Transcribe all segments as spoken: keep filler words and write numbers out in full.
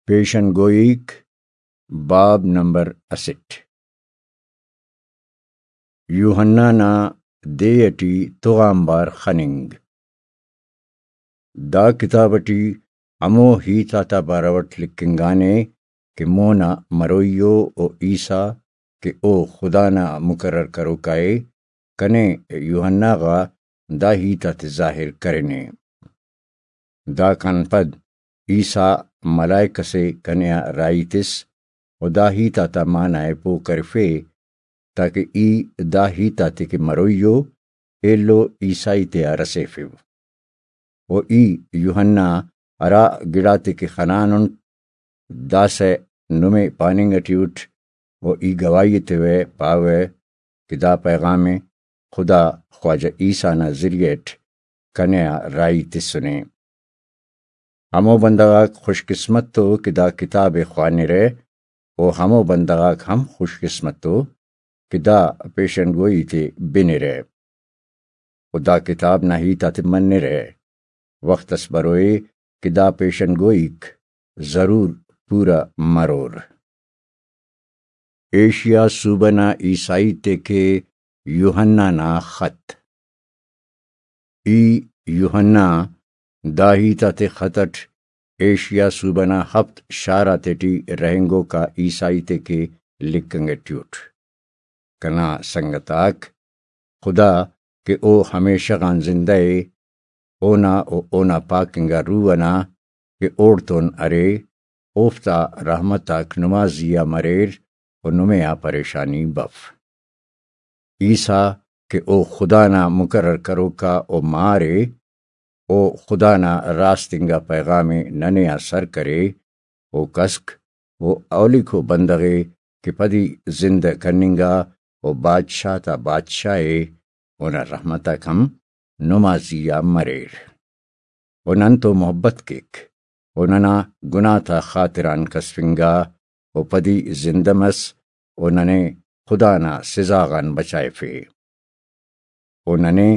پیشن گوئیک، باب نمبر اسٹ۔ یوحنا نا دے ٹی تغانبار خننگ۔ دا کتاب ٹی ہمو ہیت آتا بارو اٹ لکھنگانے کہ مونا مروئی ءُ، و عیسیٰ کہ او خدا نا مقرر کروکا ءِ، کنے یوحنا غا دا ہیت آتے ظاہر کرینے۔ داکان پد عیسیٰ ملائک ئسے کنے آ راہی تس و دا ہیت آتا معنی ءِ پہہ کرفے، تاکہ ای دا ہیت آتے کہ مروئی ءُ، ایلو عیسائی تیا رسیفو۔ و ای یوحنا ہرا گڑاتے کہ خنانٹ، داسہ نمے پاننگ ٹی اٹ، و ای گواہی ایتیوہ، پاوہ کہ دا پیغام ءِ خدا خواجہ عیسیٰ نا ذریعہ اٹ کنے آ راہی تسنے۔ ہمو بندغ آک خوش قسمت ءُ کہ دا کتاب ءِ خوانرہ، و ہمو بندغ آک ہم خوش قسمت ءُ کہ دا پیشن گوئی تے بنرہ و دا کتاب نا ہیت آتے منرہ۔ وخت اس بروئے کہ دا پیشن گوئیک ضرور پورا مرور۔ ایشیا صوبہ نا عیسائی تے کہ یوحنا نا خط۔ ای یوحنا دا ہیت آتے خط اٹ ایشیا صوبہ نا ہفت شار آتیٹی رہینگوکا عیسائی تے کہ لکھنگ ٹی اٹ۔ کنا سنگت آک، خدا کہ او ہمیشہ غان زندہ ءِ، اونا و اونا پاک انگا روح ئنا کہ اوڑتون ارے، اوفتا رحمت آک نما زی آ مریر و نمے آ پریشانی بف۔ عیسیٰ کہ او خدا نا مقرر کروکا او مار ءِ، او خدا نا راست انگا پیغام ءِ ننے آ سر کرے، او کسک و اولیکو بندغ ءِ کہ پدی زندہ کننگا و بادشاہ تا بادشاہ ءِ، اونا رحمت آک ہم نما زی آ مریر۔ و نن تو محبت کیک، و ننا گناہ تا خاطران کسفنگا، و پدی زندہ مس، و ننے خدا نا سزا غان بچائفے۔ و ننے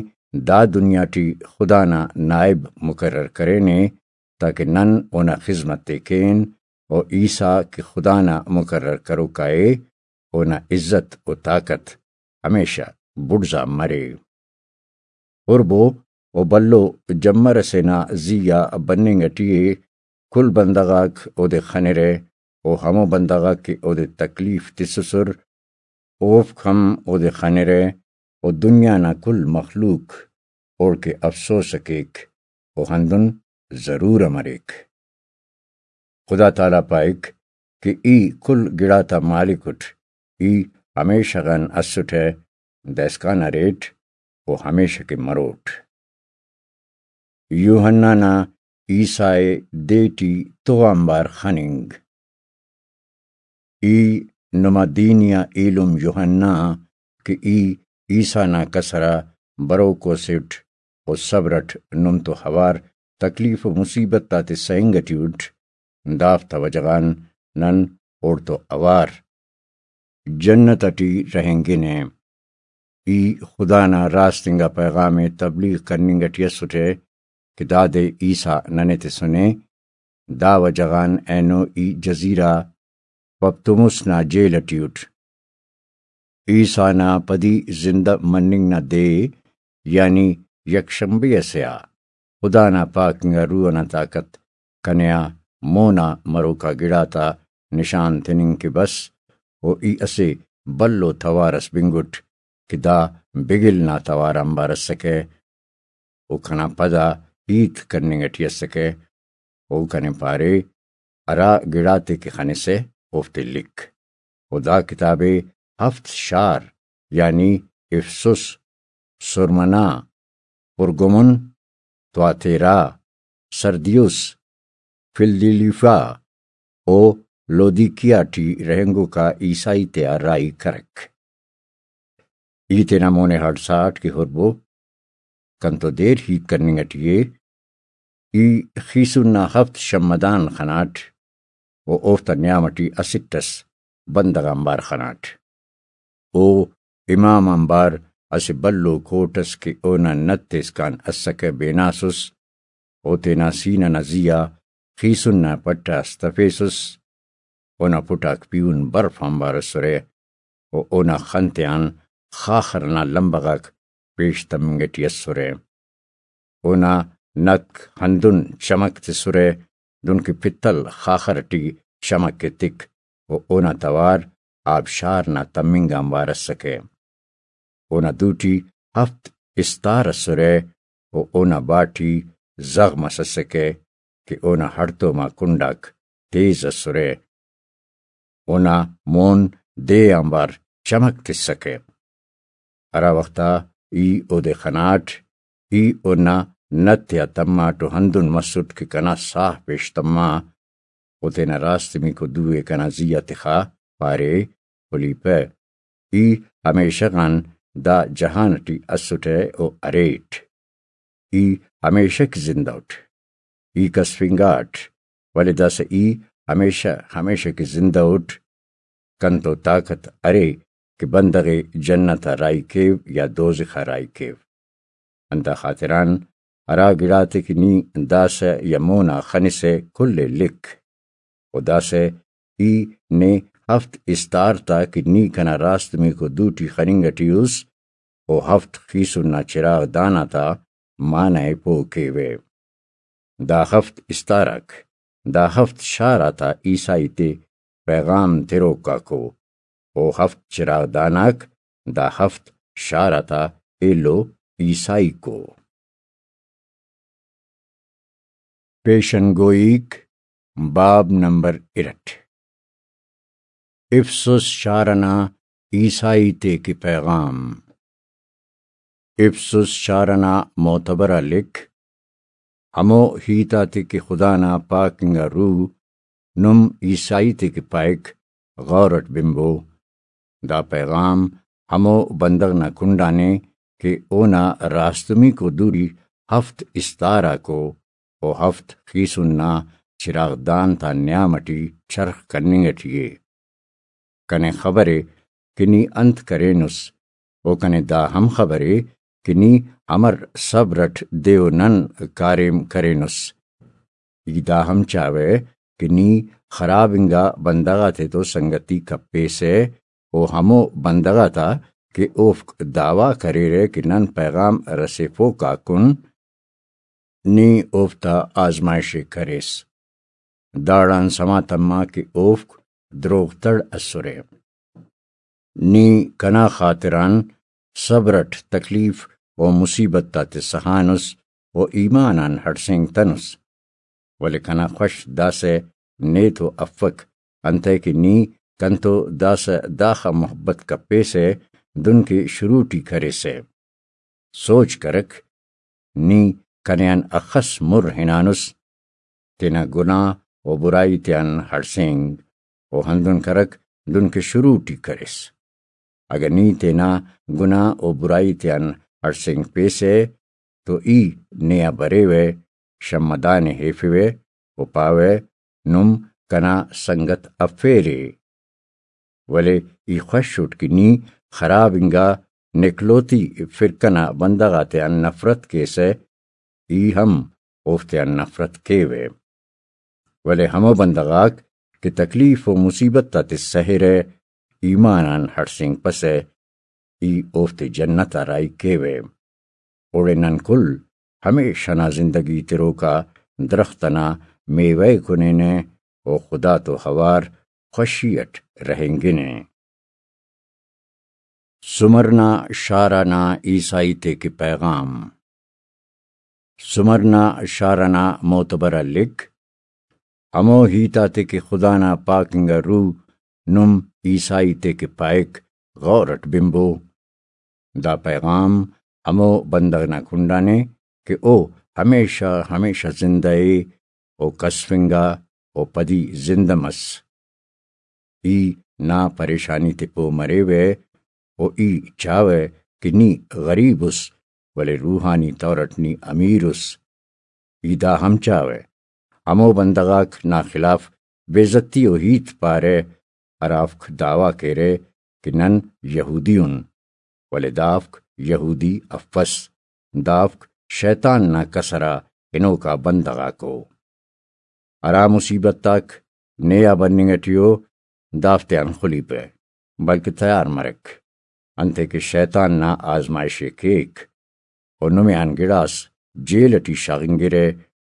دا دنیا ٹی خدا نا نائب مقرر کرینے، تاکہ نن اونا خذمت ءِ کین، و عیسیٰ کہ خدا نا مقرر کروکا ءِ، اونا عزت و طاقت ہمیشہ بڑزا مرے۔ ہربو و بھلو جمر ئسے نا زی آ بننگ ٹی ءِ، کل بندغ آک اودے خنرہ، و ہمو بندغ آک کہ اودے تکلیف تسسر، اوفک ہم اودے خنرہ، و دنیا نا کل مخلوق اوڑکہ افسوس ءِ کیک، و ہندن ضرور ءِ مریک۔ خدا تعالیٰ پائک کہ ای کل گڑاتا مالک اٹ، ای ہمیشہ غان اسٹہ، دائسکان اریٹ و ہمیشہ کہ مروٹ۔ یوحنا نا عیسیٰ ءِ دے ٹی تغانبار خننگ۔ ای نما دینی آ ایلم یوحنا کہ ای عیسیٰ نا کسر آ بروکو اسٹ و صبر اٹ نم تو اوار تکلیف و مصیبت آتے سہنگ ٹی اٹ، دافتا وجہ غان نن اوڑتو اوار جنت ٹی رہینگنہ۔ ای خدا نا راست انگا پیغام ءِ تبلیغ کننگ ٹی اسٹہ کہ دادے عیسیٰ ننے تسنے، دا وجہ غان اینو ای جزیرہ پتموس نا جیل ٹی اٹ۔ عیسیٰ نا پدی زندہ مننگ نا دے، یعنی یکشنبے ئسے آ، خدا نا پاک انگا روح ئنا طاقت کنے آ مونا مروکا گڑاتا نشان تننگ کہ بس، و ای اسہ بھلو توار ئس بنگٹ کہ دا بگل نا توار آنبار ئسکہ، و کنا پدا ہیت کننگ ٹی اسکہ۔ او کنے پارے، ہرا گڑاتے کہ خنسہ اوفتے لکھ۔ و دا کتاب ءِ ہفت شار، یعنی افسس، سرمنا، پرگمن، تواتیرا، سردیوس، فلدیلیفا و لودیکیا ٹی رہینگوکا عیسائی تیا راہی کرک۔ ای تینا مون ءِ ہڑساٹ کہ ہربو، کنتو دیر ہیت کننگ ٹی ءِ۔ ای خیسن نا ہفت شمدان خناٹ و اوفتا نیام ٹی اسٹ ئس بندغ آنبار خناٹ۔ او امام آنبار اسہ بھلو کوٹ ئس کہ اونا نت ایسکان اسکہ بیناسس، او تینا سینہ نا زی آ خیسن نا پٹ آ ستفیسس، اونا پٹ آک پیہن برف آنبار اسرہ، و اونا خن تیان خاخر نا لمبہ غاک پیش تمنگ ٹی اسرہ۔ اونا نک ہندن چمک تسرہ، دنکہ پتل خاخر ٹی چمک ایتک، و اونا توار آبشار نا تمنگ آنبار اسکہ۔ اونا دوٹی ہفت استار اسرہ، و اونا باٹی زغم اس اسکہ کہ اونا ہڑتوم آ کنڈاک تیز اسرہ۔ اونا مون دے آنبار چمک تسکہ۔ ہرا وخت آ ای اودے خناٹ، ای اونا نت تیا تماٹ و ہندن مسٹ کہ کنا ساہ پیش تما۔ او تینا راستمیکو دو ءِ کنا زی آ تخا، پارے، خلیپہ، ای ہمیشہ غان دا جہان ٹی اسٹہ و اریٹ۔ ای ہمیشہ کہ زندہ اٹ۔ ای کسفنگاٹ، ولے داسہ ای ہمیشہ، ہمیشہ کہ زندہ اٹ۔ کنتو طاقت ارے کہ بندغ ءِ جنت آ راہی کیو یا دوزخ آ راہی کیو۔ اندا خاطران ہرا گڑاتے کہ نی داسہ یا مونا خنسہ کل ءِ لکھ۔ و داسہ ای نے ہفت استار تا کہ نی کنا راستمیکو دوٹی خننگ ٹی اس، و ہفت خیسن نا چراغ دان آتا معنہ ءِ پہہ کیوہ۔ دا ہفت استار آک دا ہفت شار آتا عیسائی تے پیغام تروک آکو، و ہفت چراغ دان آک دا ہفت شار آتا ایلو عیسائیکو۔ پیشن گوئیک، باب نمبر ارٹ۔ افسس شار ئنا عیسائی تے کہ پیغام۔ افسس شار ئنا معتبر آ لکھ، ہمو ہیت آتے کہ خدا نا پاک انگا روح نم عیسائی تے کہ پائک، غور اٹ بنبو۔ دا پیغام ہمو بندغ نا کنڈانے کہ اونا راستمیکو دوری ہفت استار آکو و ہفت خیسن نا چراغ دان تا نیام اٹی چرخ کننگ اٹی ءِ۔ کنے خبر ءِ کہ نی انت کرینس، و کنے دا ہم خبر ءِ کہ نی امر صبر اٹ دے و نن کاریم کرینس۔ ای دا ہم چاوہ کہ نی خراب انگا بندغ آتیتو سنگتی کپیسہ، و ہمو بندغ آتا کہ اوفک دعویٰ کریرہ کہ نن پیغام رسیفوک آکن، نی اوفتا آزمائش ءِ کریس۔ داڑان سما تما کہ اوفک دروغ تڑ اسرہ۔ نی کنا خاطران صبر اٹ تکلیف و مصیبت آتے سہانس و ایمان آن ہڑسینگتنس۔ ولے کنا خوش داسہ نے تو افک، انتئے کہ نی کنتو داسہ داخہ محبت کپیسہ دن کہ شروع ٹی کریسہ۔ سوچ کرک، نی کنے آن اخس مر ہنانس، تینا گناہ و برائی تیان ہڑسینگ، و ہندن کرک دن کہ شروع ٹی کریس۔ اگہ نی تینا گناہ و برائی تیان ہڑسینگ پیسہ تو ای نے آ بریوہ، شمعدان ءِ ہیفوہ و پاوہ، نم کنا سنگت افیرے۔ ولے ای خوش اٹ کہ نی خراب انگا نکلوتی فرقہ نا بندغ آتیان نفرت کیسہ، ای ہم اوفتیان نفرت کیوہ۔ ولے ہمو بندغ آک کہ تکلیف و مصیبت آتے سہرہ، ایمان آن ہڑسینگپسہ، ای اوفتے جنت آ راہی کیوہ۔ اوڑے نن کل ہمیشہ نا زندگی تروکا درخت ئنا میوہ ءِ کنینہ و خدا تو اوار خوشی اٹ رہینگنہ۔ سمرنا شار ئنا عیسائی تے کہ پیغام۔ سمرنا شار ئنا معتبر آ لکھ، ہمو ہیت آتے کہ خدا نا پاک انگا روح نم عیسائی تے کہ پائک، غور اٹ بنبو۔ دا پیغام ہمو بندغ نا کنڈانے کہ او ہمیشہ ہمیشہ زندہ ءِ و کسفنگا و پدی زندہ مس۔ ای نا پریشانی تے پہہ مریوہ و ای چاوہ کہ نی غریب اس، ولے روحانی طور اٹ نی امیر اس۔ ای دا ہم چاوہ، ہمو بندغ آک نا خلاف بے عزتی و ہیت پارہ، ہرافک دعویٰ کیرہ کہ نن یہودی ان، ولے دافک یہودی افس، دافک شیطان نا کسر آ ہنوکا بندغ آکو۔ ہرا مصیبت آک نے آ بننگ ٹی ءُ، دافتیان خلیپہ، بلکہ تیار مرک، انتئے کہ شیطان نا آزمائش ءِ کیک، و نمے آن گڑاس جیل ٹی شاغنگرہ،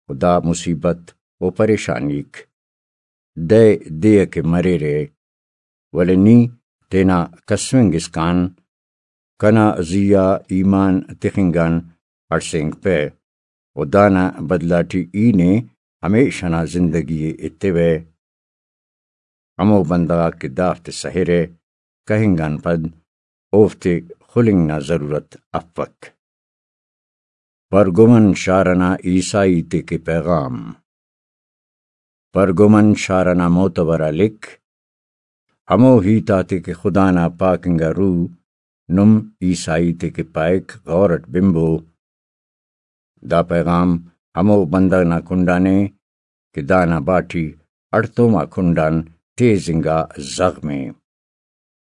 و دا مصیبت و پریشانیک دئے دے ءِ کہ مریرہ، ولے نی تینا کسفنگ اسکان کنا زی آ ایمان تخنگ آن ہڑسینگپہ، و دانا بدلہ ٹی ای نے ہمیش ئنا زندگی ءِ ایتوہ۔ ہمو بندغ آک کہ دافتے سہرہ، کہنگ آن پد اوفتے خلنگ نا ضرورت افک۔ پرگمن شار ئنا عیسائی تے کہ پیغام۔ پرگمن شار ئنا معتبر آ لکھ، ہمو ہیت آتے کہ خدا نا پاک انگا روح نم عیسائی تے کہ پائک، غور اٹ بنبو۔ دا پیغام ہمو بندغ نا کنڈانے کہ دانا باٹی ہڑتوما کنڈان تیز انگا زغمے۔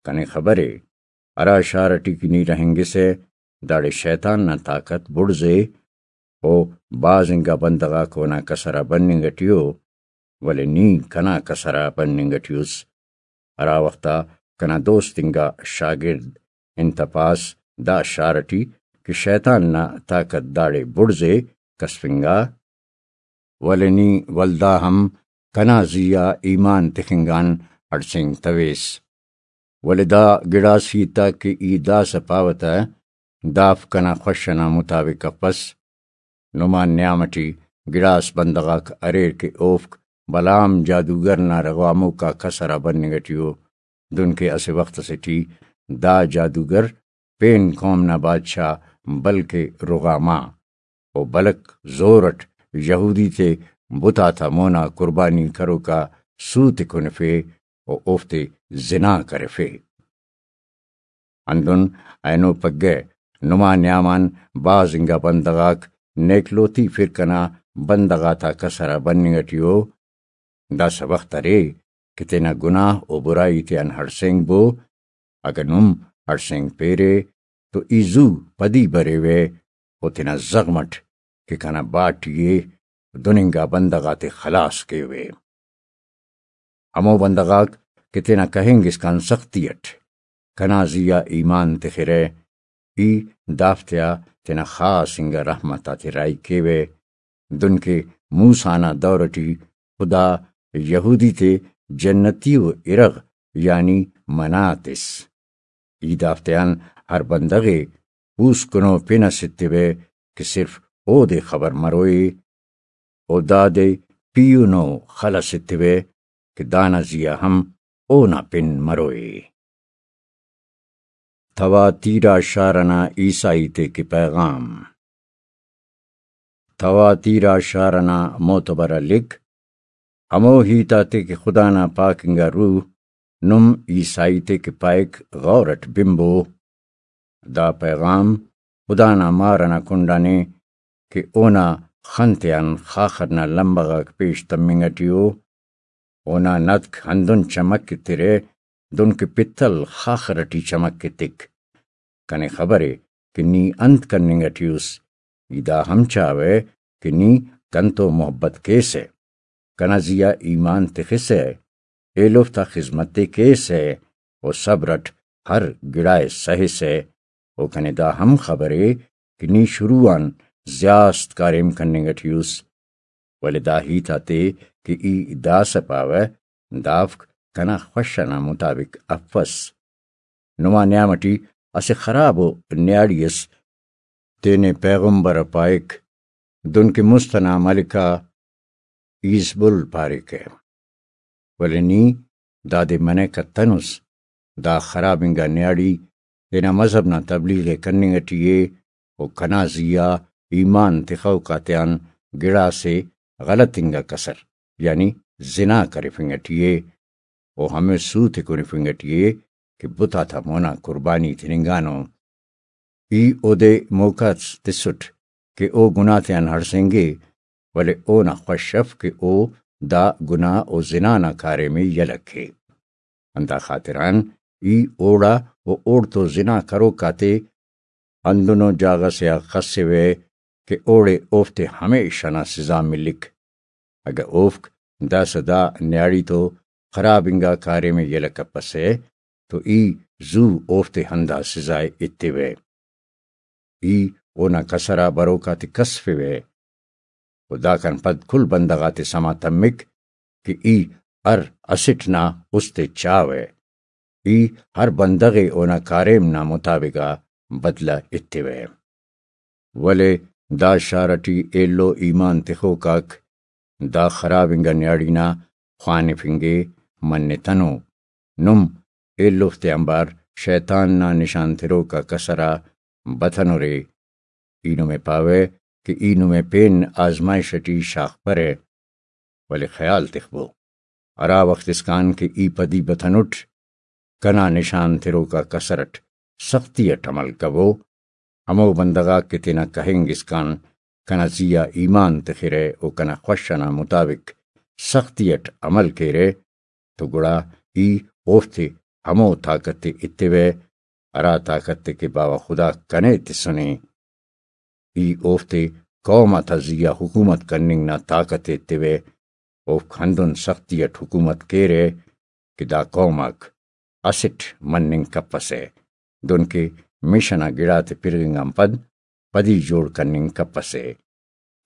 کنے خبرے، ہرا شار ٹی کہ نی رہینگسہ، داڑے شیطان نا طاقت بڑزے، و بھاز انگا بندغ آک اونا کسر آ بننگ ٹی ءُ، ولے نی کنا کسر آ بننگ ٹی اُس۔ ہرا وخت آ کنا دوست انگا شاگرد انتپاس دا شار ٹی کہ شیطان نا طاقت داڑے بڑزے کسفنگا، ولے نی ولدا ہم کنا زی آ ایمان تخنگ آن ہڑسینگتویس۔ ولے دا گڑاس ہیت آک کہ ای داسہ پاوہ تہ، دافک کنا خوش ئنا مطابق افس۔ نما نیام ٹی گڑاس بندغ آک اریر کہ اوفک بلام جادوگر نا رغاموک آ کسر آ بننگ ٹی ءُ، دنکہ اسہ وخت ئسے ٹی دا جادوگر پین قوم نا بادشاہ بلکہ رغامہ و بلک زور اٹ یہودی تے بت آتا مونا قربانی کروکا سوت ءِ کنفے و اوفتے زنا کرفے۔ ہندن اینو پگہ نما نیام آن بھاز انگا بندغ آک نیکلوتی فرقہ نا بندغ آتا کسر آ بننگ ٹی ءُ۔ داسہ وخت ارے کہ تینا گناہ و برائی تیان ہڑسینگ بو۔ اگہ نم ہڑسینگ پیرے تو ای زو پدی بریوہ و تینا زغم اٹ کہ کنا باٹی ءِ دن انگا بندغ آتے خلاص کیوہ۔ ہمو بندغ آک کہ تینا کہینگ اسکان سختی اٹ کنا زی آ ایمان تخرہ، ای دافتیا تینا خاص انگا رحمت آتے راہی کیوہ، دنکہ موسیٰ نا دور ٹی خدا یہودی تے جنتی و ارغ یعنی منہ تس۔ ای دافتیان ہر بندغ ءِ پوسکنو پن ئس ایتبہ کہ صرف اودے خبر مروئے، و دادے پیہنو خل ئس ایتبہ کہ دانا زی آ ہم اونا پن مروئے۔ تواتیرا شار ئنا عیسائی تے کہ پیغام۔ تواتیرا شار ئنا معتبر آ لکھ، ہمو ہیت آتے کہ خدا نا پاک انگا روح نم عیسائی تے کہ پائک، غور اٹ بنبو۔ دا پیغام خدا نا مار ئنا کنڈانے کہ اونا خن تیان خاخر نا لمبہ غاک پیش تمنگ ٹی ءُ۔ اونا نتک ہندن چمک ایترہ دنکہ پتل خاخر ٹی چمک ایتک۔ کنے خبرے کہ نی انت کننگ ٹی اُس، ای دا ہم چاوہ کہ نی کنتو محبت کیسہ، کنا زی آ ایمان تخسہ، ایلوفتا خذمت ءِ کیسہ و صبر اٹ ہر گڑا ءِ سہسہ، و کنے دا ہم خبرے کہ نی شروع آن زیاست کاریم کننگ ٹی اُس، ولے دا ہیت آتے کہ ای داسہ پاوہ، دافک کنا خوش ئنا مطابق افس۔ نما نیام ٹی اسہ خرابو نیاڑی اس تینے پیغمبر ءِ پائک، دنکہ مست ئنا ملکہ ایزبل پاریکہ۔ ولے نی دادے منہ کتنس، دا خراب انگا نیاڑی تینا مذہب نا تبلیغ ءِ کننگ ٹی ءِ و کنا زی آ ایمان تخوک آتیان گڑاسے غلط انگا کسر، یعنی زنا کرفنگ ٹی ءِ و ہمے سوت ءِ کنفنگ ٹی ءِ کہ بت آتا مونا قربانی تننگانو۔ ای اودے موقع اس تسٹ کہ او گناہ تیان ہڑسینگے، ولے اونا خوش اف کہ او دا گناہ و زنا نا کاریم ءِ یلہ کے۔ ہندا خاطران ای اوڑا و اوڑتو زنا کروک آتے ہندنو جاگہ سے آ خسوہ کہ اوڑے اوفتے ہمیش ئنا سزا ملک۔ اگہ اوفک داسہ دا نیاڑی تو خراب انگا کاریم ءِ یلہ کپسہ، تو ای زو اوفتے ہندا سزا ءِ ایتیوہ۔ ای اونا کسر آ بروک آتے کسفوہ، و داکان پد کل بندغ آتے سما تمک کہ ای ہر اسٹ نا است ءِ چاوہ۔ ای ہر بندغ ءِ اونا کاریم نا مطابق آ بدلہ ایتیوہ۔ ولے دا شار ٹی ایلو ایمان تخوک آک دا خراب انگا نیاڑی نا خوانفنگ ءِ منتنو۔ نم ایلوفتے آنبار شیطان نا نشان تروک آ کسر آ بتنرے۔ ای نمے پاوہ کہ ای نمے پین آزمائش ٹی شاغپرہ، ولے خیال تخبو، ہرا وخت اسکان کہ ای پدی بتنٹ، کنا نشان تروک آ کسر اٹ سختی اٹ عمل کبو، ہمو بندغ آک کہ تینا کہنگ اسکان کنا زی آ ایمان تخرہ و کنا خوش ئنا مطابق سختی اٹ عمل کیرہ، تو گڑا ای اوفتے ہمو طاقت ءِ ایتیوہ، ہرا طاقت ءِ کہ باوہ خدا کنے تسنے۔ ای اوفتے قوم آتا زی آ حکومت کننگ نا طاقت ءِ ایتیوہ، اوفک ہندن سختی اٹ حکومت کیرہ کہ دا قوم آک اسٹ مننگ کپسہ، دنکہ مش ئنا گڑاتے پرغنگ آن پد پدی جوڑ کننگ کپسہ۔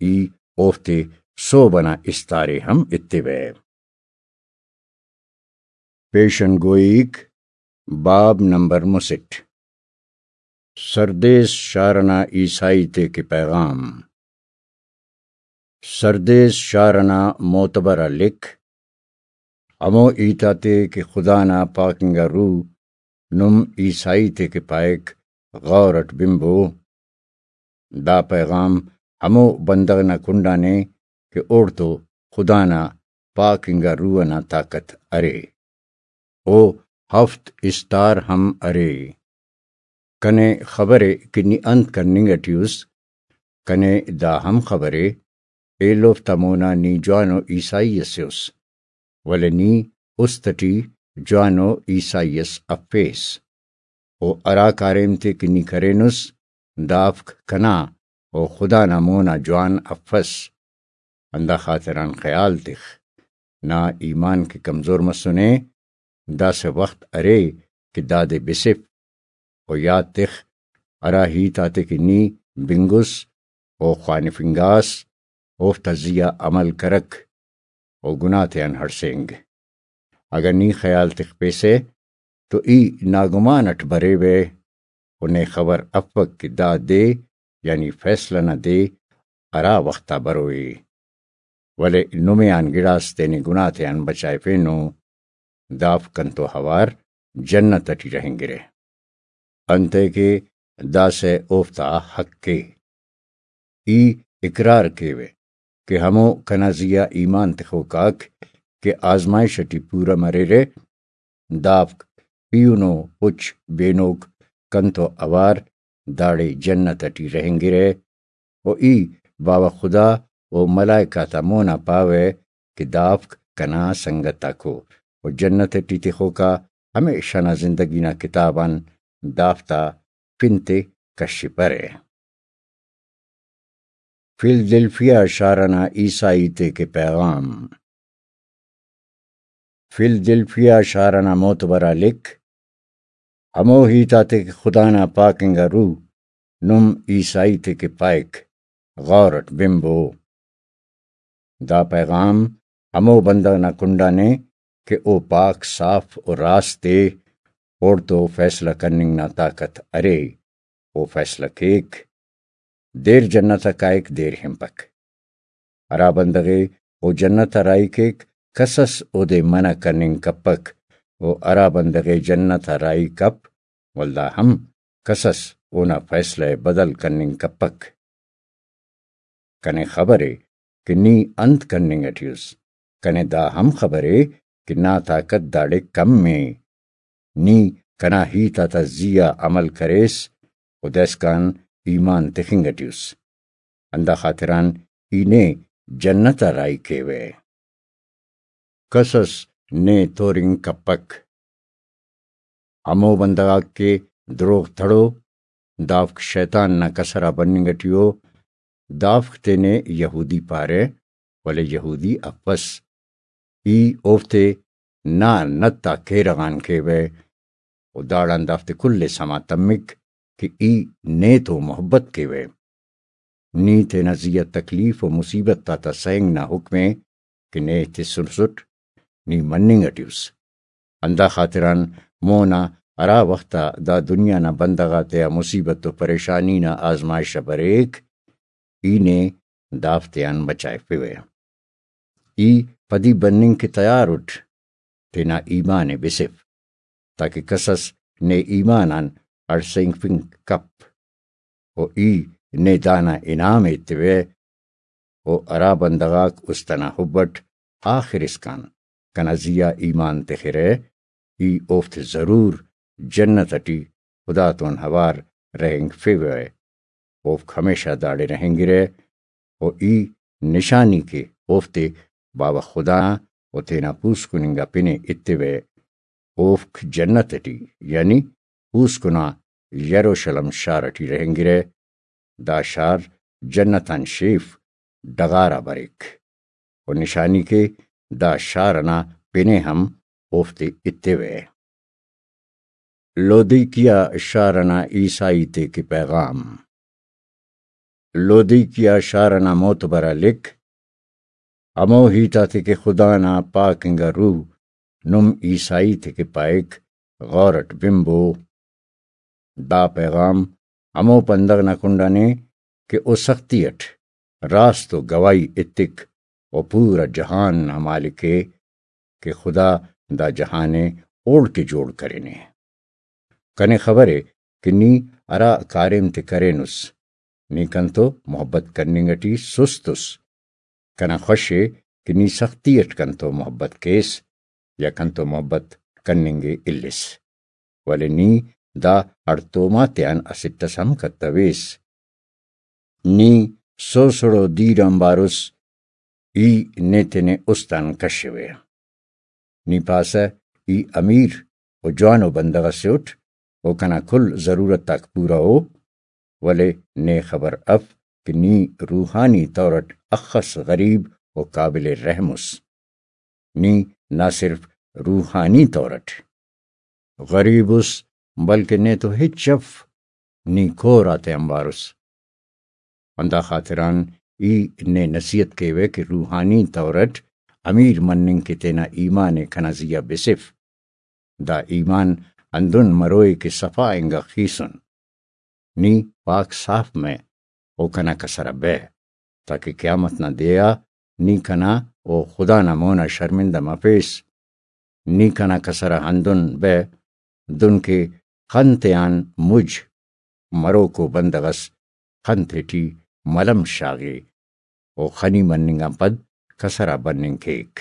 ای اوفتے سہب ئنا استار ءِ ہم ایتیوہ۔ پیشن گوئیک، باب نمبر مسٹ۔ سردیس شار ئنا عیسائی تے کہ پیغام۔ سردیس شار ئنا معتبر آ لکھ، ہمو ہیت آتے کہ خدا نا پاک انگا روح نم عیسائی تے کہ پائک، غور اٹ بنبو۔ دا پیغام ہمو بندغ نا کنڈانے کہ اوڑتو خدا نا پاک انگا روح ئنا طاقت ارے۔ او ہفت استار ہم ارے۔ کنے خبرے کہ نی انت کننگ ٹی اس، کنے دا ہم خبرے ایلوفتا مونا نی جوانو عیسائی اسے اس، ولے نی است ٹی جوانو عیسائی اس افیس۔ و ہرا کاریم تے کہ نی کرینس، دافک کنا و خدا نا مونا جوان افس۔ ہندا خاطران خیال تخ، نا ایمان کہ کمزور مسنے، داسہ وخت ارے کہ دادے بسف۔ و یات تخ، ہرا ہیت آتے کہ نی بنگس و خوانفنگاس، اوفتا زی آ عمل کرک و گناہ تیان ہڑسینگ۔ اگہ نی خیال تخپیسہ تو ای ناگمان اٹ بریوہ و نے خبر افک کہ دا دے، یعنی فیصلہ نا دے، ہرا وخت آ بروئے۔ ولے نمے آن گڑاس تینے گناہ تیان بچائفینو، دافک کنتو اوار جنت اٹی رہینگرہ۔ انتئے کہ داسہ اوفتا حق ءِ۔ ای اقرار کیوہ کہ ہمو کنا زی آ ایمان تخوک آک کہ آزمائش اٹی پورہ مریرہ، دافک پیہنو پچ بینوک کنتو اوار داڑے جنت اٹی رہینگرہ۔ و ای باوہ خدا و ملائکہ تا مونا پاوہ کہ دافک کنا سنگت آکو و جنت اٹی تخوکا ہمیشہ نا زندگی نا کتاب آن دافتا پن تے کشپرہ۔ فلدلفیا شار ئنا عیسائی تے کہ پیغام۔ فلدلفیا شار ئنا معتبر آ لکھ، ہمو ہیت آتے کہ خدا نا پاک انگا روح نم عیسائی تے کہ پائک، غور اٹ بنبو۔ دا پیغام ہمو بندغ نا کنڈانے کہ او پاک، صاف و راست ءِ، اوڑتو فیصلہ کننگ نا طاقت ارے، او فیصلہ کیک۔ دیر جنت آ کائک، دیر ہنپک۔ ہرا بندغ ءِ او جنت آ راہی کیک، کس اس اودے منع کننگ کپک، و ہرا بندغ ءِ جنت آ راہی کپ، ولدا ہم کس اس اونا فیصلہ ءِ بدل کننگ کپک۔ کنے خبر ءِ کہ نی انت کننگ ٹی اس، کنے دا ہم خبر ءِ کہ نا طاقت داڑے کم ءِ۔ نی کنا ہیت آتا زی آ عمل کریس و داسکان ایمان تخنگ ٹی اس، ہندا خاطران ای نے جنت آ راہی کیوہ۔ کس اس نے تورنگ کپک۔ ہمو بندغ آک کہ دروغ تڑو، دافک شیطان نا کسر آ بننگ ٹی ءُ۔ دافک تینے یہودی پارہ، ولے یہودی افس۔ ای اوفتے نا نت آ کیرغ آن کیوہ و داڑان دافتے کل ءِ سما تمک کہ ای نے تو محبت کیوہ۔ نی تینا زی آ تکلیف و مصیبت آتا سہنگ نا حکم ءِ کہ نے تسنسٹ، نی مننگ ٹی اس۔ ہندا خاطران مون آ ہرا وخت آ دا دنیا نا بندغ آتیا مصیبت و پریشانی نا آزمائش آ بریک، ای نے دافتے آن بچائفوہ۔ ای پدی بننگ کہ تیار اٹ، تینا ایمان ءِ بسف، تاکہ کسس نے ایمان آن ہڑسینگفنگ کپ۔ و ای نے دانا انعام ءِ ایتوہ۔ و ہرا بندغ آک است انا حب اٹ آخر اسکان کنا زی آ ایمان تخرہ، ای اوفتے ضرور جنت اٹی خدا تون اوار رہینگفیوہ، اوفک ہمیشہ داڑے رہینگرہ۔ و ای نشانی کہ اوفتے باوہ خدا نا و تینا پوسکن انگا پن ءِ ایتوہ، اوفک جنت اٹی، یعنی پوسکن آ یروشلم شار اٹی رہینگرہ۔ دا شار جنت آن شیف ڈغار آ بریک۔ و نشانی کہ دا شار انا پن ءِ ہم اوفتے ایتوہ۔ لودیکیا شار انا عیسائی تے کہ پیغام۔ لودیکیا شار انا معتبر آ لکھ، ہمو ہیت آتے کہ خدا نا پاک انگا روح نم عیسائی تے کہ پائک، غور اٹ بنبو۔ دا پیغام ہمو بندغ نا کنڈانے کہ او سختی اٹ راست و گواہی ایتک و پورا جہان نا مالک ءِ کہ خدا دا جہان ءِ اوڑکہ جوڑ کرینے۔ کنے خبر ءِ کہ نی ہرا کاریم تے کرینس، نی کنتو محبت کننگ اٹی سست اس۔ کنا خوش ءِ کہ نی سختی اٹ کنتو محبت کیس یا کنتو محبت کننگ ءِ الس، ولے نی دا ہڑتوم آتیان اسٹ اس ہم کتویس۔ نی سوسڑو دیر آنبار اس، ای نے تینے است آن کشوہ۔ نی پاسہ ای امیر و جوانو بندغ اسے اٹ، و کنا کل ضرورت آک پورا ءُ، ولے نے خبر اف کہ نی روحانی طور اٹ اخس غریب و قابل رحم اس۔ نی نہ صرف روحانی طور اٹ غریب اس، بلکہ نے تو ہچ اف، نی کور آتے آنبار اس۔ ہندا خاطران ای نے نصیحت کیوہ کہ روحانی طور اٹ امیر مننگ کہ تینا ایمان ءِ کنا زی آ بسف۔ دا ایمان ہندن مروئے کہ صفا انگا خیسن۔ نی پاک صاف مہ و کنا کسر آ بہ، تاکہ قیامت نا دے آ نی کنا و خدا نا مون آ شرمندہ مفیس۔ نی کنا کسر آ ہندن بہ، دنکہ خن تیان مج مروکو بندغ اس خن تیٹی ملم شاغے و خنی مننگ آن پد کسر آ بننگ کیک۔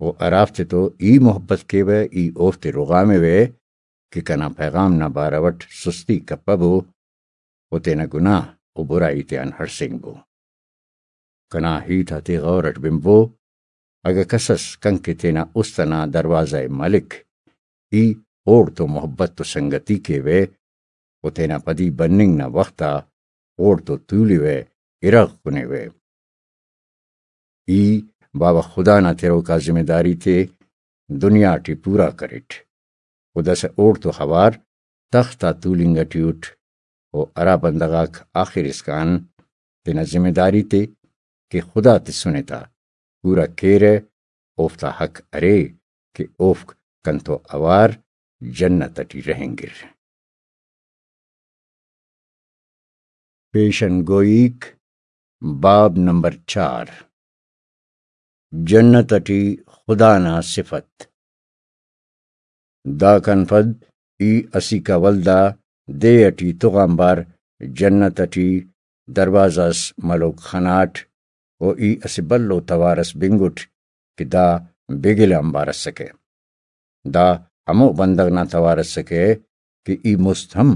و ہرافتے تو ای محبت کیوہ، ای اوفتے رغاموہ کہ کنا پیغام نا بارو اٹ سستی کپبو و تینا گناہ و برائی تیان ہڑسینگبو۔ کنا ہیت آتے غور اٹ بنبو۔ اگہ کسس کنکہ تینا است ئنا دروازہ ءِ ملک، ای اوڑتو محبت و سنگتی کیوہ و تینا پدی بننگ نا وخت آ اوڑتو تولوہ، ارغ کنیوہ۔ ای باوہ خدا نا تروکا ذمہ داری تے دنیا ٹی پورا کریٹ۔ و داسہ اوڑتو اوار تخت آ تولنگ ٹی اٹ، و ہرا بندغ آک آخر اسکان تینا ذمہ داری تے کہ خدا تسنے تا پورا کیرہ، اوفتا حق ارے کہ اوفک کنتو اوار جنت ٹی رہینگر۔ پیشن گوئیک، باب نمبر چار، جنت ٹی خدا نا صفت۔ داکان پد ای اسیکا ولدا دے ٹی تغ آنبار جنت ٹی دروازہ اس ملوک خناٹ، و ای اسہ بھلو توار اس بنگٹ کہ دا بگل آنبار اسکہ۔ دا ہمو بندغ نا توار اسکہ کہ ای مست ہم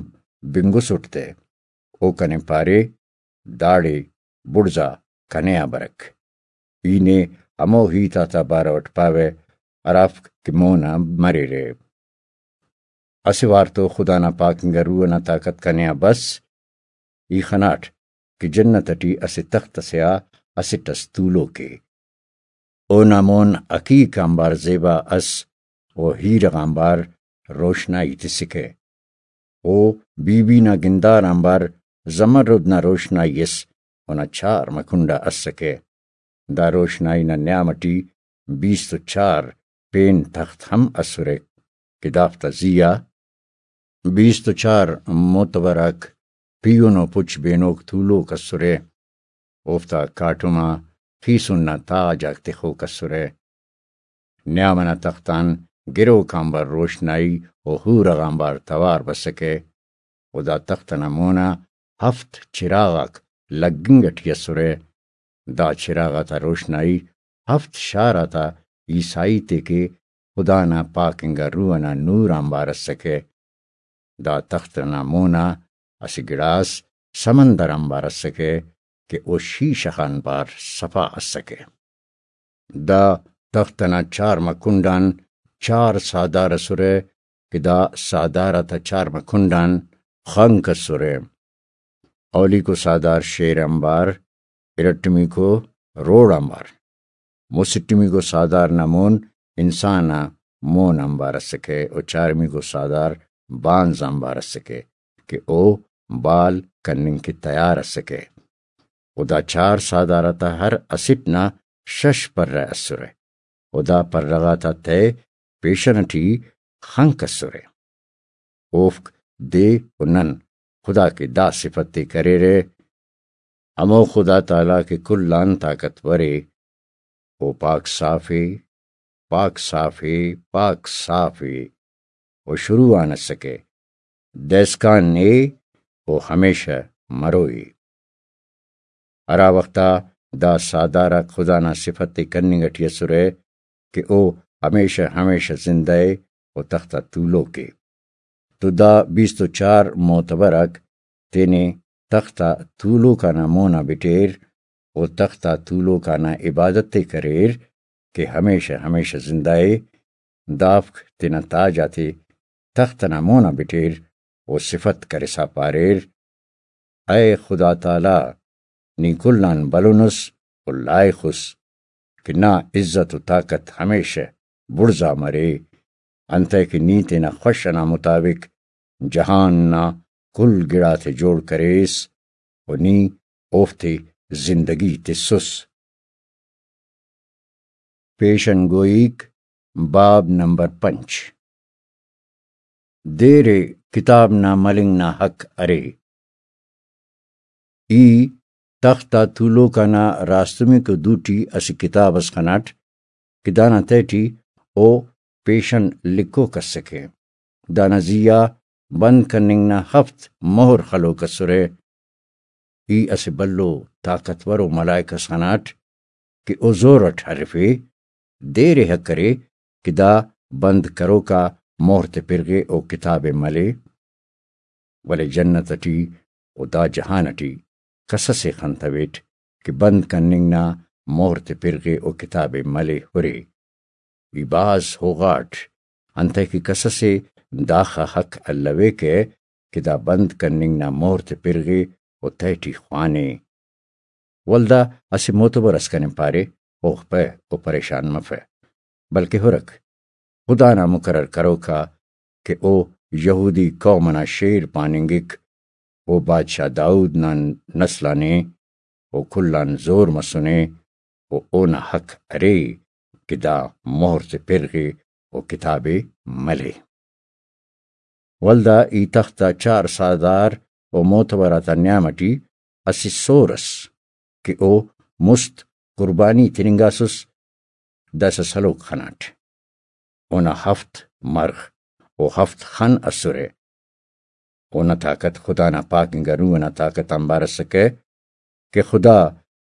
بنگسٹ تہ۔ او کنے پارے، داڑے بڑزا کنے آ برک۔ ای نے ہمو ہیت آتا بارو اٹ پاوہ ہرافک کہ مونا مریرہ۔ اسہ وار تو خدا نا پاک انگا روح ئنا طاقت کنے آ بس۔ ای خناٹ کہ جنت ٹی اسہ تخت ئسے آ اسٹ ئس تولوک ءِ۔ اونا مون حقیق آنبار زیبا ئس و ہیرغ آنبار روشنائی تسکہ۔ او بی بی نا گندار آنبار زمرد نا روشنائی اس اونا چارمہ کنڈا اسکہ۔ دا روشنائی نا نیام ٹی بیست و چار پین تخت ہم اسرہ کہ دافتا زی آ بیست و چار معتبر آک پیہن و پچ بینوک تولوک اسرہ۔ اوفتا کاٹم آ خیسن نا تاج آک تخوک اسرہ۔ نیام ئنا تخت آن گروک آنبار روشنائی و ہورغ آنبار توار بسکہ۔ و دا تخت ئنا مونا ہفت چراغ آک لگنگ ٹی اسرہ۔ دا چراغ آتا روشنائی ہفت شار آتا عیسائی تے کہ خدا نا پاک انگا روح ئنا نور آنبار اسکہ۔ دا تخت ئنا مونا اسہ گڑاس سمندر آنبار اسکہ کہ او شیشہ غان بار صفا اسکہ۔ دا تخت ئنا چارمہ کنڈ آن چار ساہدار اسرہ کہ دا ساہدار آتا چارمہ کنڈ آن خنک اسرہ۔ اولیکو ساہدار شیر آنبار، ارٹمیکو روڑ آنبار، مسٹمیکو ساہدار نا مون انسان آ مون آنبار اسکہ و چارمیکو ساہدار بانز آنبار اسکہ کہ او بال کننگ کہ تیار اسکہ۔ و دا چار ساہدار آتا ہر اسٹ نا شش پرہ اسرہ و دا پرہ غاتا تہہ پیشن ٹی خنک اسرہ۔ اوفک دے و نن خدا کہ دا صفت ءِ کریرہ، ہمو خدا تعالیٰ کہ کل آن طاقتور ءِ، او پاک صاف ءِ، پاک صاف ءِ، پاک صاف ءِ، او شروع آن اسکہ، دائسکان ءِ، او ہمیشہ مرو ءِ۔ ہرا وخت آ دا ساہدار آک خدا نا صفت ءِ کننگ ٹی اسرہ کہ او ہمیشہ ہمیشہ زندہ ءِ و تخت آ تولوک ءِ۔ تو دا بیست و چار معتبر آک تینے تخت آ تولوک آ نا مون آ بٹیر و تخت آ تولوک آ نا عبادت ءِ کریر کہ ہمیشہ ہمیشہ زندہ ءِ۔ دافک تینا تاج آتے تخت ئنا مون آ بٹیر و صفت کرسا پاریر، اے خدا تعالیٰ، نی کل آن بھلن اس و لائخ اس کہ نا عزت و طاقت ہمیشہ بڑزا مرے، انتئے کہ نی تینا خوش ئنا مطابق جہان نا کل گڑاتے جوڑ کریس و نی اوفتے زندگی تسس۔ پیشن گوئیک، باب نمبر پنچ۔ دیر ءِ کتاب نا ملنگ نا حق ارے۔ ای تخت آ تولوک آ نا راستمیکو دوٹی اسہ کتاب اس خناٹ کہ دانا تہٹی او پیشن لکھوک اسکہ۔ دانا زی آ بند کننگ نا ہفت مہر خلوک اسرہ۔ ای اسہ بھلو طاقتور و ملائک اس خناٹ کہ او زور اٹ ہرفے، دیر ءِ حق ارے کہ دا بند کروک آ مہر تے پرغے و کتاب ءِ ملے۔ ولے جنت اٹی و دا جہان اٹی کسس ءِ خنتویٹ کہ بند کننگ نا مہر تے پرغے و کتاب ءِ ملے ہرے۔ ای بھاز ہوغاٹ، انتئے کہ کسس ءِ داخہ حق الویکہ کہ دا بند کننگ نا مہر تے پرغے و تہٹی خوانے۔ ولدا اسہ معتبر اس کنے پارے، اوخپہ و پریشان مفہ، بلکہ ہرک خدا نا مقرر کروکا کہ او یہودی قوم ئنا شیر پاننگک، او بادشاہ داؤد نا نسل آن ءِ، او کل آن زور مسنے، و اونا حق ارے کہ دا مہر تے پرغے و کتاب ءِ ملے۔ ولدا ای تخت آ چار ساہدار و معتبر آتا نیام اٹی اسہ سور ئس کہ او مست قربانی تننگاسس، داسہ سلوک خناٹ۔ اونا ہفت مرغ و ہفت خن اسرہ۔ اونا طاقت خدا نا پاک انگا روح ئنا طاقت آنبار اسکہ کہ خدا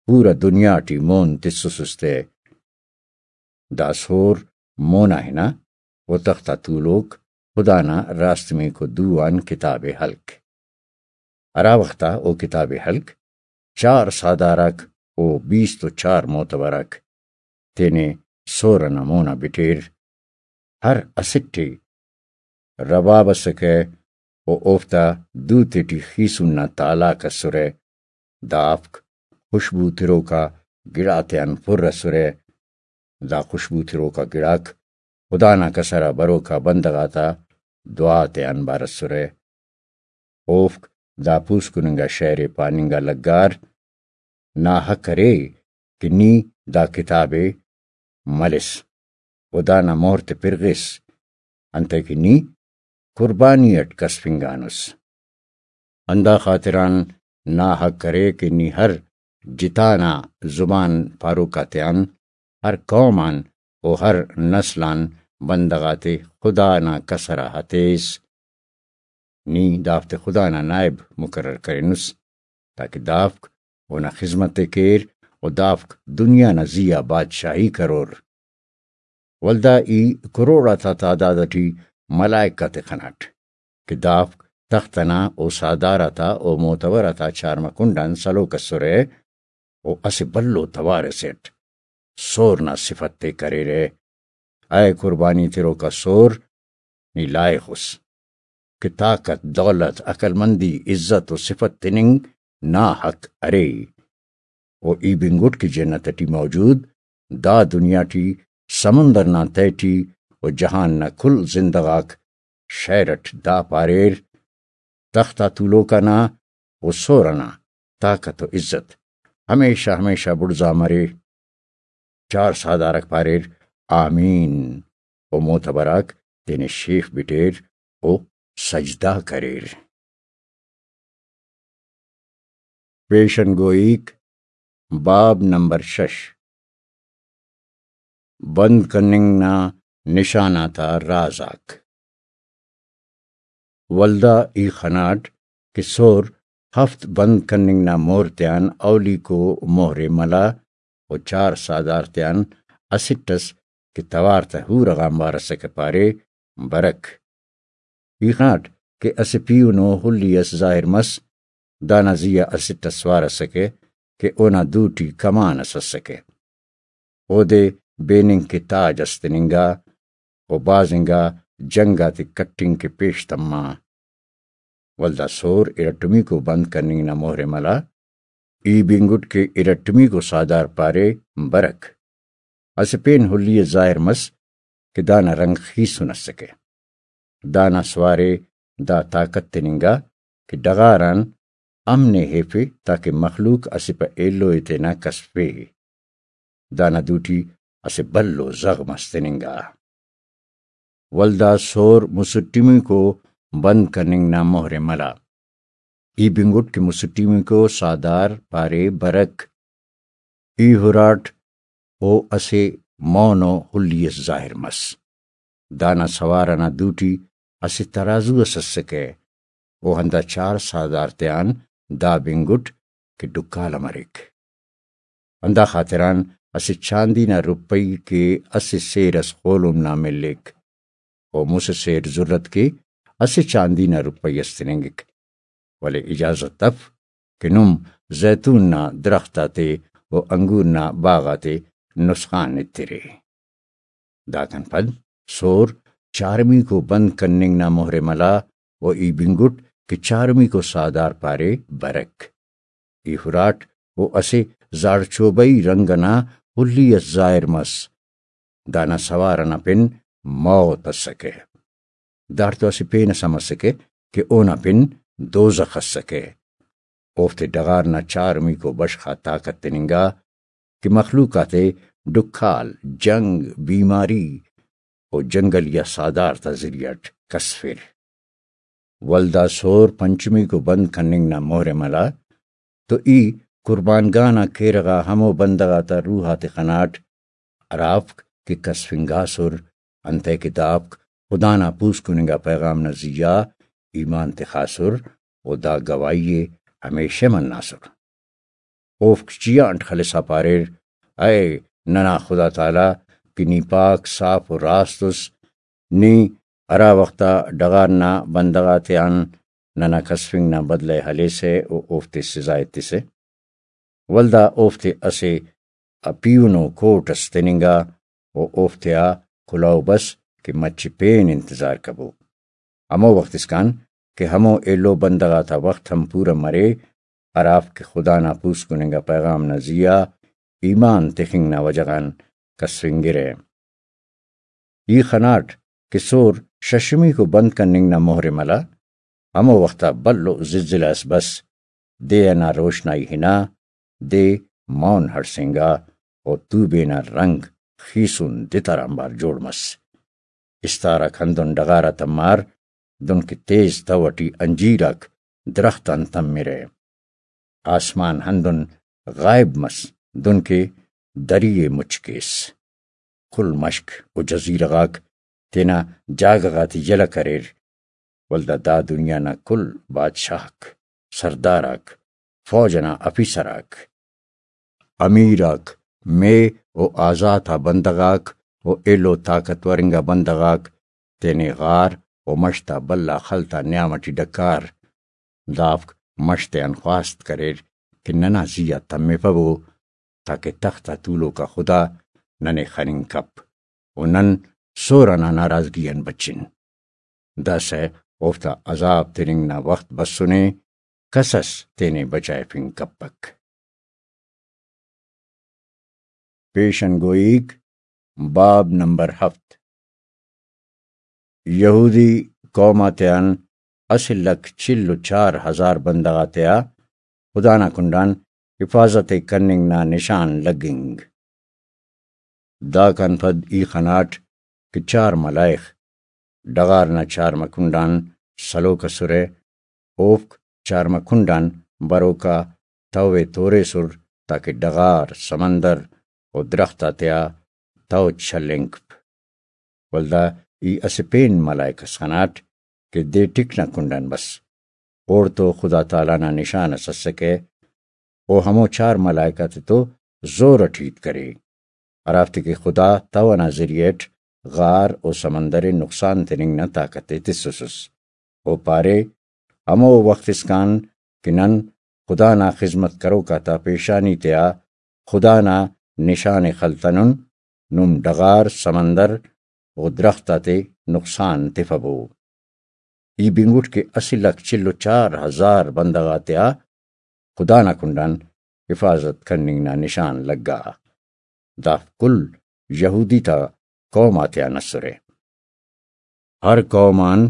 پورا دنیا ٹی مون تسسس تے۔ دا سور مونا ہنا و تخت آ تولوک خدا نا راستمیکو دو آن کتاب ءِ ہلک۔ ہرا وخت آ او کتاب ءِ ہلک، چار ساہدار آک و بیست و چار معتبر آک تینے سور ئنا مونا بٹیر۔ ہر اسٹ ءِ رباب اسکہ و اوفتا دو تیٹی خیسن نا تالاک اسرہ۔ دافک خوشبو تروکا گڑاتیان پر اسرہ۔ دا خوشبو تروکا گڑاک خدا نا کسر آ بروکا بندغ آتا دعا تیان بار اسرہ۔ اوفک دا پوسکن انگا شعر ءِ پاننگ آ لگار، ناحق ارے کہ نی دا کتاب ءِ ملس و دانا مہر تے پرغس، انتئے کہ نی قربانی اٹ کسفنگانس۔ ہندا خاطران ناحق ارے کہ نی ہر جتا نا زبان پاروک آتیان، ہر قوم آن و ہر نسل آن بندغ آتے خدا نا کسر آ ہتیس۔ نی دافتے خدا نا نائب مقرر کرینس، تاکہ دافک اونا خذمت ءِ کیر و دافک دنیا نا زی آ بادشاہی کرور۔ ولدا ای کروڑ آتا تعداد اٹی ملائک آتے خناٹ کہ دافک تخت انا او ساہدار آتا او معتبر آتا چارمہ کنڈ آن سلوک اسرہ و اسہ بھلو توار اسے اٹ سور نا صفت تے کریرہ۔ اے قربانی تروکا سور، نی لائخ اس کہ طاقت، دولت، عقل مندی، عزت و صفت تننگ ناحق ارے۔ و ای بنگٹ کہ جنت ٹی موجود، دا دنیا ٹی، سمندر نا تہہ ٹی و جہان نا کل زندہ غاک شعر اٹ دا پاریر، تخت آ تولوک انا و سور انا طاقت و عزت ہمیشہ ہمیشہ بڑزا مرے۔ چار ساہدارک پاریر، آمین۔ و معتبر آک تینے شیف بٹیر و سجدہ کریر۔ پیشن گوئیک، باب نمبر شش، بند کننگ نا نشان آتا راز آک۔ ولدا ای خناٹ کہ سور ہفت بند کننگ نا مہر تیان اولیکو مہر ءِ ملا و چار ساہدار تیان اسٹ ئس کہ توار تہ حور غا امبار ئسکہ پارے، برک۔ ای خناٹ کہ اسہ پیہنو ہلی ئس ظاہر مس، دانا زی آ اسٹ ئس سوار ئسکہ کہ اونا دوٹی کمان ئس ئسکہ۔ اودے بیننگ کہ تاج ئس تننگا و بازنگا جنگ آتے کٹنگ کہ پیش تما۔ ولدا سور ارٹمیکو بند کننگ نا مہر ءِ ملا۔ ای بنگٹ کہ ارٹمیکو ساہدار پارے، برک۔ اسہ پین ہلی ئس ظاہر مس کہ دانا رنگ خیسن ئسکہ۔ دانا سوارے دا طاقت تننگا کہ ڈغار آن امن ءِ ہیفے تاکہ مخلوق اسہ پہ ایلو ءِ تینا کسفے۔ دانا دوٹی اسہ بھلو زغم اس تننگا۔ ولدا سور مسٹمیکو بند کننگ نا مہر ءِ ملا۔ ای بنگٹ کہ مسٹمیکو ساہدار پارے، برک۔ ای ہراٹ او اسہ مونو ہلی اس ظاہر مس۔ دانا سوار ئنا دوٹی اسہ ترازو اس اسکہ۔ او ہندا چار ساہدار تیان دا بنگٹ کہ ڈکالہ مریک۔ ہندا خاطران اسہ چاندی نا روپئی کہ اسہ سیر اس خولم نا ملیک۔ و مسہ سیر زرت کہ اسہ چاندی نا روپئی اس تننگک، ولے اجازت اف کہ نم زیتون نا درخت آتے و انگور نا باغ آتے نسخان ایترے۔ داکان پد سور چارمیکو بند کننگ نا مہر ءِ ملا و ای بنگٹ کہ چارمیکو ساہدار پارے، برک۔ ای ہراٹ او اسہ زاڑچوبئی رنگ ئنا ہلی اس ظاہر مس۔ دانا سوار ئنا پن موت ئسکہ۔ داڑتو اسہ پین ئس ہم ئسکہ کہ اونا پن دوزخ ئسکہ۔ اوفتے ڈغار نا چارمیکو بشخ آ طاقت تننگا کہ مخلوق آتے ڈکھال، جنگ، بیماری و جنگلی آ ساہدار تا ذریعہ ئٹ کسفر۔ ولدا سور پنچمیکو بند کننگ نا مہر ءِ ملا، تو ای قربان گاہ نا کیرغ آ ہمو بندغ آتا روح آتے خناٹ، ہرافک کہ کسفنگاسر، انتئے کہ دافک خدا نا پوسکن انگا پیغام نا زیہا ایمان تخاسر و دا گواہی ءِ ہمیشہ مناسر۔ اوفک چیانٹ خلسا پاریر، اے ننا خدا تعالی کہ نی پاک، صاف و راست اس، نی ہرا وخت آ ڈغار نا بندغ آتیان ننا کسفنگ نا بدلہ ءِ ہلیسہ و اوفتے سزا ایتسہ، ولدا اوفتے اسہ پیہنو کوٹ اس تننگا و اوفتیا کلہو بس کہ مچہ پین انتظار کبو۔ ہمو وخت اسکان کہ ہمو ایلو بندغ آتا وخت ہم پورہ مرے، ہرافک خدا نا پوسکن انگا پیغام نا زیہا ایمان تخنگ نا وجہ غان کسفنگرہ۔ ای خناٹ کہ سور ششمیکو بند کننگ نا مہر ءِ ملا، ہمو وخت آ بھلو زلزلہ اس بس، دے ئنا روشنائی ہنا، دے مون ہڑسینگا و توبے نا رنگ خیسن دتر آنبار جوڑ مس۔ استار آک ہندن ڈغار آ تمار، دنکہ تیز تہو ٹی انجیر آک درخت آن تمرہ۔ آسمان ہندن غائب مس، دنکہ دری ءِ مچ کیس۔ کل مشک و جزیرہ غاک تینا جاگہ غاتے یلہ کریر، ولدا دا دنیا نا کل بادشاہک، سردار آک، فوج ئنا آفیسر آک، امیر آک، مے و آزات آ بندغ آک و ایلو طاقتور انگا بندغ آک تینے غار و مش تا بھلا خل تا نیام ٹی ڈکار۔ دافک مش تیان خواست کریر کہ ننا زی آ تمفبو، تاکہ تخت آ تولوکا خدا ننے خننگ کپ و نن سور ئنا ناراضگی آن بچن۔ داسہ اوفتا عذاب تننگ نا وخت بسنے، کس ئس تینے بچائفنگ کپک۔ پیشن گوئیک، باب نمبر ہفت۔ یہودی قوم آتیان اسہ لکھ چل و چار ہزار بندغ آتیا خدا نا کنڈان حفاظت ءِ کننگ نا نشان لگنگ۔ داکان پد ای خناٹ کہ چار ملائخ ڈغار نا چارمہ کنڈان سلوک ئسرہ، اوفک چارمہ کنڈان بروکا تہو ءِ توریسر، تاکہ ڈغار، سمندر و درخت آتیا تہو چلینگپ۔ ولدا ای اسہ پین ملائک ئس خناٹ کہ دے ٹک نا کنڈان بس۔ اوڑتو خدا تعالی نا نشان ئس اسکہ، او ہمو چار ملائک آتتو زور اٹ ہیت کرے، ہرافتے کہ خدا تہو ئنا ذریعہ اٹ غار و سمندر ءِ نقصان تننگ نا طاقت ءِ تسوسس۔ او پارے، ہمو وخت اسکان کہ نن خدا نا خذمت کروک آتا پیشانی تیا خدا نا نشان ءِ خلتنن، نم ڈغار، سمندر و درخت آتے نقصان تفبو۔ ای بنگٹ کہ اسہ لکھ چل و چار ہزار بندغ آتیا خدا نا کنڈان حفاظت کننگ نا نشان لگا۔ دافک کل یہودی تا قوم آتیان اسرہ۔ ہر قوم آن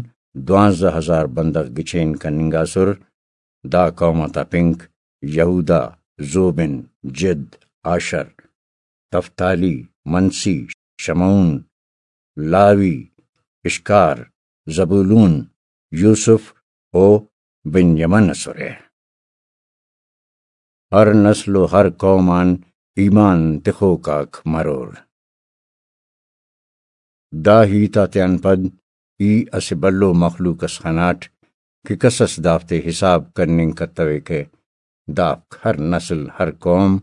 دوانزدہ ہزار بندغ گچین کننگاسر۔ دا قوم آتا پنک یہودا، زوبن، جد، آشر، تفتالی، منسی، شمعون، لاوی، اشکار، زبولون، یوسف و بنیمن اسرہ۔ ہر نسل و ہر قوم آن ایمان تخوک آک مرور۔ دا ہیت آتیان پد ای اسہ بھلو مخلوق اس خناٹ کہ کس اس دافتے حساب کننگ کتویکہ۔ دافک ہر نسل، ہر قوم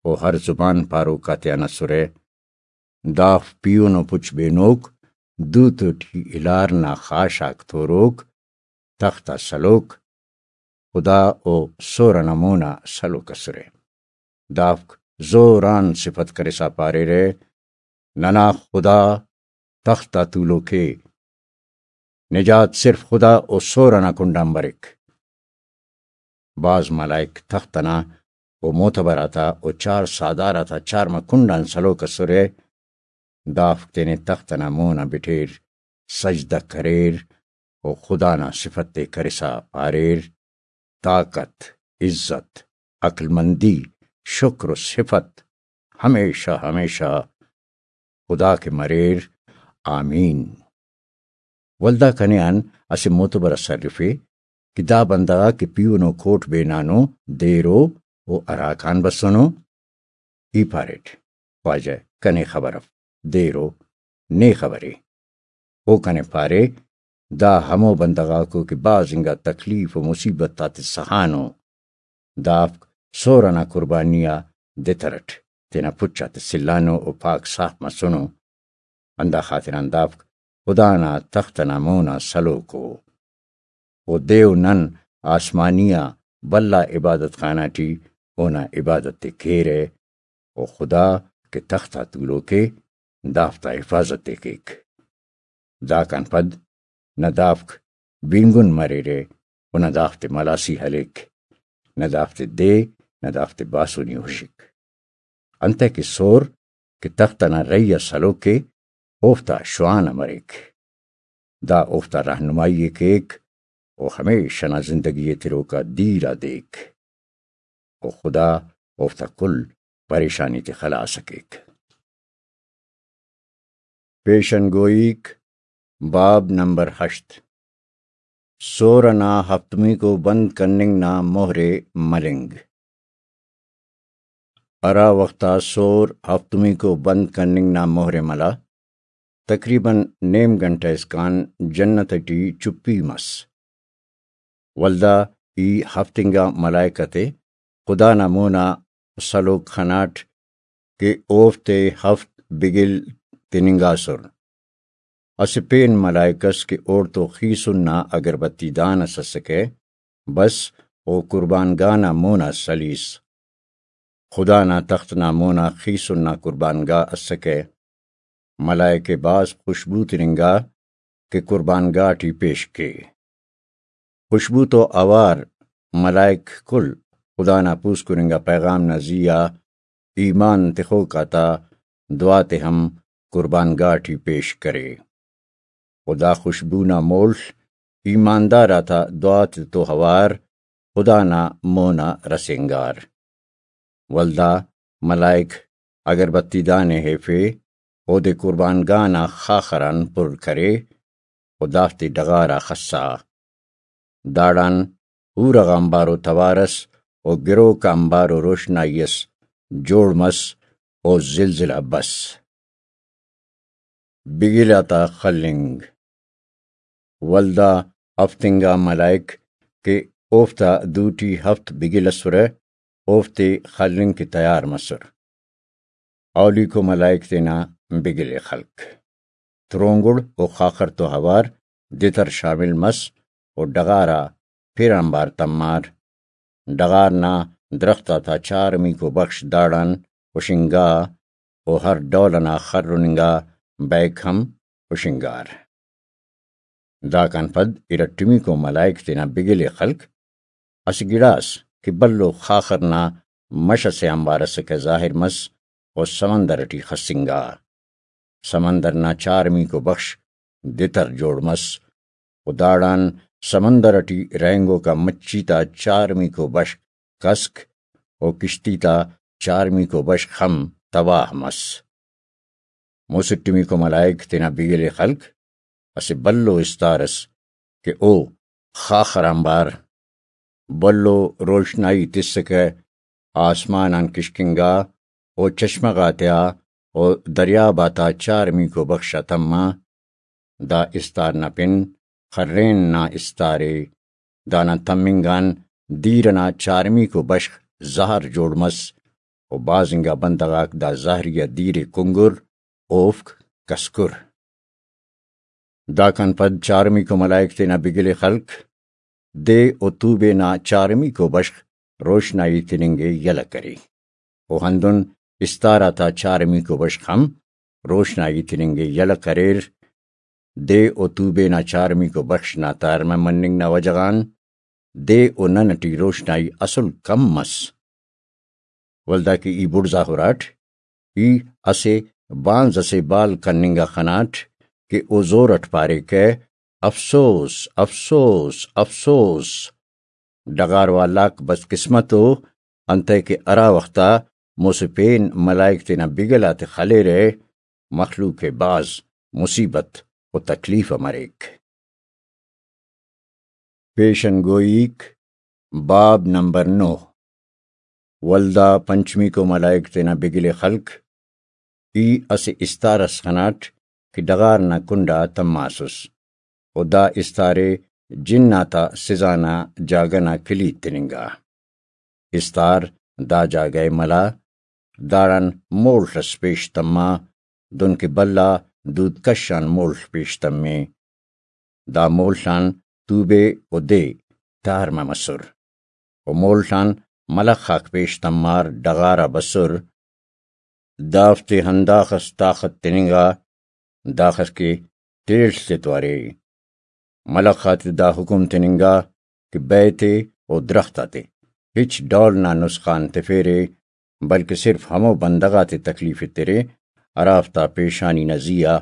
و ہر زبان پاروک آتیان اسرہ۔ دافک پیہن و پچ بینوک، دوتو ٹی الار نا خاش آک توروک، تخت آ سلوک، خدا و سور ئنا مون آ سلوک اسرہ۔ دافک زور آن صفت کرسا پاریرہ، ننا خدا تخت آ تولوک ءِ، نجات صرف خدا و سور ئنا کنڈان بریک۔ بھاز ملائک تخت ئنا و معتبر آتا و چار ساہدار آتا چارمہ کنڈان سلوک اسرہ۔ دافک تینے تخت ئنا مون آ بٹیر، سجدہ کریر و خدا نا صفت ءِ کرسا پاریر، طاقت، عزت، عقلمندی، شکر و صفت ہمیشہ ہمیشہ خدا کہ مریر، آمین۔ ولدا کنے آن اسہ معتبر اس ارفے کہ دا بندغ آک کہ پیہنو کوٹ بینانو دیرو و ہراکان بسنو؟ ای پاریٹ، خواجہ کنے خبر اف، دیرو نے خبرے۔ او کنے پارے، دا ہمو بندغ آکو کہ بھاز انگا تکلیف و مصیبت آتے سہانو۔ دافک سور ئنا قربانی آ دتر اٹ تینا پچ آتے سلانو و پاک صاف مسنو۔ ہندا خاطران دافک خدا نا تخت ئنا مون آ سلوک ءُ۔ و دے و نن آسمانی آ بھلا عبادت خانہ ٹی اونا عبادت ءِ کیرہ، و خدا کہ تخت آ تولوک ءِ، دافتا حفاظت ءِ کیک۔ داکان پد نہ دافک بینگن مریرہ و نہ دافتے ملاسی ہلیک، نہ دافتے دے، نہ دافتے باسونی ہشک۔ انتئے کہ سور کہ تخت ئنا رہی آ سلوک ءِ، اوفتا شوان ءِ مریک۔ دا اوفتا رہنمائی ءِ کیک و ہمیش ئنا زندگی ءِ تروک آ دیر آ دیک و خدا اوفتا کل پریشانی تے خلاص ءِ کیک۔ پیشن گوئیک، باب نمبر ہشت، سور ئنا ہفتمیکو بند کننگ نا مہر ءِ ملنگ۔ ہرا وخت آ سور ہفتمیکو بند کننگ نا مہر ءِ ملا، تقریباً نیم گھنٹہ اسکان جنت ٹی چپی مس۔ ولدا ای ہفت انگا ملائکہ تے خدا نا مونا سلوک خناٹ کہ اوفتے ہفت بگل تننگاسر۔ اسہ پین ملائک ئس کہ اوڑتو خیسن نا اگربتی دان ئس اسکہ، بس او قربان گاہ نا مونا سلیس۔ خدا نا تخت نا مونا خیسن نا قربان گاہ اسکہ۔ ملائک ءِ بھاز خوشبو تننگا کہ قربان گاہ ٹی پیش کے۔ خوشبو تو اوار ملائک کل خدا نا پوسکن انگا پیغام نا زی آ ایمان تخوک آتا دعا تے ہم قربان گاہ ٹی پیش کرے۔ و دا خوشبو نا مول ایماندار آتا دعا تے تو اوار خدا نا مونا رسینگار۔ ولدا ملائک اگربتی دان ءِ ہیفے، اودے قربان گاہ نا خاخر آن پر کرے و دافتے ڈغار آ خسا۔ داڑان ہورہ غا امبارو توار ئس و گروک آ امبارو روشنائی ئس جوڑ مس و زلزلہ بس۔ بگل آتا خلنگ۔ ولدا ہفت انگا ملائک کہ اوفتا دوٹی ہفت بگل ئسرہ، اوفتے خلنگ کہ تیار مسر۔ اولیکو ملائک تینا بگل ءِ خلک۔ ترونگڑ و خاخر تو اوار دتر شامل مس و ڈغار آ پھر آنبار تمار۔ ڈغار نا درخت آتا چارمیکو بخش داڑان ہشنگا و ہر ڈول ئنا خرننگا بیک ہم ہشنگار۔ داکان پد ارٹمیکو ملائک تینا بگل ءِ خلک۔ اسہ گڑاس کہ بھلو خاخر نا مش ئسے آنبار ئسکہ ظاہر مس و سمندر ٹی خسنگا۔ سمندر نا چارمیکو بخش دتر جوڑ مس و داڑان سمندر ٹی رہینگوکا مچھی تا چارمیکو بشخ کسک و کشتی تا چارمیکو بشخ ہم تباہ مس۔ مسٹمیکو ملائک تینا بگل ءِ خلک۔ اسہ بھلو استار ئس کہ او خاخر آنبار بھلو روشنائی تسکہ، آسمان آن کشکنگا و چشمہ غاتیا و دریاب آتا چارمیکو بخش آ تما۔ دا استار نا پن خرین نا استار ءِ۔ دانا تمنگ آن دیر ئنا چارمیکو بشخ زہر جوڑ مس و بھاز انگا بندغ آک دا زہری آ دیر ءِ کنگر، اوفک کسکر۔ داکان پد چارمیکو ملائک تینا بگل ءِ خلک۔ دے و توبے نا چارمیکو بشخ روشنائی تننگ ءِ یلہ کرے۔ و ہندن استار آتا چارمیکو بشخ ہم روشنائی تننگ ءِ یلہ کریر۔ دے و توبے نا چارمیکو بخش نا تارمہ مننگ نا وجہ غان دے و نن ٹی روشنائی اسل کم مس۔ ولدا کہ ای بڑزا ہراٹ، ای اسہ بانز ئسے بال کننگ آ خناٹ کہ او زور اٹ پاریکہ، افسوس، افسوس، افسوس! ڈغار والاک بدقسمت ءُ، انتئے کہ ہرا وخت آ مسہ پین ملائک تینا بگل آتے خلیرہ، مخلوق ءِ بھاز مصیبت و تکلیف ءِ مریک۔ پیشن گوئیک، باب نمبر نو۔ ولدا پنچمیکو ملائک تینا بگل ءِ خلک، ای اسہ استار اس خناٹ کہ ڈغار نا کنڈ آ تماسس، و دا استار ءِ جن آتا سزا نا جاگہ نا کلیت تننگا۔ استار دا جاگہ ءِ ملا، داڑان مولخ اس پیش تما، دنکہ بھلا دود کش آن مولخ پیش تمے۔ دا مولخ آن توبے و دے تارمہ مسر، و مولخ آن ملخ آک پیش تمار ڈغار آ بسر۔ دافتے ہنداخس طاقت تننگا، داخس کہ تیڑ تتو ارے۔ ملخ آتے دا حکم تننگا کہ بئے تے و درخت آتے ہچ ڈول نا نسخان تفیرے، بلکہ صرف ہمو بندغ آتے تکلیف ایترے، ہرافتا پیشانی نا زی آ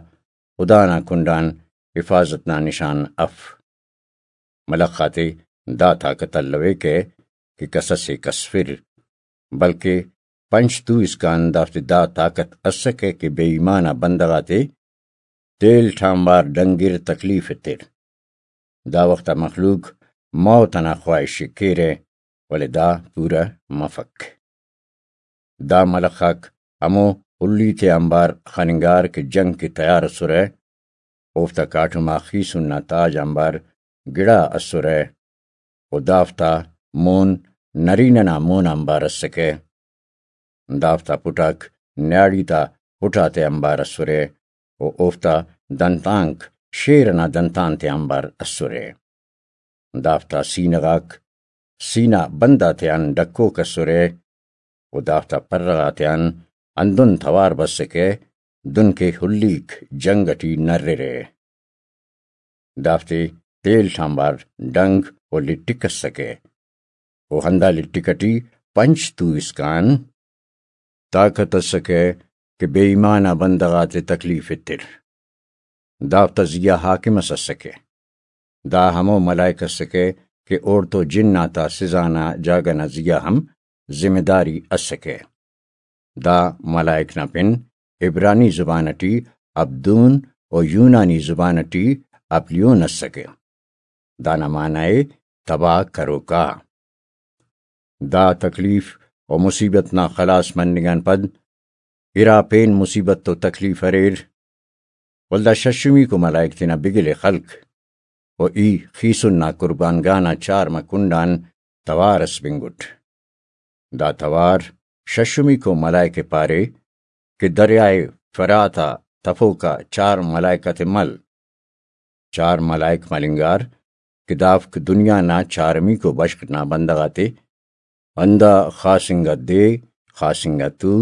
خدا نا کنڈان حفاظت نا نشان اف۔ ملخ آتے دا طاقت الویکہ کہ کس اسے کسفر، بلکہ پنچ تو اسکان دافتے دا طاقت اسکہ کہ بے ایمان آ بندغ آتے تیل ٹھانبار ڈنگر تکلیف ایتر۔ دا وخت آ مخلوق موت انا خواہش ءِ کیرہ، ولے دا پورہ مفک۔ دا ملخ آک ہمو ہلی تے آنبار خننگار کہ جنگ کہ تیار اسرہ، اوفتا کاٹم آ خیسن نا تاج آنبار گڑا اسرہ، و دافتا مون نرینہ نا مون آنبار اسکہ۔ دافتا پٹاک نیاڑی تا پٹ آتے آنبار اسرہ، و اوفتا دنتانک شیر ئنا دنتان تے آنبار اسرہ۔ دافتا سینہ غاک سینہ بند آتیان ڈکوک اسرہ، و دافتا پرہ غاتیان ہندن توار بسکہ، دن کہ ہلیک جنگ ئٹی نررہ۔ دافتے تیل ٹھانبار ڈنگ و لٹک اسکہ، و ہندا لٹک ئٹی پنچ تو اسکان طاقت اسکہ کہ بے ایمان آ بندغ آتے تکلیف ایتر۔ دافتا زی آ حاکم اس اسکہ۔ دا ہمو ملائک اسکہ کہ اوڑتو جن آتا سزا نا جاگہ نا زی آ ہم ذمہ داری اسکہ۔ دا ملائک نا پن عبرانی زبان ٹی عبدون و یونانی زبان ٹی اپلیون اسکہ۔ دانا معنی ءِ تباہ کروکا۔ دا تکلیف و مصیبت نا خلاص مننگ آن پد ارا پین مصیبت و تکلیف اریر، ولدا ششمیکو ملائک تینا بگل ءِ خلک، و ای خیسن نا قربان گاہ نا چارمہ کنڈان توار اس بنگٹ۔ دا توار ششمیکو ملائک ءِ پارے کہ دریائے فرات آ تفوکا چار ملائک آتے مل۔ چار ملائک ملنگار کہ دافک دنیا نا چارمیکو بشخ نا بندغ آتے ہندا خاص انگا دے، خاص انگا تو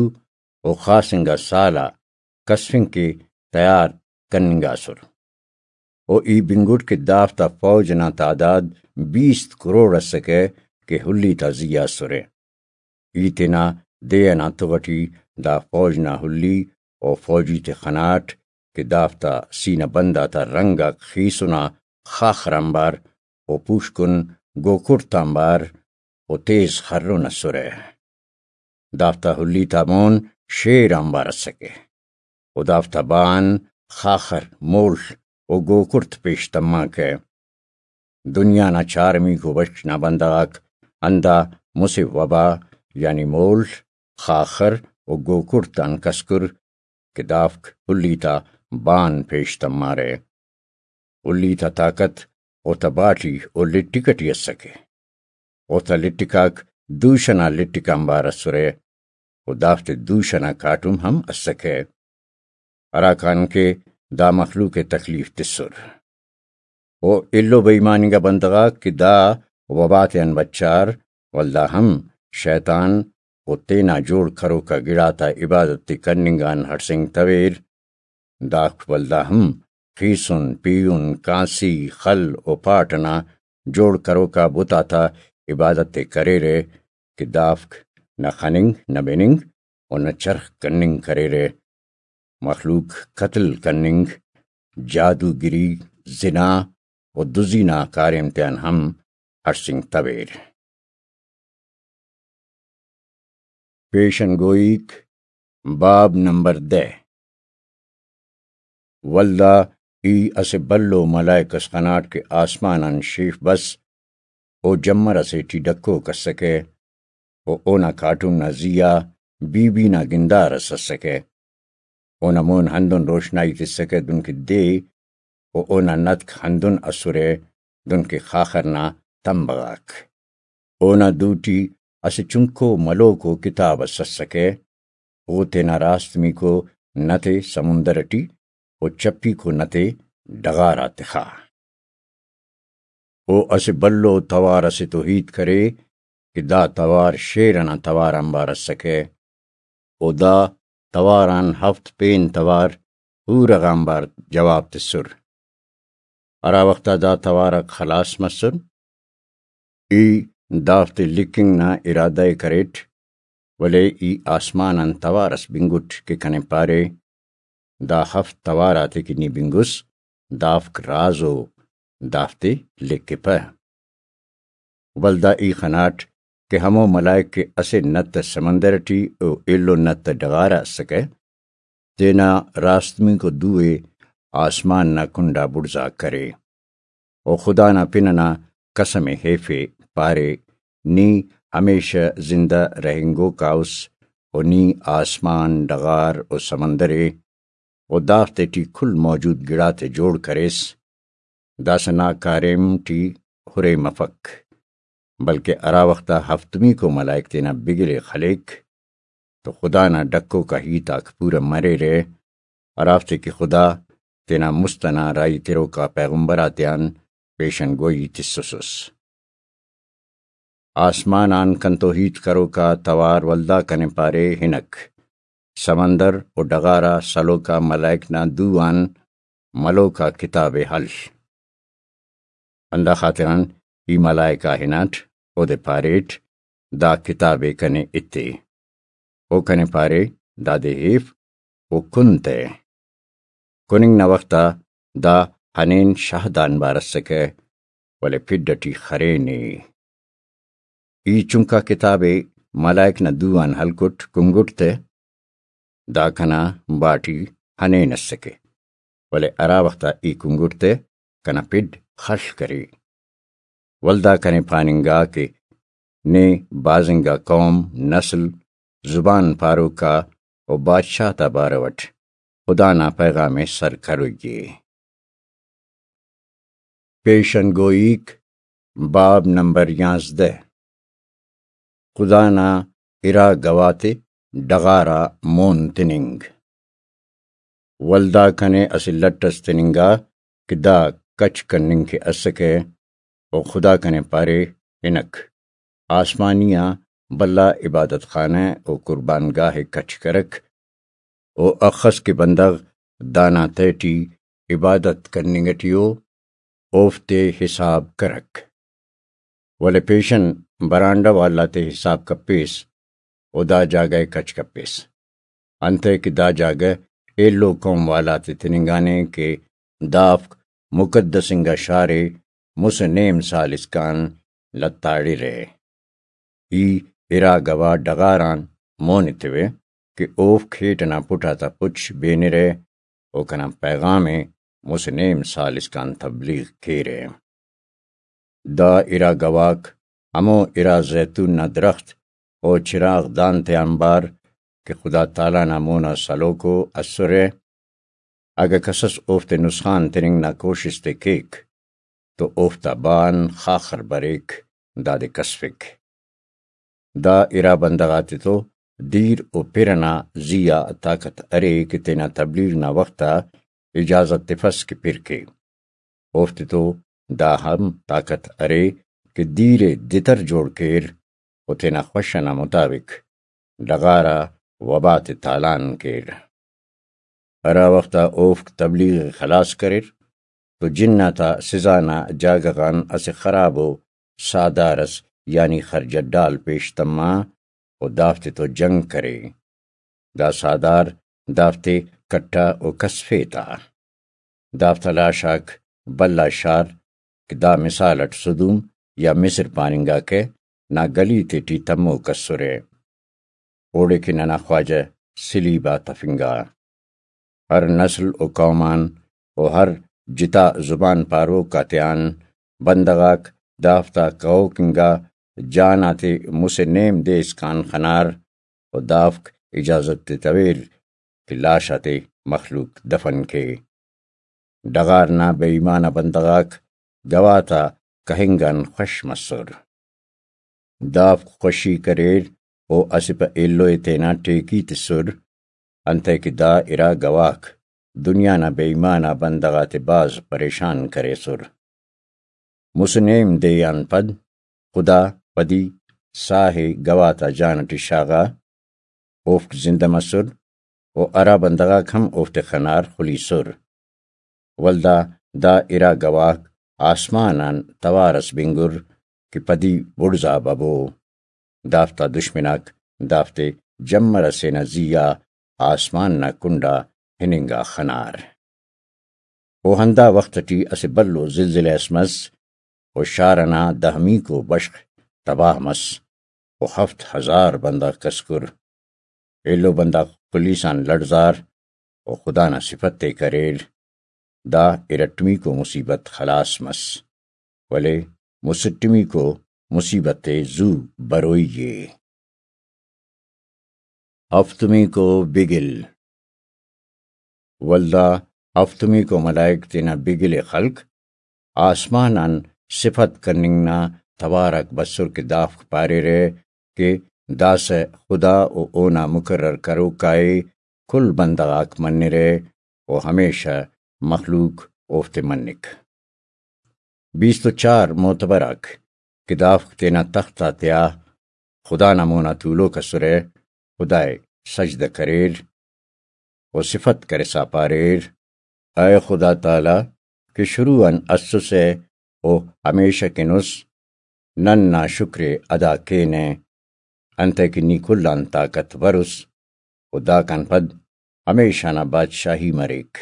و خاص انگا سال آ کسفنگ کہ تیار کننگاسر۔ و ای بنگٹ کہ دافتا فوج نا تعداد بیست کروڑ اسکہ کہ ہلی تا زی آ اسرہ۔ ای تینا دے ئنا تغ ئٹی دا فوج نا ہلی و فوجی تے خناٹ کہ دافتا سینہ بند آتا رنگ آک خیسن آ خاخر آنبار و پوشکن گوکڑت آنبار و تیز خرن اسرہ۔ دافتا ہلی تا مون شیر آنبار اسکہ و دافتا بان خاخر، مول و گوکڑت پیش تماکہ۔ دنیا نا چارمیکو بشخ نا بندغ آک ہندا مسہ وبا یعنی مول، خاخر و گوکڑت آن کسکر کہ دافک ہلی تا بان پیش تمارہ۔ ہلی تا طاقت اوتا باٹی و لٹک ئٹی اسکہ۔ اوتا لٹک آک دوشہ نا لٹک آنبار اسرہ و دافتے دوشہ نا کاٹم ہم اسکہ، ہراکان کہ دا مخلوق ءِ تکلیف تسر۔ و ایلو بے ایمان انگا بندغ آک کہ دا وبا تیان بچار، ولدا ہم شیطان و تینا جوڑ کروکا گڑاتا عبادت تے کننگ آن ہڑسینگتویر۔ دافک ولدا ہم خیسن، پیہن، کانسی، خل و پاٹ ئنا جوڑ کروکا بت آتا عبادت ءِ کریرہ کہ دافک نہ خننگ، نہ بننگ و نہ چرخ کننگ کریرہ۔ مخلوق قتل کننگ، جادوگری، زنا و دزی نا کاریم تیان ہم ہڑسینگتویر۔ پیشن گوئیک، باب نمبر دہ۔ ولدا ای اسہ بھلو ملائک اس خناٹ کہ آسمان آن شیف بس، او جمر اسے ٹی ڈکوک اسکہ، و اونا کاٹم نا زی آ بی بی نا گندار اس اسکہ۔ اونا مون ہندن روشنائی تسکہ دنکہ دے، و اونا نتک ہندن اسرہ دنکہ خاخر نا تمبہ غاک۔ اونا دوٹی اسہ چنکو ملوکو کتاب اس اسکہ، او تینا راست میکو نتے سمندر ٹی و چپیکو نتے ڈغار آ تخا۔ او اسہ بھلو توار اسے تو ہیت کرے کہ دا توار شیر ئنا توار آنبار اسکہ۔ و دا توار آن ہفت پین توار پورہ غا آنبار جواب تسر۔ ہرا وخت آ دا توار آک خلاس مسر، ای دافتے لکھنگ نا ارادہ ءِ کریٹ، ولے ای آسمان آن توار اس بنگٹ کہ کنے پارے، دا ہفت توار آتے کہ نی بنگس، دافک راز ءُ، دافتے لکھپہ۔ ولدا ای خناٹ کہ ہمو ملائک کہ اسہ نت سمندر ٹی و ایلو نت ڈغار آ اسکہ، تینا راستمیکو دو ءِ آسمان نا کنڈا بڑزا کرے۔ و خدا نا پن ئنا قسم ءِ ہیفے، پارے، نی ہمیشہ زندہ رہینگوکا اُس، و نی آسمان، ڈغار و سمندر ءِ و دافتے ٹی کل موجود گڑاتے جوڑ کریس۔ داسہ نا کاریم ٹی ہُرے مفک، بلکہ ہرا وخت آ ہفتمیکو ملائک تینا بگل ءِ خلیک، تو خدا نا ڈکوکا ہیت آک پورہ مریرہ، ہرافتے کہ خدا تینا مست ئنا راہی تروکا پیغمبر آتیان پیشن گوئی تسوسس۔ آسمان آن کنتو ہیت کروکا توار ولدا کنے پارے، ہنک، سمندر و ڈغار آ سلوکا ملائک نا دو آن ملوکا کتاب ءِ ہل۔ ہندا خاطران ای ملائک آ ہناٹ، اودے پاریٹ، دا کتاب ءِ کنے ایتے۔ او کنے پارے، دادے ہیف و کن تہ۔ کننگ نا وخت آ دا ہنین شاہد آنبار اسکہ، ولے پھڈ اٹی خرینے۔ ای چنکا کتاب ءِ ملائک نا دو آن ہلکٹ کنگٹ تہ، دا کنا باٹی ہنین اسکہ، ولے ہرا وخت آ ای کنگٹ تہ، کنا پھڈ خڷ کرے۔ ولدا کنے پاننگا کہ نے بھاز انگا قوم، نسل، زبان پاروکا و بادشاہ تا بارو اٹ خدا نا پیغام ءِ سر کروئی ءِ۔ پیشن گوئیک، باب نمبر یانزدہ۔ خدا نا ارا گواہ تے ڈغار آ مون تننگ۔ ولدا کنے اسہ لٹ اس تننگا کہ دا کچ کننگ کہ اسکہ، و خدا کنے پارے، ہنک، آسمانی آ بھلا عبادت خانہ و قربان گاہ ءِ کچ کرک، و اخس کہ بندغ دانا تہٹی عبادت کننگ ٹی ءُ، اوفتے حساب کرک۔ ولے پیشن برانڈہ والا تے حساب کپیس و دا جاگہ ءِ کچ کپیس، انتئے کہ دا جاگہ ایلو قوم والا تے تننگانے کہ دافک مقدس انگا شار ءِ مسہ نیم سال اسکان لتاڑرہ۔ ای ارا گواہ ڈغار آن مون ایتوہ کہ اوفک ہیٹ ئنا پٹ آتا پچ بینرہ و کنا پیغام ءِ مسہ نیم سال اسکان تبلیغ کیرہ۔ دا ارا گواہک ہمو ارا زیتون نا درخت و چراغ دان تے آنبار کہ خدا تعالیٰ نا مونا سلوکو اسرہ، اگہ کسس اوفتے نسخان تننگ نا کوشست ءِ کیک تو اوفتا بان خاخر بریک، دادے کسفک۔ دا ارا بندغ آتتو دیر و پِر ئنا زی آ طاقت ارے کہ تینا تبلیغ نا وخت آ اجازت تفس کہ پِر کے۔ اوفتتو دا ہم طاقت ارے کہ دیر ءِ دتر جوڑ کیر و تینا خوش ئنا مطابق ڈغار آ وبا تے تالان کیر۔ ہرا وخت آ اوفک تبلیغ ءِ خلاص کریر تو جن آتا سزا نا جاگہ غان اسہ خرابو ساہدار اس یعنی خرجہ ڈال پیش تما و دافتے تو جنگ کرے۔ دا ساہدار دافتے کٹا و کسفے تا۔ دافتا لاش آک بھلا شار کہ دا مثال اٹ سدوم یا مصر پاننگاکہ نا گلی تیٹی تموک اسرہ۔ اوڑے کہ ننا خواجہ سلیب آ تفنگا۔ ہر نسل و قوم آن و ہر جتا زبان پاروک آتیان بندغ آک دافتا کہوک انگا جان آتے مسہ نیم دے اسکان خنار و دافک اجازت تتویر کہ لاش آتے مخلوق دفن کے۔ ڈغار نا بے ایمانہ بندغ آک گواہ تا کہنگ آن خوش مسر۔ دافک خوشی کریر و اسہ پہ ایلو ءِ تینا ٹیکی تسر، انتئے کہ دا ارا گواہک دنیا نا بے ایمانہ بندغ آتے بھاز پریشان کریسر۔ مسہ نیم دے آن پد خدا پدی ساہ ءِ گواہ تا جان ٹی شاغا، اوفک زندہ مسر و ہرا بندغ آک ہم اوفتے خنار خلیسر۔ ولدا دا ارا گواہک آسمان آن توار اس بنگر کہ پدی بڑزا ببو۔ دافتا دشمن آک دافتے جمر ئسے نا زی آ آسمان نا کنڈا ہننگا خنار۔ و ہندا وخت ٹی اسہ بھلو زلزلہ اس مس و شار ئنا دہمیکو بشخ تباہ مس و ہفت ہزار بندغ کسکر۔ ایلو بندغ خلیس آن لڑزار و خدا نا صفت ءِ کریر۔ دا ارٹمیکو مصیبت خلاص مس، ولے مسٹمیکو مصیبت ءِ زو بروئی ءِ۔ ہفتمیکو بگل۔ ولدا ہفتمیکو ملائک تینا بگل ءِ خلک، آسمان آن صفت کننگ نا توار آک بسر کہ دافک پاریرہ کہ داسہ خدا و اونا مقرر کروکا ءِ کل بندغ آک منرہ و ہمیشہ مخلوق اوفتے منک۔ بیست و چار معتبر آک کہ دافک تینا تخت آتیا خدا نا مونا تولوک اسرہ، خدا ءِ سجدہ کریر و صفت کرسا پاریر، اے خدا تعالی کہ شروع آن اسسہ و ہمیشہ کن اس، نن نا شکر ءِ ادا کینہ، انتئے کہ نی کل آن طاقتور اس و داکان پد ہمیشہ نا بادشاہی مریک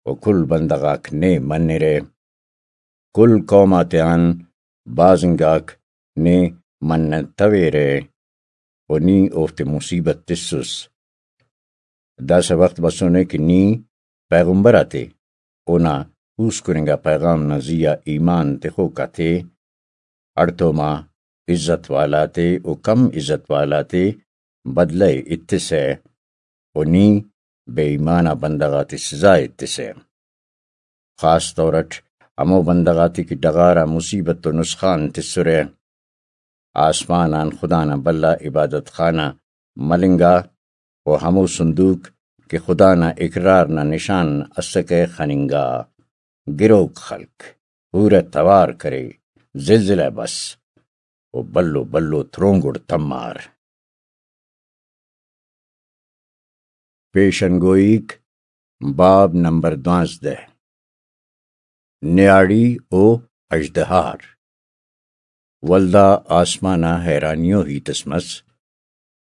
و کل بندغ آک نے منرہ۔ کل قوم آتیان بھاز انگاک نے منتویرہ و نی اوفتے مصیبت تسس۔ داسہ وخت بسنے کہ نی پیغمبر آتے، اونا پوسکن انگا پیغام نا زیہا ایمان تخوک آتے، ہڑتوما عزت والا تے و کم عزت والا تے بدلہ ءِ ایتسہ و نی بے ایمان آ بندغ آتے سزا ایتسہ۔ خاص طور اٹ ہمو بندغ آتے کہ ڈغار آ مصیبت و نسخان تسرہ۔ آسمان آن خدا نا بھلا عبادت خانہ ملنگا و ہمو صندوق کہ خدا نا اقرار نا نشان اسکہ خننگا۔ گروک خلک پورہ توار کرے، زلزلہ بس و بھلو بھلو ترونگڑ تمار۔ پیشن گوئیک، باب نمبر دوانزدہ، نیاڑی و اژدہار۔ ولدا آسمان آ حیرانی و ہیت اس مس۔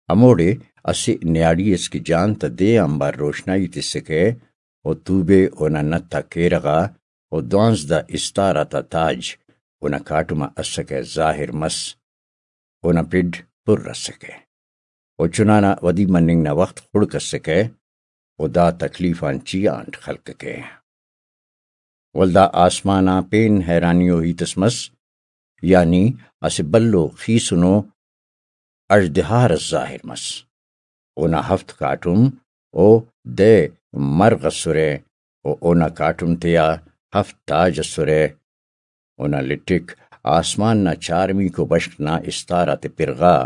ہموڑے اسہ نیاڑی اس کہ جان تا دے آنبار روشنائی تسکہ و توبے اونا نت آ کیرغ آ و دوانزدہ استار آتا تاج اونا کاٹم آ اسکہ ظاہر مس۔ اونا پڈ پر اسکہ و چنانا ودی مننگ نا وخت خڑک اسکہ و دا تکلیف آن چیانٹ خلککہ۔ ولدا آسمان آ پین حیرانی و ہیت اس مس، یعنی اسہ بھلو خیسنو اژدہار اس ظاہر مس۔ اونا ہفت کاٹم و دہ مرغ اسرہ و اونا کاٹم تیا ہفت تاج اسرہ۔ اونا لٹک آسمان نا چارمیکو بشخ نا استار آتے پرغا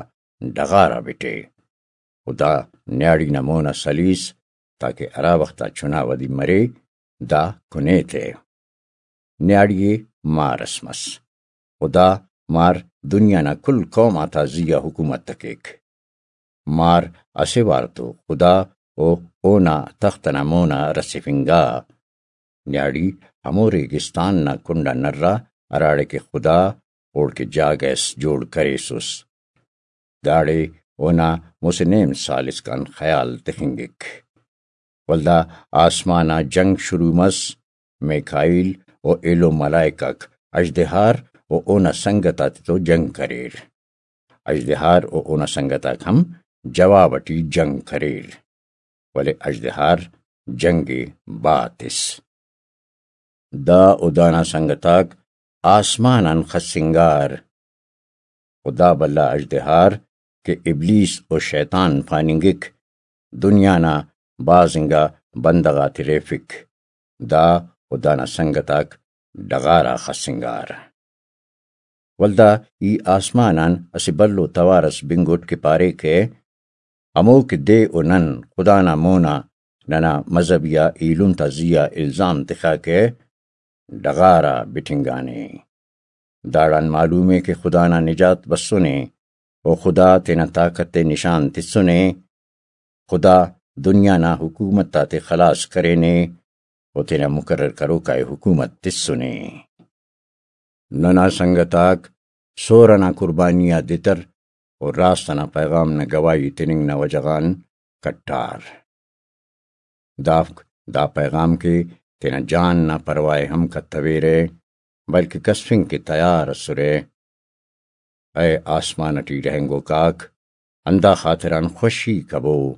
ڈغار آ بٹے و دا نیاڑی نا مونا سلیس، تاکہ ہرا وخت آ چنا ودی مرے، دا کنے تے۔ نیاڑی ءِ مار اس مس و دا مار دنیا نا کل قوم آتا زی آ حکومت ءِ کیک۔ مار اسہ وار تو خدا و اونا تخت ئنا مونا رسیفنگا۔ نیاڑی ہمو ریگستان نا کنڈ آ نرا، ہراڑے کہ خدا اوڑکہ جاگہ اس جوڑ کریسس۔ داڑے اونا مسہ نیم سال اسکان خیال تخنگک۔ ولدا آسمان آ جنگ شروع مس۔ میکائیل و ایلو ملائک آک اژدہار و اونا سنگت آتتو جنگ کریر۔ اژدہار و اونا سنگت آک ہم جواب ٹی جنگ کریر، ولے اژدہار جنگ ءِ با تس۔ دا و دانا سنگت آک آسمان آن خسنگار۔ و دا بھلا اژدہار کہ ابلیس و شیطان پاننگک، دنیا نا بھاز انگا بندغ آتے ریفک۔ دا و دانا سنگت آک ڈغار آ خسنگار۔ ولدا ای آسمان آن اسہ بھلو توار اس بنگٹ کہ پاریکہ، ہمو کہ دے و نن خدا نا مونا ننا مذہبی آ ایلم تا زی آ الزام تخاکہ، ڈغار آ بٹنگانے۔ داڑان معلوم ءِ کہ خدا نا نجات بسنے و خدا تینا طاقت ءِ نشان تسنے۔ خدا دنیا نا حکومت آتے خلاص کرینے و تینا مقرر کروکا ءِ حکومت تسنے۔ ننا سنگت آک سور ئنا قربانی آ دتر و راست ئنا پیغام نا گواہی تننگ نا وجہ غان کٹار۔ دافک دا پیغام کہ تینا جان نا پرواہ ءِ ہم کتویرہ، بلکہ کسفنگ کہ تیار ئسرہ۔ اے آسمان ٹی رہینگوک آک، ہندا خاطران خوشی کبو،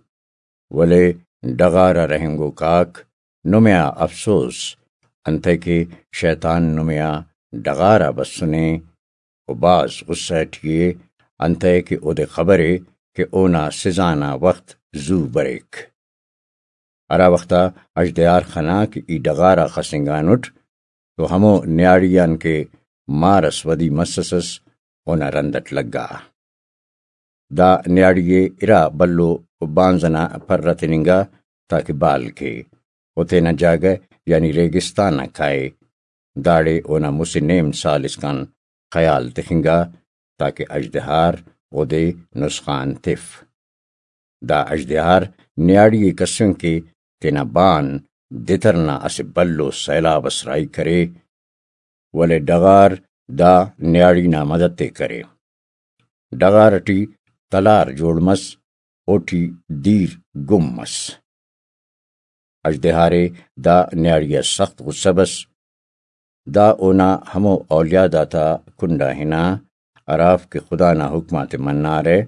ولے ڈغار آ رہینگوک آک، نمے آ افسوس، انتئے کہ شیطان نمے آ ڈغار آ بسنے، و بھاز غصہ ٹی ءِ، انتئے کہ اودے خبر ءِ کہ اونا سزا نا وخت زو بریک۔ ہرا وخت آ اژدہار خنا کہ ای ڈغار آ خسنگانٹ، تو ہمو نیاڑی آن کہ مار ئس ودی مسسس، اونا رند اٹ لگا۔ دا نیاڑی ءِ ارا بھلو بانز ئنا پر تننگا، تاکہ بال کے، و تینا جاگہ یعنی ریگستان آ کائے۔ داڑے اونا مسہ نیم سال اسکان خیال تخنگا، تاکہ اژدہار اودے نسخان تف۔ دا اژدہار نیاڑی ءِ کسفنگ کہ تینا بان دتر نا اسہ بھلو سیلاب اس راہی کرے، ولے ڈغار دا نیاڑی نا مدد ءِ کرے۔ ڈغار ٹی تلار جوڑ مس، اوٹی دیر گم مس۔ اژدہار ءِ دا نیاڑی آ سخت غصہ بس۔ دا اونا ہمو اولیاد آتا کنڈ آ ہنا، ہرافک کہ خدا نا حکم آتے منارہ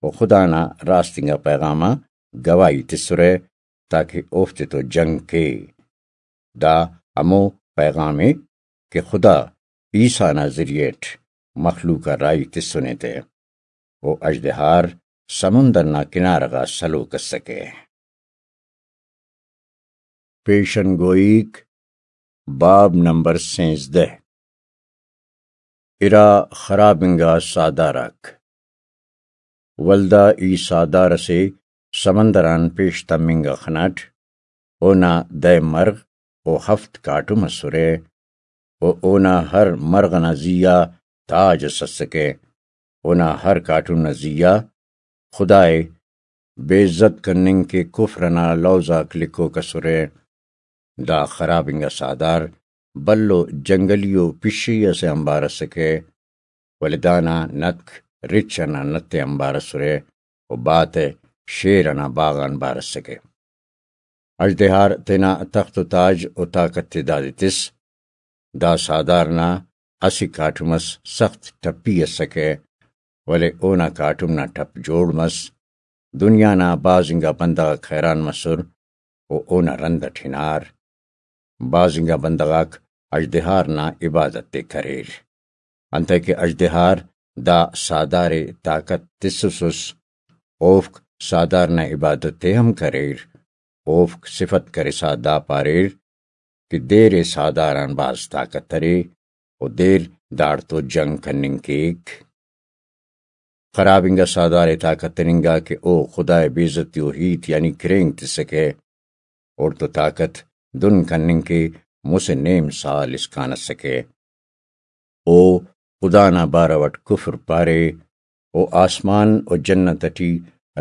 و خدا نا راست انگا پیغام آ گواہی تسرہ، تاکہ اوفتے تو جنگ کے۔ دا ہمو پیغام ءِ کہ خدا عیسیٰ نا ذریعہ اٹ مخلوق آ راہی تسنے تے۔ و اژدہار سمندر نا کنارہ غا سلوک ئسکہ۔ پیشن گوئیک، باب نمبر سینزدہ۔ ارا خراب انگا ساہدار آک۔ ولدا ای ساہدار ئسے سمندر آن پیش تمنگ آ خناٹ، اونا دہ مرغ و ہفت کاٹم ئسرہ، و اونا ہر مرغ ئنا زی آ تاج ئس اسکہ۔ اونا ہر کاٹم نا زی آ خدائے بے عزت کننگ کہ کفر ئنا لوز آک لکھوک ئسرہ۔ دا خراب انگا ساہدار بھلو جنگلی و پشئی ئسے آنبار اسکہ، ولے دانا نتک رچ ئنا نت ءِ آنبار اسرہ و باتہ شیر ئنا باغ آنبار اسکہ۔ اژدہار تینا تخت و تاج و طاقت ءِ دادے تس۔ دا ساہدار نا اسہ کاٹم ئس سخت ٹپی اسکہ، ولے اونا کاٹم نا ٹپ جوڑ مس۔ دنیا نا بھاز انگا بندغ آک حیران مسر و اونا رند اٹ ہنار۔ بھاز انگا بندغ آک اژدہار نا عبادت ءِ کریر، انتئے کہ اژدہار دا ساہدار ءِ طاقت تسوسس۔ اوفک ساہدار نا عبادت ءِ ہم کریر۔ اوفک صفت کرسا دا پاریر کہ دیر ءِ ساہدار آن بھاز طاقت ارے و دیر داڑتو جنگ کننگ کیک۔ خراب انگا ساہدار ءِ طاقت تننگا کہ او خدائے بے عزتی و ہیت یعنی کھرینگ تسکہ، اوڑتو طاقت دن کننگ کہ مسہ نیم سال اسکان اسکہ۔ او خدا نا بارو اٹ کفر پارے، او آسمان و جنت اٹی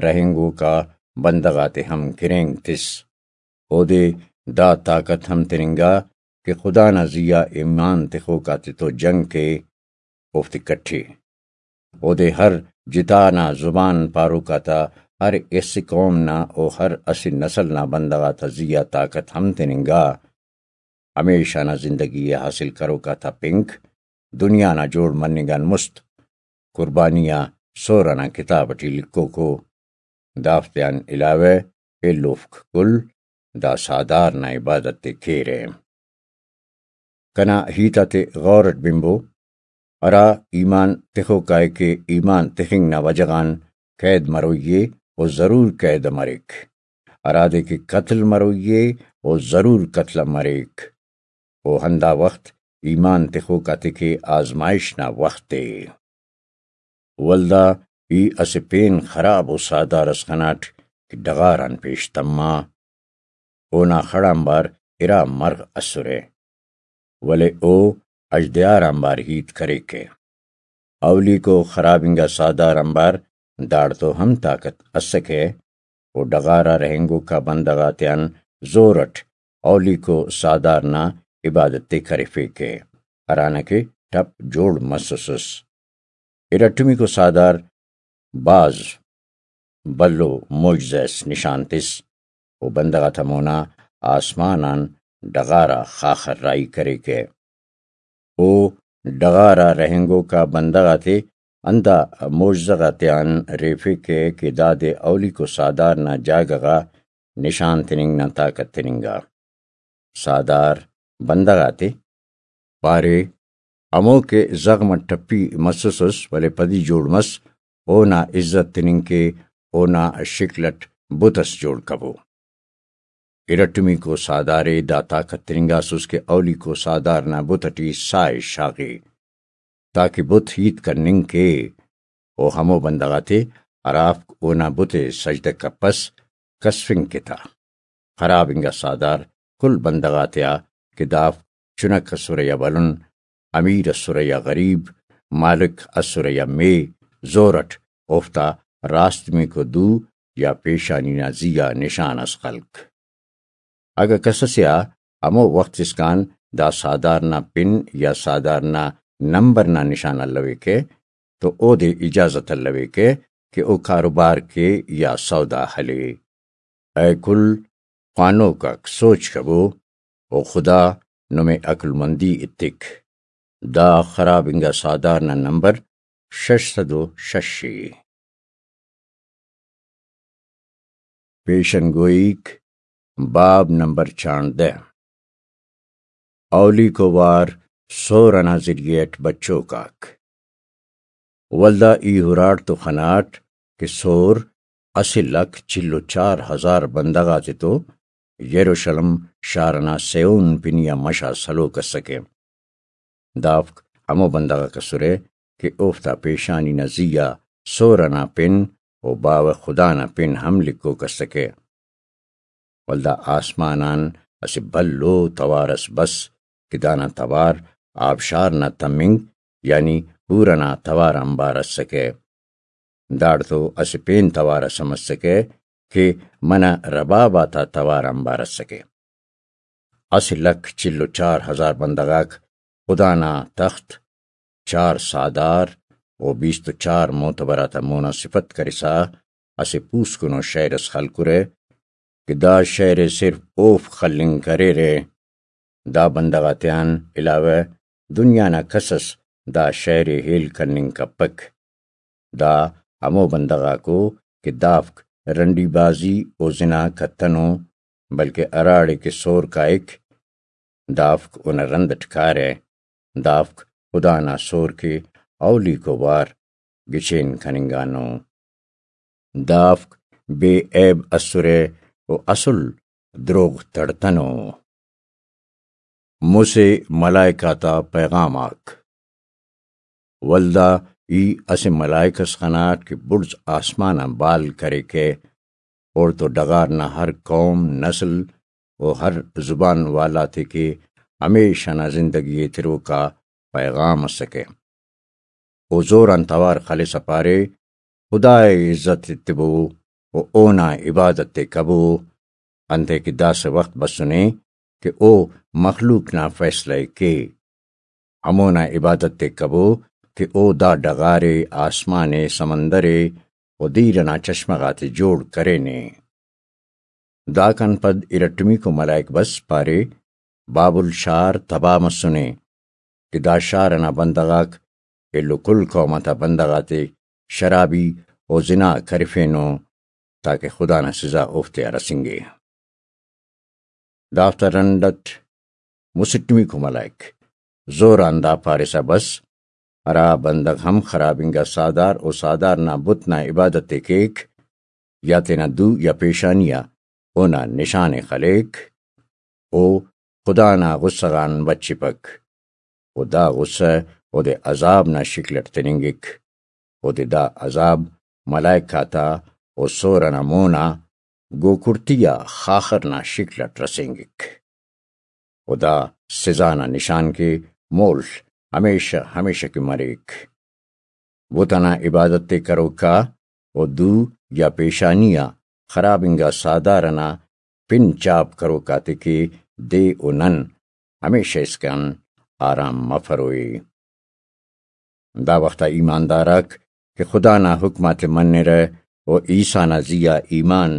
رہینگوکا بندغ آتے ہم کھرینگ تس۔ اودے دا طاقت ہم تننگا کہ خدا نا زی آ ایمان تخوک آتتو جنگ کے، اوفتے کٹے۔ اودے ہر جتا نا زبان پاروک آتا ہر اسہ قوم نا و ہر اسہ نسل نا بندغ آتا زی آ طاقت ہم تننگا۔ ہمیشہ نا زندگی ءِ حاصل کروک آتا پنک دنیا نا جوڑ مننگ آن مست قربانی آ سہرہ نا کتاب ٹی لکھوکو۔ دافتیان علاوہ ایلوفک کل دا ساہدار نا عبادت ءِ کیرہ۔ کنا ہیت آتے غور اٹ بنبو۔ ہرا ایمان تخوکائے کہ ایمان تخنگ نا وجہ غان قید مروئی ءِ، او ضرور قید مریک۔ ہرادے کہ قتل مروئی ءِ، او ضرور قتل مریک۔ او ہندا وخت ایمان تخوک آتے کہ آزمائش نا وخت ءِ۔ ولدا ای اسہ پین خراب و ساہدار اس خناٹ کہ ڈغار آن پیش تما۔ اونا خڑ آنبار ارا مرغ اسرہ، ولے او اژدہار آنبار ہیت کریکہ۔ اولیکو خراب انگا ساہدار آنبار داڑتو ہم طاقت اسکہ، و ڈغار آ رہینگوکا بندغ آتیان زور اٹ اولیکو ساہدار نا عبادت ءِ کرفیکہ، ہرانا کہ ٹپ جوڑ مسوسس۔ ارٹمیکو ساہدار بھاز بھلو معجزہ اس نشان تس، و بندغ آتا مونا آسمان آن ڈغار آ خاخر راہی کریکہ۔ او ڈغار آ رہینگوکا بندغ آتے ہندا معجزہ غاتیان ریفیکہ کہ دادے اولیکو ساہدار نا جاگہ غا نشان تننگ نا طاقت تننگا۔ ساہدار بندغ آتے پارے، ہمو کہ زغم اٹ ٹپی مسوسس ولے پدی جوڑ مس، اونا عزت تننگ کے اونا شکل اٹ بت اس جوڑ کبو۔ ارٹمیکو ساہدار ءِ دا طاقت تننگاسس کہ اولیکو ساہدار نا بت اٹی ساہ ءِ شاغے، تاکہ بت ہیت کننگ کے۔ او ہمو بندغ آتے ہرافک اونا بت ءِ سجدہ کپس، کسفنگ کے تا۔ خراب انگا ساہدار کل بندغ آتیا کہ دافک چنک اسرہ یا بلن، امیر اسرہ یا غریب، مالک اسرہ یا مے، زور اٹ اوفتا راستمیکو دو یا پیشانی نا زی آ نشان اس خلک۔ اگہ کس اسے آ ہمو وخت اسکان دا ساہدار نا پن یا ساہدار نا نمبر نا نشان الویکہ تو اودے اجازت الویکہ کہ او کاروبار کے یا سودا ہلے۔ اے کل خوانوک آک سوچ کبو، او خدا نمے عقل مندی ایتک۔ دا خراب انگا ساہدار نا نمبر شش سد و شش ءِ۔ پیشن گوئیک، باب نمبر چانڑدہ۔ اولیکو وار سور ئنا ذریعہ ئٹ بچوک آک۔ ولدا ای ہراٹ تو خناٹ کہ سور اسہ لکھ چل و چار ہزار بندغ آتے تو یروشلم شار ئنا سیون پنی آ مش آ سلوک اسکہ۔ دافک ہمو بندغ آک اسرہ کہ اوفتا پیشانی نا زی آ سور ئنا پن و باوہ خدا نا پن ہم لکھوک اسکہ۔ ولدا آسمان آن اسہ بھلو توار اس بس کہ دانا توار آبشار نا تمنگ، یعنی حور ئنا توار آنبار اسکہ۔ داڑتو اسہ پین توار اس ہم اسکہ کہ منہ رباب آتا توار آنبار اسکہ۔ اسہ لکھ چل و چار ہزار بندغ آک خدا نا تخت، چار ساہدار و بیست و چار معتبر آتا مونا صفت کرسا اسہ پوسکنو شئیر اس خلکرہ کہ دا شئیر ءِ صرف اوفک خلنگ کریرہ۔ دا بندغ آتیان علاوہ دنیا نا کس اس دا شئیر ءِ ہیل کننگ کپک۔ دا ہمو بندغ آکو کہ دافک رنڈی بازی و زنا کتنو، بلکہ ہراڑے کہ سور کائک، دافک اونا رند اٹ کارہ، دافک خدا نا سور کہ اولیکو وار گچین کننگانو۔ دافک بے عیب اسرہ و اسل دروغ تڑتنو۔ مسہ ملائک آتا پیغام آک۔ ولدا ای اسہ ملائک اس خناٹ کہ بڑز آسمان آن بال کریکہ، اوڑتو ڈغار نا ہر قوم، نسل و ہر زبان والا تے کہ ہمیش ئنا زندگی ءِ تروک آ پیغام اسکہ۔ او زور آن توار خلسہ پارے، خدا ءِ عزت ایتبو و اونا عبادت ءِ کبو، انتئے کہ داسہ وخت بسنے کہ او مخلوق نا فیصلہ ءِ کے۔ ہمونا عبادت ءِ کبو کہ او دا ڈغار ءِ، آسمان ءِ، سمندر ءِ و دیر ئنا چشمہ غاتے جوڑ کرینے۔ داکان پد ارٹمیکو ملائک بس پارے، بابل شار تباہ مسنے کہ دا شار ئنا بندغ آک ایلو کل قوم آتا بندغ آتے شرابی و زنا کرفینو، تاکہ خدا نا سزا اوفتے آ رسینگے۔ دافتا رنڈ اٹ مسٹمیکو ملائک زور آن دا پارسا بس، ہرا بندغ ہم خراب انگا ساہدار و ساہدار نا بت نا عبادت ءِ کیک، یا تینا دو یا پیشانی آ اونا نشان ءِ خلیک، او خدا نا غصہ غان بچپک، و دا غصہ اودے عذاب نا شکل اٹ تننگک۔ اودے دا عذاب ملائک آتا و سور ئنا مون آ گوکڑتی آ خاخر نا شکل اٹ رسینگک۔ و دا سزا نا نشان کہ مول ہمیشہ ہمیشہ کہ مریک۔ بت ئنا عبادت ءِ کروکا و دو یا پیشانی آ خراب انگا ساہدار ئنا پن چاپ کروک آتے کہ دے و نن ہمیشہ اسکان آرام مفروئے۔ دا وخت آ ایماندار آک کہ خدا نا حکم آتے منرہ و عیسیٰ نا زی آ ایمان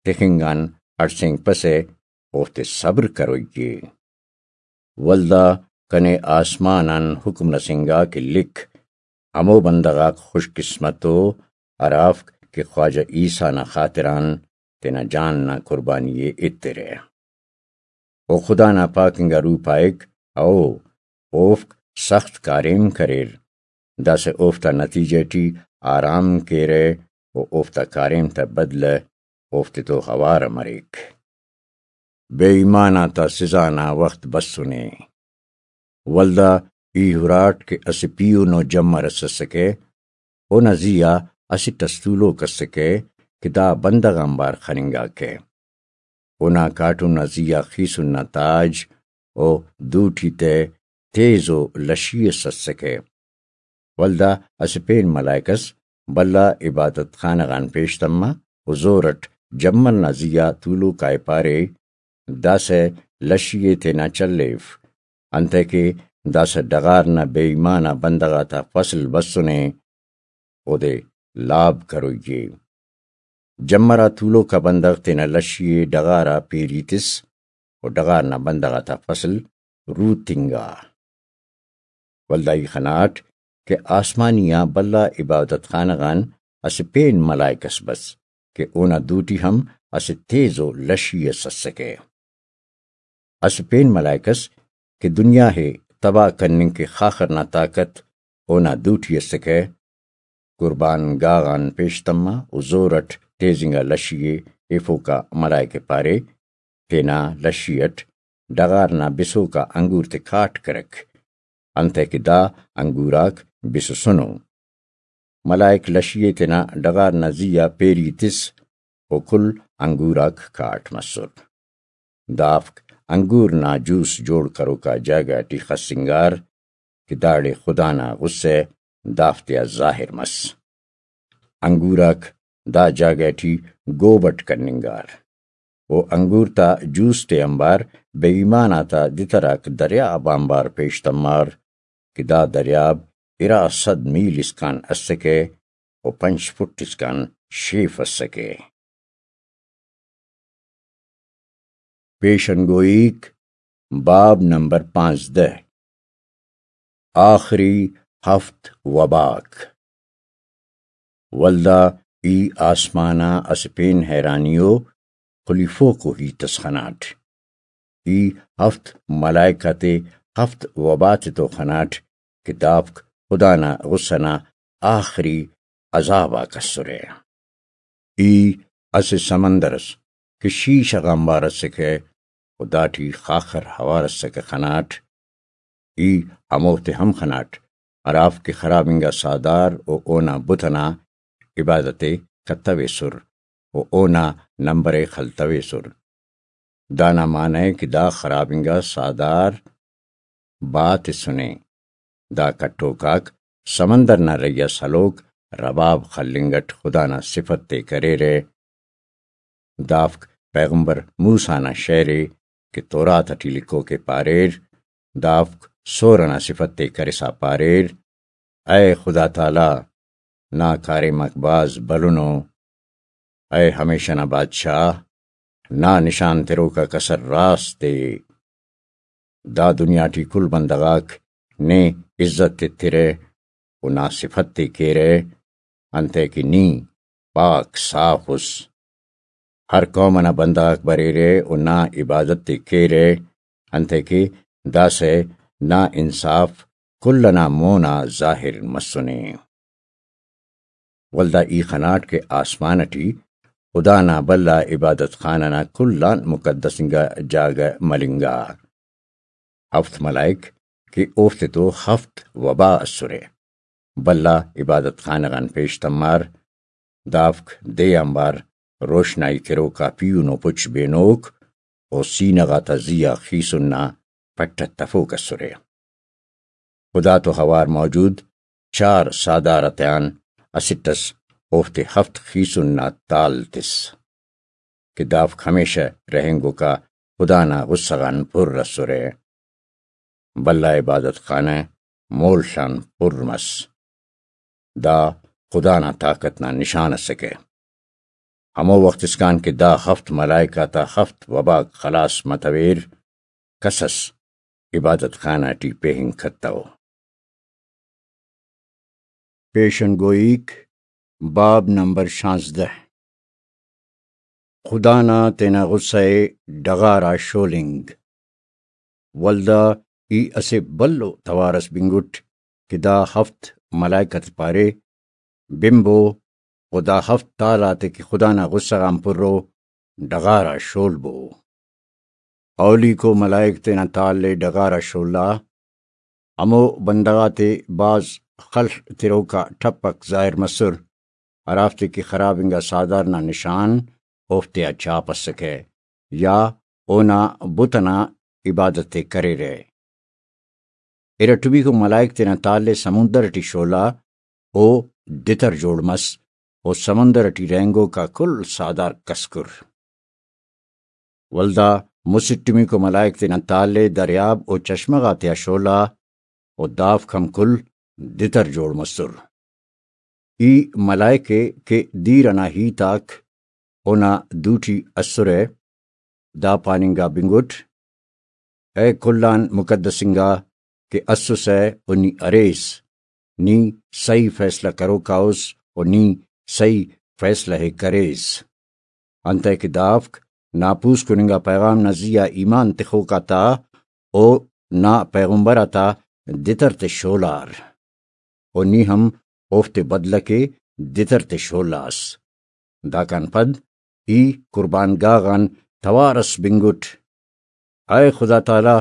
تخنگ آن ہڑسینگپسہ، اوفتے صبر کروئی ءِ۔ ولدا کنے آسمان آن حکم رسینگا کہ لکھ، ہمو بندغ آک خوش قسمت ءُ ہرافک کہ خواجہ عیسیٰ نا خاطران تینا جان نا قربانی ءِ ایترہ۔ و خدا نا پاک انگا روح پائک، ہئو، اوفک سخت کاریم کریر، داسہ اوفتا نتیجہ ٹی آرام کیرہ و اوفتا کاریم تا بدلہ اوفتے تو اوار مریک۔ بے ایمان آتا سزا نا وخت بسنے۔ ولدا ای ہراٹ کہ اسہ پیہنو جمر اس اسکہ، اونا زی آ اسٹ اس تولوک اسکہ کہ دا بندغ آنبار خننگاکہ۔ اونا کاٹم نا زی آ خیسن نا تاج و دوٹی تہ تیزو لشی اس اسکہ۔ ولدا اسہ پین ملائک اس بھلا عبادت خانہ غان پیش تما و زور اٹ جمر نا زی آ تولوکائے پارے، داسہ لشی ءِ تینا چلیف، انتئے کہ داسہ ڈغار نا بے ایمان آ بندغ آتا فصل بسنے، اودے لاب کروئی ءِ۔ جمر آ تولوک آ بندغ تینا لشی ءِ ڈغار آ پیری تس و ڈغار نا بندغ آتا فصل روتنگا۔ ولدا ای خناٹ کہ آسمانی آ بھلا عبادت خانہ غان اسہ پین ملائک اس بس کہ اونا دوٹی ہم اسہ تیزو لشی اس اسکہ۔ اسہ پین ملائک اس کہ دنیا ءِ تباہ کننگ کہ خاخر نا طاقت اونا دوٹی اسکہ، قربان گاہ غان پیش تما و زور اٹ تیز انگا لشی ءِ ایفوکا ملائک ءِ پارے، تینا لشی اٹ ڈغار نا بسوکا انگور تے کاٹ کرک، انتئے کہ دا انگور آک بسسنو۔ ملائک لشی ءِ تینا ڈغار نا زی آ پیری تس و کل انگور آک کاٹ مسر۔ دافک انگور نا جوس جوڑ کروکا جاگہ ٹی خسنگار کہ داڑے خدا نا غصہ دافتیا ظاہر مس۔ انگور آک دا جاگہ ٹی گوب اٹ کننگار و انگور تا جوس تے آنبار بے ایمان آتا دتر آک دریاب آنبار پیش تمار کہ دا دریاب ارا صد میل اسکان اسکہ و پنچ فٹ اسکان شیف اسکہ۔ پیشن گوئیک، باب نمبر پانزدہ، آخری ہفت وباک۔ ولدا ای آسمان آ اسہ پین حیرانی و خلیفوکو ہیت اس خناٹ۔ ای ہفت ملائکہ تے ہفت وبا تتو خناٹ کہ دافک خدا نا غصہ نا آخری عذاب آک اسرہ۔ ای اسہ سمندر اس کہ شیشہ غانبار اسکہ و داٹی خاخر ہوار اسکہ خناٹ۔ ای ہموفتے ہم خناٹ ہرافک کہ خراب انگا ساہدار و اونا بت ئنا عبادت ءِ کتویسر و اونا نمبر ءِ خلتویسر۔ دانا معنہ ءِ کہ دا خراب انگا ساہدار با تسنے۔ دا کٹوک آک سمندر نا رہی آ سلوک رباب خلنگ اٹ خدا نا صفت ءِ کریرہ۔ دافک پیغمبر موسیٰ نا شعر ءِ کہ تورات اٹی لکھوک ءِ پاریر، دافک سور ئنا صفت ءِ کرسا پاریر، اے خدا تعالیٰ، نا کاریم آک بھاز بھلنو، اے ہمیشہ نا بادشاہ، نا نشان تروک آک اسل راست ءِ۔ دا دنیا ٹی کل بندغ آک نے عزت ایترہ و نا صفت ءِ کیرہ، انتئے کہ نی پاک صاف اس۔ ہر قوم ئنا بندغ آک بریرہ و نا عبادت ءِ کیرہ، انتئے کہ داسہ نا انصاف کل ئنا مون آ ظاہر مسنے۔ ولدا ای خناٹ کہ آسمان اٹی خدا نا بھلا عبادت خانہ نا کل آن مقدس انگا جاگہ ملنگا۔ ہفت ملائک کہ اوفتے تو ہفت وبا اسرہ، بھلا عبادت خانہ غان پیش تمار، دافک دے آنبار روشنائی تروکا پیہنو پچ بینوک و سینہ غاتا زی آ خیسن نا پٹ ءِ تفوک اسرہ۔ خدا تو اوار موجود چار ساہدار آتیان اسٹ اس اوفتے ہفت خیسن نا تال تس کہ دافک ہمیشہ رہینگوکا خدا نا غصہ غان پر اسرہ۔ بھلا عبادت خانہ مول آن پر مس۔ دا خدا نا طاقت نا نشان اسکہ۔ ہمو وخت اسکان کہ دا ہفت ملائک آتا ہفت وباک خلاص متویر، کس اس عبادت خانہ ٹی پہنگ کتو۔ پیشن گوئیک، باب نمبر شانزدہ۔ خدا نا تینا غصہ ءِ ڈغار آ شولنگ۔ ولدا ای اسہ بھلو توار اس بنگٹ کہ دا ہفت ملائکہ تے پارے، بنبو، و دا ہفت تال آتے کہ خدا نا غصہ غان پرو، ڈغار آ شولبو۔ اولیکو ملائک تینا تال ءِ ڈغار آ شولا۔ ہمو بندغ آتے بھاز خل تروکا ٹھپک ظاہر مسر، ہرافتے کہ خراب انگا ساہدار نا نشان اوفتیا چھاپ اسکہ یا اونا بت ئنا عبادت ءِ کریرہ۔ ارٹمیکو ملائک تینا تال ءِ سمندر ٹی شولا، او دتر جوڑ مس، و سمندر ٹی رہینگوک آ کل ساہدار کسکر۔ ولدا مسٹمیکو ملائک تینا تال ءِ دریاب و چشمہ غاتیا شولا، و دافک ہم کل دتر جوڑ مسر۔ ای ملائک ءِ کہ دیر ئنا ہیت آک اونا دوٹی اسرہ، دا پاننگا بنگٹ، اے کل آن مقدس انگا کہ اسسہ و نی اریس، نی سہی فیصلہ کروکا اس و نی سہی فیصلہ ءِ کریس۔ انتئے کہ دافک نا پوسکن انگا پیغام نا زیہا ایمان تخوک آتا و نا پیغمبر آتا دتر تے شولار، و نی ہم اوفتے بدلہ کے دتر تے شولاس۔ داکان پد ای قربان گاہ غان توار اس بنگٹ۔ اے خدا تعالی،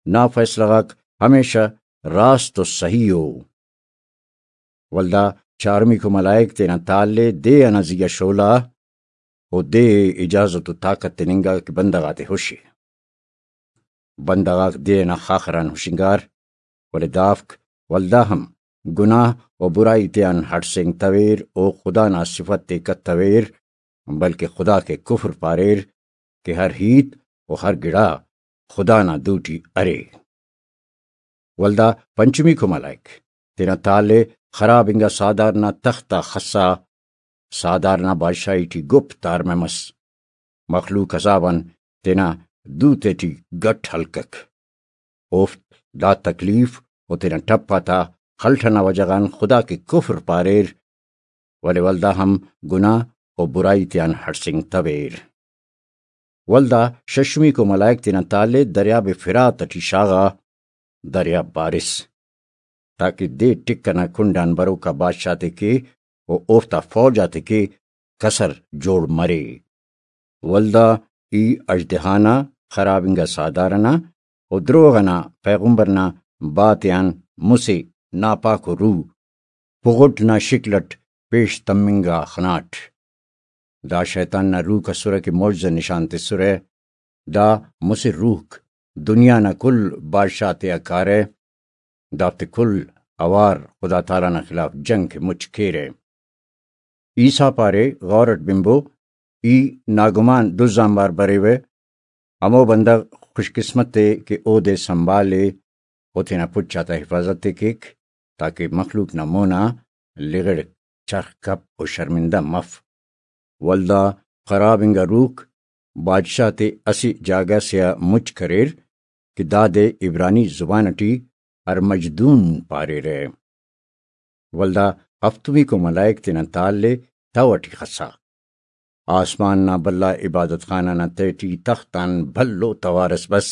نا فیصلہ غاک ہمیشہ راست و صحیح ءُ۔ ولدا چارمیکو ملائک تینا تال ءِ دے ئنا زیہا شولا، و دے ءِ اجازت و طاقت تننگا کہ بندغ آتے ہشے۔ بندغ آک دے ئنا خاخران ہشنگار، ولے دافک ولدا ہم گناہ و برائی تیان ہڑسینگتویر و خدا نا صفت ءِ کتویر، بلکہ خدا کے کفر پاریر کہ ہر ہیت و ہر گڑا خدا نا دوٹی ارے۔ ولدا پنچمیکو ملائک تینا تال ءِ خراب انگا ساہدار نا تخت آ خسا، ساہدار نا بادشاہی ٹی گپ تارمہ مس۔ مخلوق عذاب آن تینا دو تیٹی گٹ ہلکک۔ اوفک دا تکلیف و تینا ٹپ آتا خلٹ ئنا وجہ غان خدا کے کفر پاریر، ولے ولدا ہم گناہ و برائی تیان ہڑسینگتویر۔ ولدا ششمیکو ملائک تینا تال ءِ دریاب فرات ٹی شاغا، دریاب بارس، تاکہ دے ٹک ئنا کنڈ آن بروکا بادشاہ تے کے و اوفتا فوج آتے کے کسر جوڑ مرے۔ ولدا ای اژدہا نا، خراب انگا ساہدار ئنا و دروغ ئنا پیغمبر نا با تیان مسہ ناپاکو روح پغٹ نا شکل ئٹ پیش تمنگا خناٹ۔ دا شیطان نا روحک اسرہ کہ معجزہ نشان تسرہ۔ دا مسہ روحک دنیا نا کل بادشاہ تیا کارہ، دافتے کل اوار خدا تعالی نا خلاف جنگ کہ مچ کیرہ۔ عیسیٰ پارے، غور اٹ بنبو، ای ناگمان دز آنبار بریوہ، ہمو بندغ خوش قسمت ءِ کہ اودے سنبھالے و تینا پچ آتا حفاظت ءِ کیک، تاکہ مخلوق نا مونا لغڑ چرخ کپ و شرمندہ مف۔ ولدا خراب انگا روحک بادشاہ تے اسہ جاگہ سے آ مچ کریر کہ دادے عبرانی زبان ٹی ارمجدون پاریرہ۔ ولدا ہفتمیکو ملائک تینا تال ءِ تہو ٹی خسا۔ آسمان نا بھلا عبادت خانہ نا تہٹی تخت آن بھلو توار اس بس۔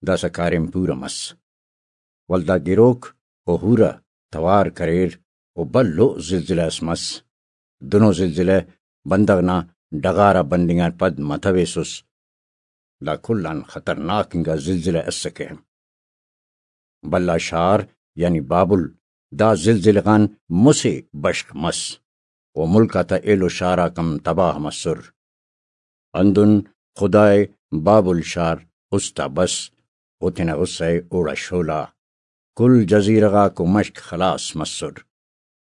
داسہ کاریم پورہ مس۔ ولدا گروک و ہورہ توار کریر و بھلو زلزلہ اس مس۔ دنو زلزلہ بندغ نا ڈغار آ بننگ آن پد متویسس۔ دا کل آن خطرناک انگا زلزلہ اسکہ۔ بھلا شار یعنی بابل دا زلزلہ غان مسہ بشخ مس و ملک آتا ایلو شار آک ہم تباہ مسر۔ ہندن خدائے بابل شار است آ بس و تینا غصہ ءِ اوڑا شولا۔ کل جزیرہ غاک و مشک خلاص مسر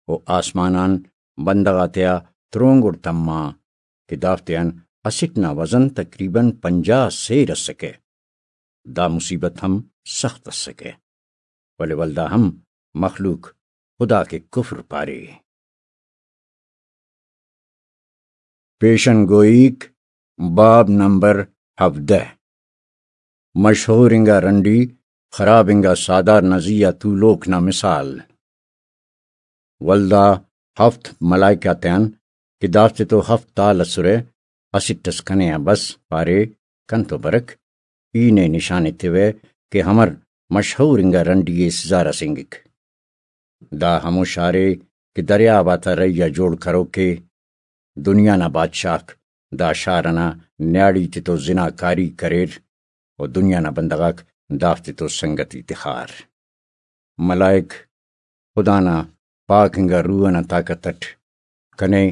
و آسمان آن بندغ آتیا ترونگڑ تما کہ دافتیان اسٹ نا وزن تقریباً پنجاہ سیر اسکہ۔ دا مصیبت ہم سخت اسکہ، ولے ولدا ہم مخلوق خدا کے کفر پارے۔ پیشن گوئیک، باب نمبر ہفدہ۔ مشہور انگا رنڈی خراب انگا ساہدار نا زی آ تولوک نا مثال۔ ولدا ہفت ملائکہ آتیان کہ دافتے تو ہفت تال ئسرہ، اسٹ ئس کنے آ بس، پارے، کنتو برک، ای نے نشان ایتیوہ کہ ہمر مشہور انگا رنڈی ئے سزا رسینگک۔ دا ہمو شار ءِ کہ دریاب آتا رہی آ جوڑ کروک ءِ۔ دنیا نا بادشاہک دا شار ئنا نیاڑی تتو زناکاری کریر و دنیا نا بندغاک دافتتو سنگتی تخار۔ ملائک خدا نا پاک انگا روح ئنا طاقت ئٹ کنے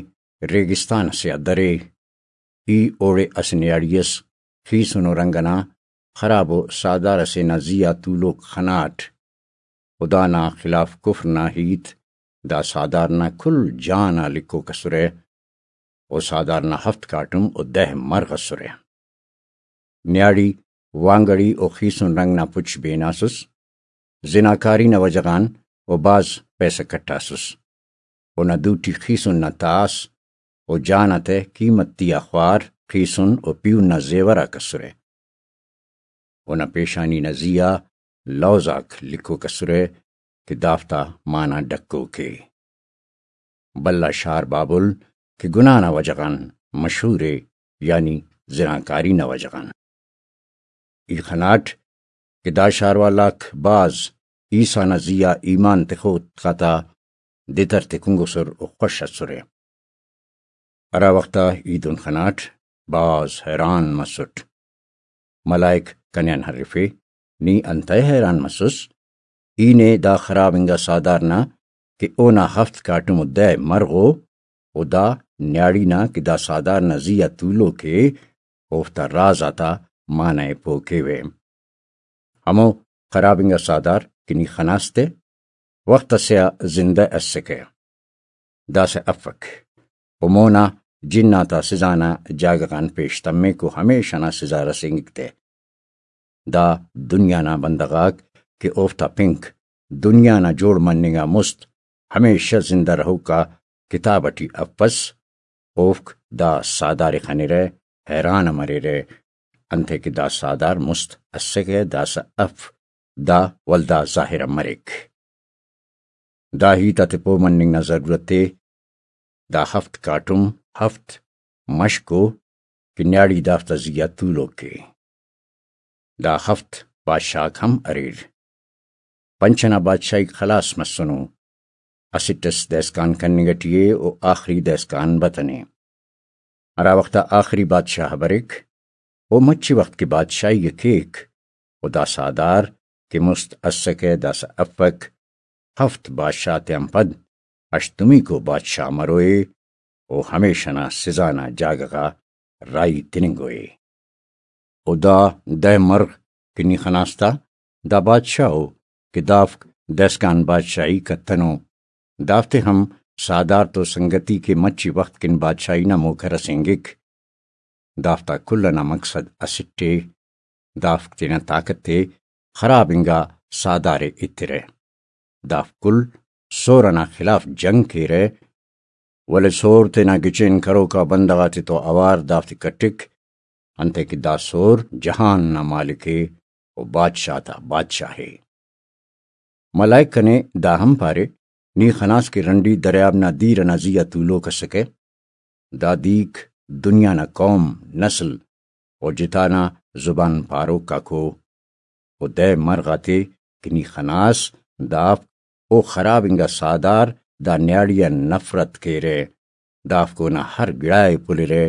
ریگستان ئسے آ درے۔ ای اوڑے اسہ نیاڑی ئس خیسنو رنگ ئنا خرابو ساہدار ئسے نا زی آ تولوک خناٹ۔ خدا نا خلاف کفر نا ہیت دا ساہدار نا کل جان آ لکھوک ئسرہ، و ساہدار نا ہفت کاٹم و دہ مرغ ئسرہ۔ نیاڑی وانگڑی و خیسن رنگ نا پچ بیناسس، زناکاری نا وجہ غان و بھاز پیسہ کٹاسس۔ اونا دوٹی خیسن نا تاس و جان آتہ قیمتی آ خوار خیسن و پیہن نا زیور آک ئسرہ۔ اونا پیشانی نا زی آ لوز آک لکھوک ئسرہ کہ دافتا معنی ڈکوک ءِ۔ بھلا شار بابل کہ گناہ نا وجہ غان مشہور ءِ، یعنی زناکاری نا وجہ غان۔ ای خناٹ کہ دا شار والاک بھاز عیسیٰ نا زی آ ایمان تخوک آتا دتر تکنگسر و خوش ئسرہ۔ ہرا وخت آ ای دن خناٹ، بھاز حیران مسٹ۔ ملائک کنے آن ہرفے، نی انتئے حیران مسس؟ ای نے دا خراب انگا ساہدار نا کہ اونا ہفت کاٹم و دہ مرغ ءُ، و دا نیاڑی نا کہ دا ساہدار نا زی آ تولوک ءِ، اوفتا راز آتا معنی ءِ پہہ کیوہ۔ ہمو خراب انگا ساہدار کہ نی خناس تہ، وخت ئسے آ زندہ ئسکہ۔ داسہ افک۔ و مونا جن آتا سزا نا جاگہ غان پیش تمک و ہمیشہ نا سزا رسینگک تہ۔ دا دنیا نا بندغ آک کہ اوفتا پنک دنیا نا جوڑ مننگ آ مست ہمیشہ زندہ رہوکا کتاب ئٹی افس، اوفک دا ساہدار ءِ خنرہ، حیران مریرہ، انتئے کہ دا ساہدار مست اسکہ، داسہ اف، دا ولدا ظاہر مریک۔ دا ہیت آتے پہہ مننگ نا ضرورت ءِ۔ دا ہفت کاٹم ہفت مشک ءُ کہ نیاڑی دافتا زی آ تولوک ءِ۔ دا ہفت بادشاہ آک ہم اریر۔ پنچ ئنا بادشاہیک خلاس مسنو۔ اسٹ ئس دہسکان کننگ ئٹی ءِ و آخری دہسکان بتنے۔ ہرا وخت آ آخری بادشاہ بریک، او مچی وخت کہ بادشاہی ءِ کیک، و دا ساہدار کہ مست اسکہ، داسہ افک، ہفت بادشاہ تیان پد ہشتمیکو بادشاہ مروئے، و ہمیشہ نا سزا نا جاگہ غا راہی تننگوئے۔ و دا دہ مرغ کہ نی خناس تا، دا بادشاہ ءُ کہ دافک دہسکان بادشاہی کتنو۔ دافتے ہم ساہدار تو سنگتی کہ مچی وخت کن بادشاہی نا موقع رسینگک۔ دافتا کل ئنا مقصد اسٹ ءِ، دافک تینا طاقت ءِ خراب انگا ساہدار ءِ ایترہ۔ دافک کل سور ئنا خلاف جنگ کیرہ، ولے سور تینا گچین کروکا بندغ آتے تو اوار دافتے کٹک، انتئے کہ دا سور جہان نا مالک ءِ و بادشاہ تا بادشاہ ءِ۔ ملائک کنے دا ہم پارے، نی خناس کہ رنڈی دریاب نا دیر ئنا زی آ تولوک اسکہ۔ دا دیک دنیا نا قوم، نسل و جتا نا زبان پاروک آکو۔ و دہ مرغ آتے کہ نی خناس، دافک او خراب انگا ساہدار دا نیاڑی آن نفرت کیرہ۔ دافک اونا ہر گڑا ءِ پلرہ،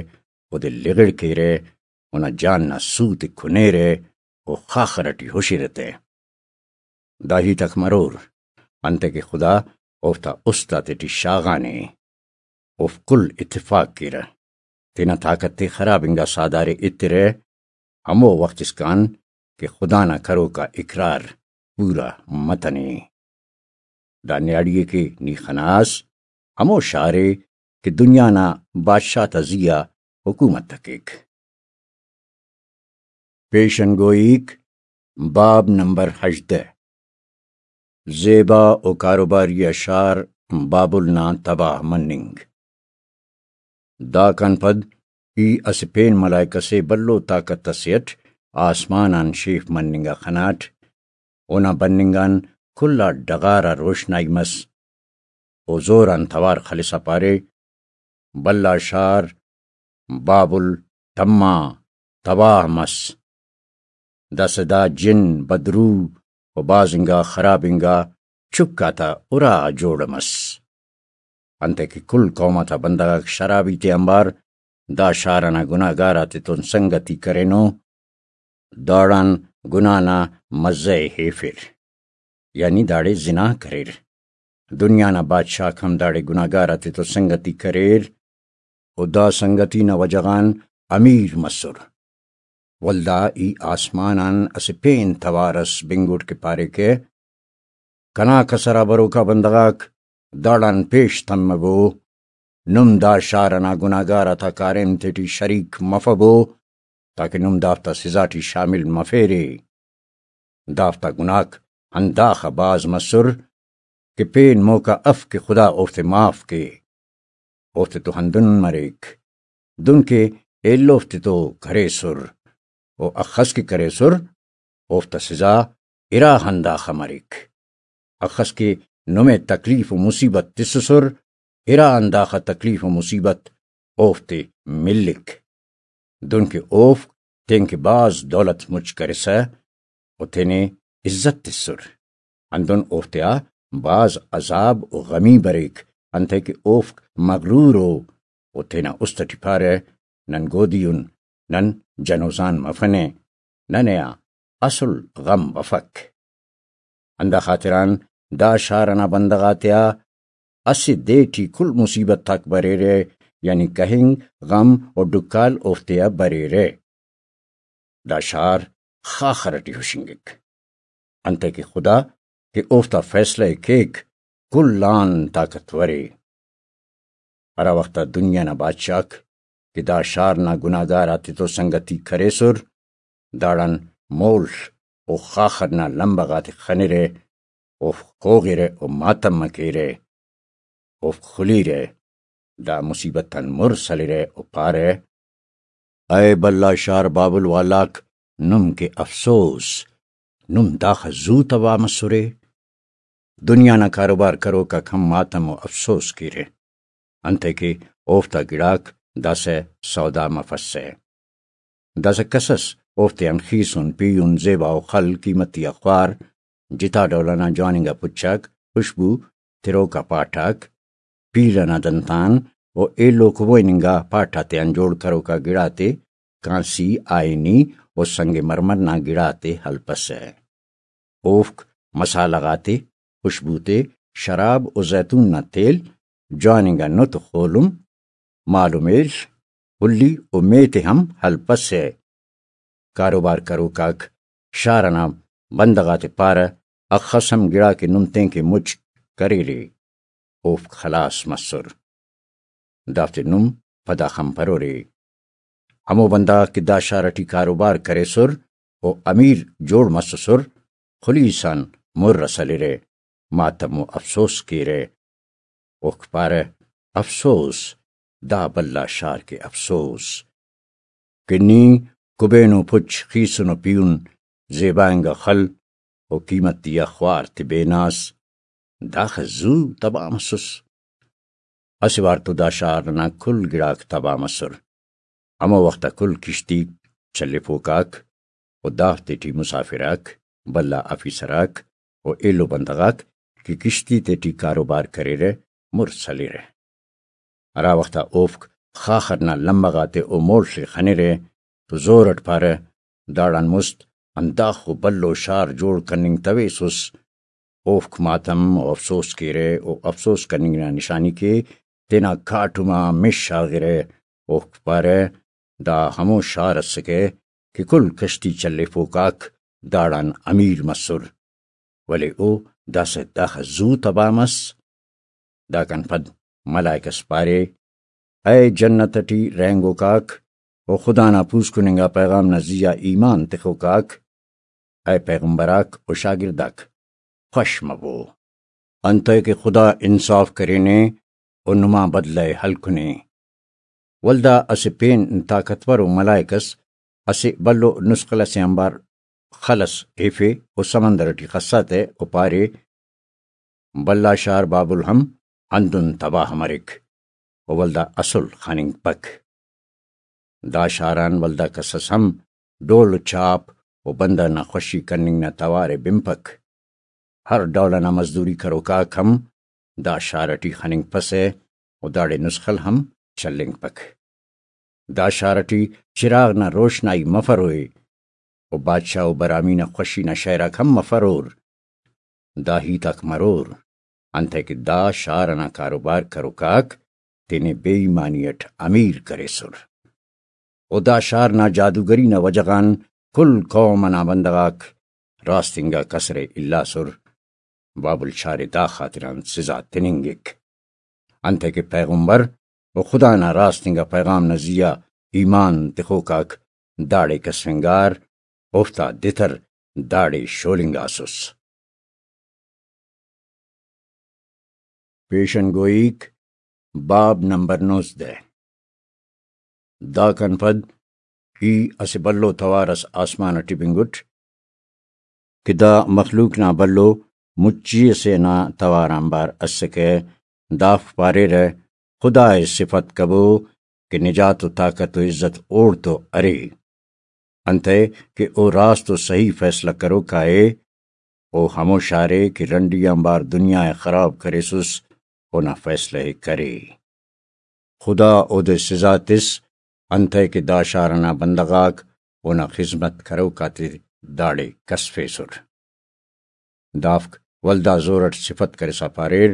اودے لغڑ کیرہ، اونا جان نا سوت ءِ کنیرہ، او خاخر ئٹی ہشرہ تہ۔ دا ہیت آک مرور، انتئے کہ خدا اوفتا است آتیٹی شاغانے۔ اوفک کل اتفاق کیرہ، تینا طاقت ءِ خراب انگا ساہدار ءِ ایترہ، ہمو وخت اسکان کہ خدا نا کروکا اقرار پورا متنے۔ دا نیاڑی ءِ کہ نی خناس، ہمو شار ءِ کہ دنیا نا بادشاہ تا زی آ حکومت ءِ کیک۔ پیشن گوئیک، باب نمبر ہژدہ۔ زیبا و کاروباری آ شار بابل نا تباہ مننگ۔ داکان پد ای اسہ پین ملائکہ سے بھلو طاقت اسے اٹ آسمان آن شیف مننگ آ خناٹ، اونا بننگ آن کل آ ڈغار آ روشنائی مس۔ او زور آن توار خلسا پارے، بھلا شار بابل تما تباہ مس۔ داسہ دا جن، بدروح و بھاز انگا خراب انگا چک آتا ارا جوڑ مس۔ انتئے کہ کل قوم آتا بندغ آک شرابی تے آنبار دا شار ئنا گناہگار آتتون سنگتی کرینو، داڑان گناہ نا مزہ ئے ہیفر، یعنی داڑے زنا کریر۔ دنیا نا بادشاہک ہم داڑے گناہگار آتتون سنگتی کریر، و دا سنگتی نا وجہ غان امیر مسر۔ ولدا ای آسمان آن اسہ پین توار ئس بنگٹ کہ پارے کہ، کنا کسر آ بروکا بندغ آک داڑان پیش تمبو، نم دا شار ئنا گناہگار آتا کاریم تیٹی شریک مفبو، تاکہ نم دافتا سزا ٹی شامل مفیرے۔ دافتا گناہک ہنداخہ بھاز مسر کہ پین موقع اف کہ خدا اوفتے معاف کے۔ اوفتے تو ہندن مریک، دن کہ ایلو اوفتے تو کریسر، و اخس کہ کریسر، اوفتا سزا ارا ہنداخہ مریک۔ اخس کہ نمے تکلیف و مصیبت تسسر، ارا ہنداخہ تکلیف و مصیبت اوفتے ملک۔ دنکہ اوفک تینکہ بھاز دولت مچ کرسہ و تینے عزت تسر، ہندن اوفتیا بھاز عذاب و غمی بریک، انتئے کہ اوفک مغرور او، و تینا است ٹی پارہ، نن گودی ان، نن جنوزان مفنہ، ننے آ اسل غم بفک۔ ہندا خاطران دا شار ئنا بندغ آتیا اسہ دے ٹی کل مصیبت آک بریرہ، یعنی کہنگ، غم و ڈکال اوفتیا بریرہ۔ دا شار خاخر ٹی ہشنگک، انتئے کہ خدا کہ اوفتا فیصلہ ءِ کیک، کل آن طاقتور ءِ۔ ہرا وخت آ دنیا نا بادشاہک کہ دا شار نا گناہگار آتتون سنگتی کریسر، داڑان مول و خاخر نا لمبہ غاتے خنرہ، اوفک خوغرہ و ماتم ءِ کیرہ، اوفک خلیرہ، دا مصیبت آن مر سلرہ و پارہ، اے بھلا شار بابل والاک، نم کہ افسوس، نم داخہ زو تباہ مسرے۔ دنیا نا کاروبار کروک آک ہم ماتم و افسوس کیرہ، انتئے کہ اوفتا گڑاک داسہ سودا مفسہ۔ داسہ کس ئس اوفتیان خیسن، پیہن، زیبا و خل، قیمتی آ خوار، جتا ڈول ئنا جوان انگا پچ آک، خوشبو تروکا پاٹ آک، پیل ئنا دنتان و ایلو کبوئن انگا پاٹ آتیان جوڑ کروکا گڑاتے، کانسی، آئینی و سنگ مرمر نا گڑاتے ہلپسہ۔ اوفک مسالہ غاتے، خوشبو تے، شراب و زیتون نا تیل، جوان انگا نت و خولم، مال و میل، ہلی و میت ءِ ہم ہلپسہ۔ کاروبار کروک آک شار ئنا بندغ آتے پارہ، اخس ہم گڑاکے نم تینکہ مچ کریرے، اوفک خلاس مسر۔ دافتے نم پدا خنپرورے۔ ہمو بندغ آک کہ دا شار ئٹی کاروبار کریسر و امیر جوڑ مسسر، خلیس آن مر ئس ہلرہ، ماتم و افسوس کیرہ۔ اوفک پارہ، افسوس، دا بھلا شار کہ افسوس کہ نی کبینو پچ، خیسنو پیہن، زیبا انگا خل و قیمتی آ خوار تبیناس، داخہ زو تباہ مسس۔ اسہ وار تو دا شار ئنا کل گڑاک تباہ مسر۔ ہمو وخت آ کل کشتی چلیفوک آک و دافتے ٹی مسافر آک، بھلا آفیسر آک و ایلو بندغ آک کہ کشتی تیٹی کاروبار کریرہ، مر سلرہ۔ ہرا وخت آ اوفک خاخر نا لمہ غاتے و مول ءِ خنرہ تو زور اٹ پارہ، داڑان مست ہنداخو بھلو شار جوڑ کننگ تویسس۔ اوفک ماتم و افسوس کیرہ و افسوس کننگ نا نشانی کہ تینا کاٹم آ مش شاغرہ۔ اوفک پارہ، دا ہمو شار اسکہ کہ کل کشتی چلیفوک آک داڑان امیر مسر، ولے او داسہ داخہ زو تباہ مس۔ داکان پد ملائک ئس پارے، اے جنت ئٹی رہینگوک آک و خدا نا پوسکن انگا پیغام نا زیہا ایمان تخوک آک، اے پیغمبر آک و شاگرد آک، خوش مبو، انتئے کہ خدا انصاف کرینے و نما بدلہ ءِ ہلکنے۔ ولدا اسہ پین طاقتور و ملائک اس اسہ بھلو نسخل اسے آنبار خل اس ہیفے و سمندر ٹی خسا تہ و پارے، بھلا شار بابل ہم ہندن تباہ مریک و ولدا اسل خننگپک۔ دا شار آن ولدا کسس ہم ڈول و چاپ و بندغ نا خوشی کننگ نا توار ءِ بنپک۔ ہر ڈول ئنا مزدوری کروک آک ہم دا شار ئٹی خننگپسہ و داڑے نسخل ہم چلینگپک۔ دا شار ئٹی چراغ نا روشنائی مفروئے و بادشاہ و برامی نا خوشی نا شئیراک ہم مفرور۔ دا ہیت آک مرور، انتئے کہ دا شار ئنا کاروبار کروک آک تینے بے ایمانی ئٹ امیر کریسر۔ و دا شار نا جادوگری نا وجہ غان کل قوم ئنا بندغ آک راست انگا کسرے الاسر۔ بابل شار ءِ دا خاطران سزا تننگک، انتئے کہ پیغمبر و خدا نا راست انگا پیغام نا زیہا ایمان تخوک آک داڑے کسفنگار، اوفتا دتر داڑے شولنگاسس۔ پیشن گوئیک، باب نمبر نوزدہ۔ داکان پد ای اسہ بھلو توار اس آسمان ئٹی بنگٹ کہ دا مخلوق نا بھلو مچی ئسے نا توار آنبار اسکہ۔ دافک پاریرہ، خدا ءِ صفت کبو کہ نجات و طاقت و عزت اوڑتو ارے، انتئے کہ او راست و صحیح فیصلہ کروکا ءِ۔ او ہمو شار ءِ کہ رنڈی آنبار دنیا ءِ خراب کریسس، اونا فیصلہ ءِ کرے۔ خدا اودے سزا تس، انتئے کہ دا شار ئنا بندغ آک اونا خذمت کروک آتے داڑے کسفیسر۔ دافک ولدا زور اٹ صفت کرسا پاریر،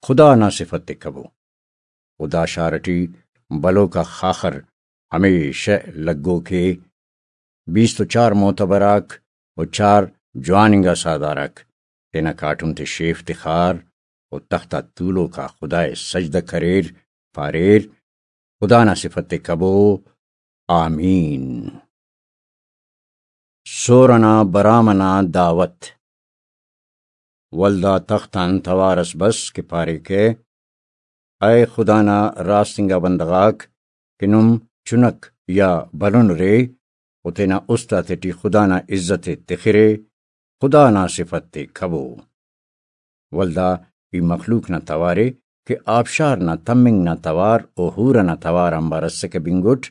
خدا نا صفت ءِ کبو۔ و دا شار ٹی بلوک آ خاخر ہمیشہ لگوک ءِ۔ بیست و چار معتبر آک و چار جوان انگا ساہدار آک تینا کاٹم تے شیف تخار و تخت آ تولوک آ خدا ءِ سجدہ کریر، پاریر، خدا نا صفت ءِ کبو، آمین۔ سور ئنا برام ئنا دعوت۔ ولدا تخت آن توار ئس بس کہ پاریکہ، اے خدا نا راست انگا بندغ آک، کہ نم چنک یا بھلن ارے و تینا است آتیٹی خدا نا عزت ءِ تخرے، خدا نا صفت ءِ کبو۔ ولدا ای مخلوق نا توار ءِ کہ آبشار نا تمنگ نا توار و حور ئنا توار آنبار اسکہ بنگٹ،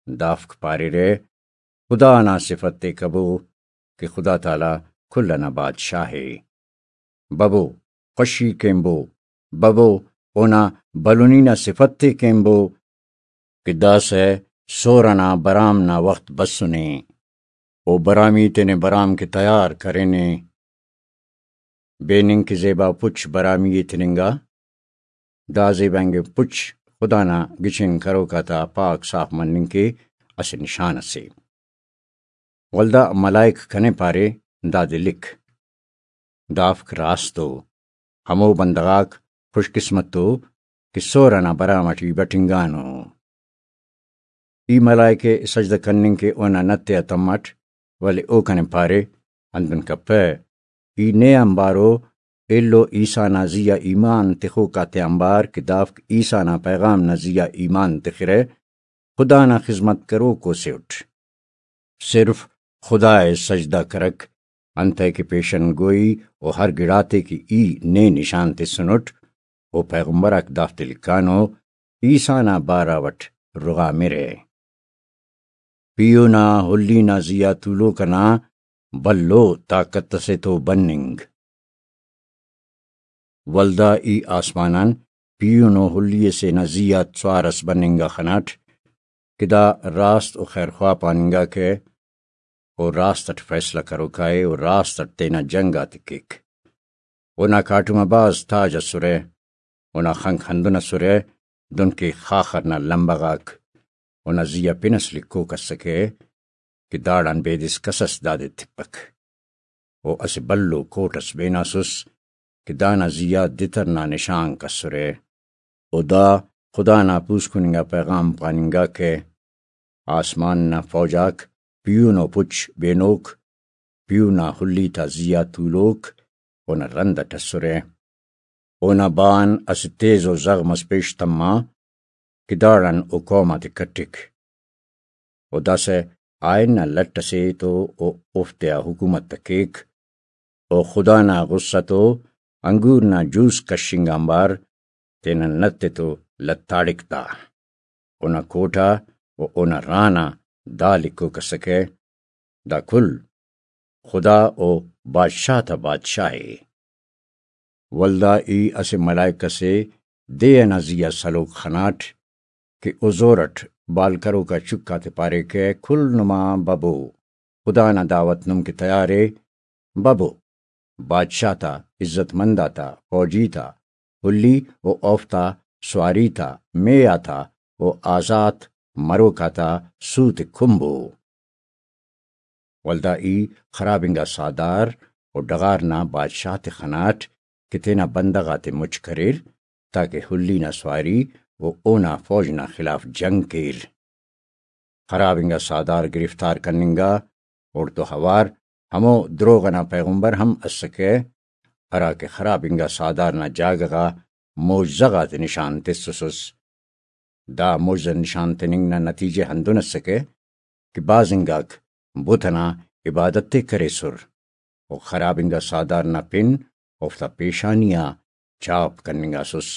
دافک پاریرہ، خدا نا صفت ءِ کبو کہ خدا تعالی کل ئنا بادشاہ ءِ۔ ببو، خوشی کینبو، ببو، اونا بھلنی نا صفت ءِ کینبو کہ داسہ سور ئنا برام نا وخت بسنے۔ او برامی تینے برام کہ تیار کرینے۔ بیننگ کہ زیبا پچ برامی ءِ تننگا۔ دا زیبا انگے پچ خدا نا گچین کروک آتا پاک صاف مننگ کہ اسہ نشان اسے۔ ولدا ملائک کنے پارے، دادے لکھ۔ دافک راست ءُ۔ ہمو بندغ آک خوش قسمت ءُ کہ سور ئنا برام ئٹی بٹنگانو۔ ای ملائک ءِ سجدہ کننگ کہ اونا نت ءِ آ تماٹ، ولے او کنے پارے، ہندن کپہ، ای نے آنبارو ایلو عیسیٰ نا زی آ ایمان تخوک آتیانبار کہ دافک عیسیٰ نا پیغام نا زی آ ایمان تخرہ، خدا نا خذمت کروکو سے اٹ۔ صرف خدا ءِ سجدہ کرک، انتئے کہ پیشن گوئی و ہر گڑاتے کہ ای نے نشان تسنٹ، او پیغمبر آک دافتے لکھانو، عیسیٰ نا بارو اٹ رغامرہ۔ پیہو نا ہلی نا زی آ تولوک ئنا بھلو طاقت ئسے تو بننگ۔ ولدا ای آسمان آن پیہنو ہلی ئسے نا زی آ سوار ئس بننگ آ خناٹ کہ دا راست و خیرخواہ پاننگاکہ، او راست اٹ فیصلہ کروکائے، او راست اٹ تینا جنگ آتے کیک۔ اونا کاٹم آ بھاز تاج ئسرہ، اونا خنک ہندن ئسرہ دنکہ خاخر نا لمبہ غاک۔ اونا زی آ پن ئس لکھوک ئسکہ کہ داڑان بیدس کس ئس دادے تپک۔ او اسہ بھلو کوٹ ئس بیناسس کہ دانا زی آ دتر نا نشانک ئسرہ۔ او دا خدا نا پوسکن انگا پیغام پاننگاکہ، آسمان نا فوج آک پیہنو پچ بینوک، پیہنا ہلی تا زی آ تولوک اونا رند اٹ ئسرہ۔ اونا بان اسہ تیزو زغم ئس پیش تما کہ داڑان او قوم آتے کٹک۔ و داسہ آئین نا لٹ ئسے تو او اوفتیا حکومت ءِ کیک۔ و خدا نا غصہ تو انگور نا جوس کشنگ آنبار تینا نت ءِ تو لتاڑک تا۔ اونا کوٹا و اونا رانا دا لکھوک اسکہ، دا کل خدا و بادشاہ تا بادشاہ ءِ۔ ولدا ای اسہ ملائک ئسے دے ئنا زی آ سلوک خناٹ کہ او زور ئٹ بال کروکا چک آتے پاریکہ، کل نما ببو، خدا نا دعوت نم کہ تیار ءِ، ببو، بادشاہ تا، عزت مند آتا، فوجی تا، ہلی و اوفتا سواری تا، مے آتا و آزات مروک آتا سوت ءِ کمبو۔ ولدا ای خراب انگا ساہدار و ڈغار نا بادشاہ تے خناٹ کہ تینا بندغ آتے مچ کریر، تاکہ ہلی نا سواری و اونا فوج نا خلاف جنگ کیر۔ خراب انگا ساہدار گرفتار کننگا، اوڑتو اوار ہمو دروغ ئنا پیغمبر ہم اسکہ، ہراکہ خراب انگا ساہدار نا جاگہ غا معجزہ غاتے نشان تسوسس۔ دا معجزہ نشان تننگ نا نتیجہ ہندن اسکہ کہ بھاز انگاک بت ئنا عبادت ءِ کریسر و خراب انگا ساہدار نا پن اوفتا پیشانی آ چاپ کننگاسس۔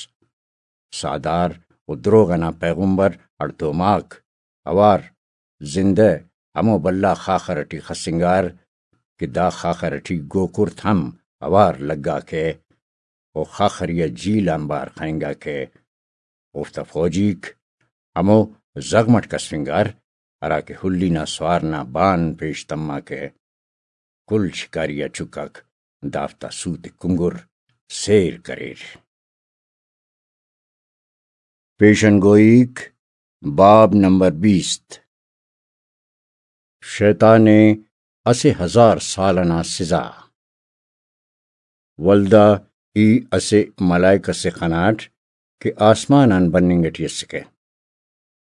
ساہدار و دروغ ئنا پیغمبر ہڑتوماک اوار زندہ ہمو بھلا خاخر ئٹی خسنگار کہ دا خاخر ئٹی گوکرت ہم اوار لگاکہ و خاخری آ جیل آنبار خننگاکہ۔ اوفتا فوجیک ہمو زغم ئٹ کسفنگار، ہراکہ ہلی نا سوار نا بان پیش تماکہ۔ کل شکاری آ چکاک دافتا سوت ءِ کنگر سیر کریر۔ پیشن گوئیک، باب نمبر بیست۔ شیطان ءِ اسہ ہزار سال ئنا سزا۔ ولدا ای اسہ ملائک ئسے خناٹ کہ آسمان آن بننگ ئٹی اسکہ۔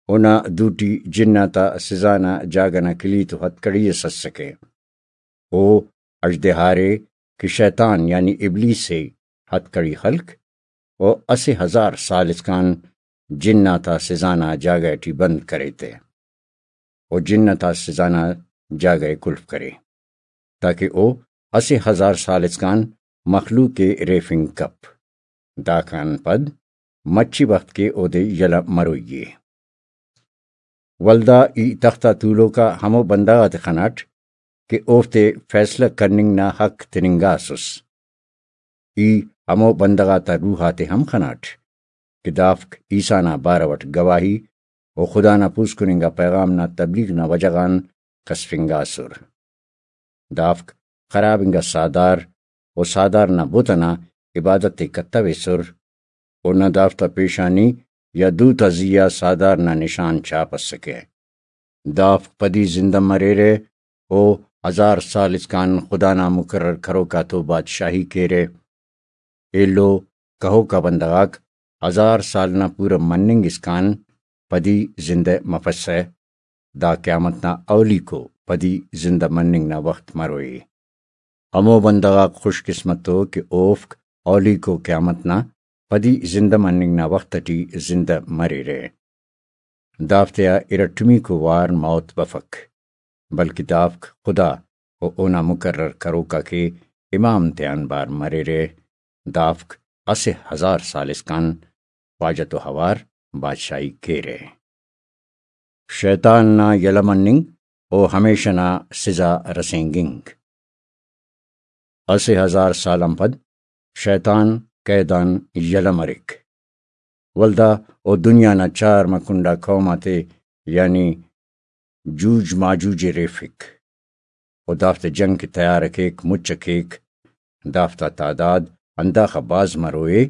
اونا دوٹی جن آتا سزا نا جاگہ نا کلیت و ہتھکڑی ئس اسکہ۔ او اژدہارے کہ شیطان یعنی ابلیس ءِ ہتھکڑی خلک و اسہ ہزار سال اسکان جن آتا سزا نا جاگہ ٹی بند کرے تے و جن آتا سزا نا جاگہ ءِ کلف کرے، تاکہ او اسہ ہزار سال اسکان مخلوق ءِ ریفنگ کپ۔ داکان پد مچی وخت کہ اودے یلہ مروئی ءِ۔ ولدا ای تخت آ تولوکا ہمو بندغ آتے خناٹ کہ اوفتے فیصلہ کننگ نا حق تننگاسس۔ ای ہمو بندغ آتا روح آتے ہم خناٹ کہ دافک عیسیٰ نا بارو اٹ گواہی و خدا نا پوسکن انگا پیغام نا تبلیغ نا وجہ غان کسفنگاسر۔ دافک خراب انگا ساہدار و ساہدار نا بت ئنا عبادت ءِ کتویسر و نہ دافتا پیشانی یا دو تا زی آ ساہدار نا نشان چاپ اسکہ۔ دافک پدی زندہ مریرہ و ہزار سال اسکان خدا نا مقرر کروکا تو بادشاہی کیرہ۔ ایلو کہوکا بندغاک ہزار سال نا پورہ مننگ اسکان پدی زندہ مفسہ۔ دا قیامت نا اولیکو پدی زندہ مننگ نا وخت مروئے۔ ہمو بندغاک خوش قسمت ءُ کہ اوفک اولیکو قیامت نا پدی زندہ مننگ نا وخت ٹی زندہ مریرہ۔ دافتیا ارٹمیکو وار موت بفک، بلکہ دافک خدا و اونا مقرر کروکا کہ امام تیان بار مریرہ۔ دافک اسہ ہزار سال اسکان خواجہ تو اوار بادشاہی کیرہ۔ شیطان نا یلہ مننگ و ہمیشہ نا سزا رسینگنگ۔ اسہ ہزار سال آن پد شیطان قید آن یلہ مریک۔ ولدا او دنیا نا چارمہ کنڈا قوم آتے، یعنی جوج ماجوج ءِ ریفک۔ و دافتے جنگ کہ تیار ءِ کیک، مچ ءِ کیک۔ دافتا تعداد ہنداخہ بھاز مروئے،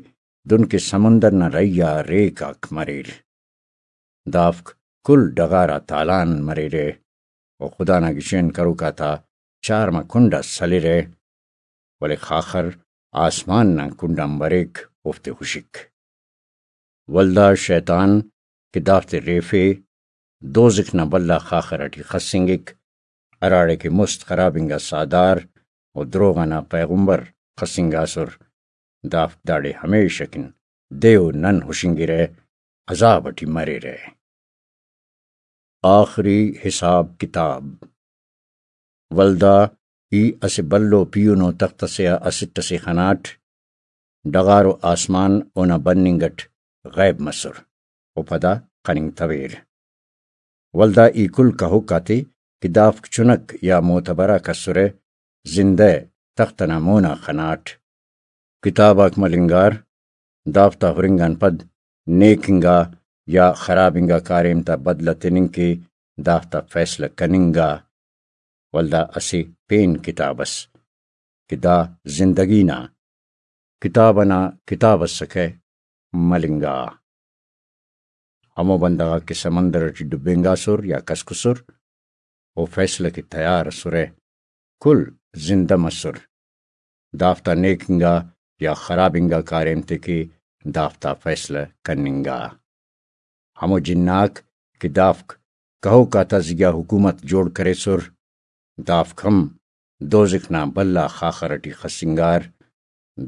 دن کہ سمندر نا رہی آ ریک آک مریر۔ دافک کل ڈغار آ تالان مریرہ و خدا نا گچین کروک آتا چارمہ کنڈ آ سلرہ، ولے خاخر آسمان نا کنڈ آن بریک، اوفتے ہشک۔ ولدا شیطان کہ دافتے ریفے، دوزخ نا بھلا خاخر ٹی خسنگک، ہراڑے کہ مست خراب انگا ساہدار و دروغ ئنا پیغمبر خسنگاسر۔ دافک داڑے ہمیشہ کن دے و نن ہشنگرہ۔ عذاب اٹی مریرہ۔ آخری حساب کتاب۔ ولدا ای اسہ بھلو پیہنو تخت اسے آ اسٹ اسے خناٹ، ڈغار و آسمان اونا بننگ اٹ غیب مسر و پدا خننگتویر۔ ولدا ای کل کہوک آتے کہ دافک چنک یا معتبر آک اسرہ، زندہ تخت ئنا مونا خناٹ۔ کتاب آک ملنگار، دافتا ہرنگ آن پد نیک انگا یا خراب انگا کاریم تا بدلہ تننگ کہ دافتا فیصلہ کننگا۔ ولدا اسہ پین کتاب ئس کہ دا زندگی نا کتاب ئنا کتاب ئسکہ، ملنگا۔ ہمو بندغ آک کہ سمندر ئٹی ڈبینگاسر یا کسکسر، او فیصلہ کہ تیار ئسرہ، کل زندہ مسر۔ دافتا نیک انگا یا خراب انگا کاریم تے کہ دافتا فیصلہ کننگا۔ ہمو جناک کہ دافک کہوک آتا زیہا حکومت جوڑ کریسر، دافک ہم دوزخ نا بھلا خاخر ئٹی خسنگار۔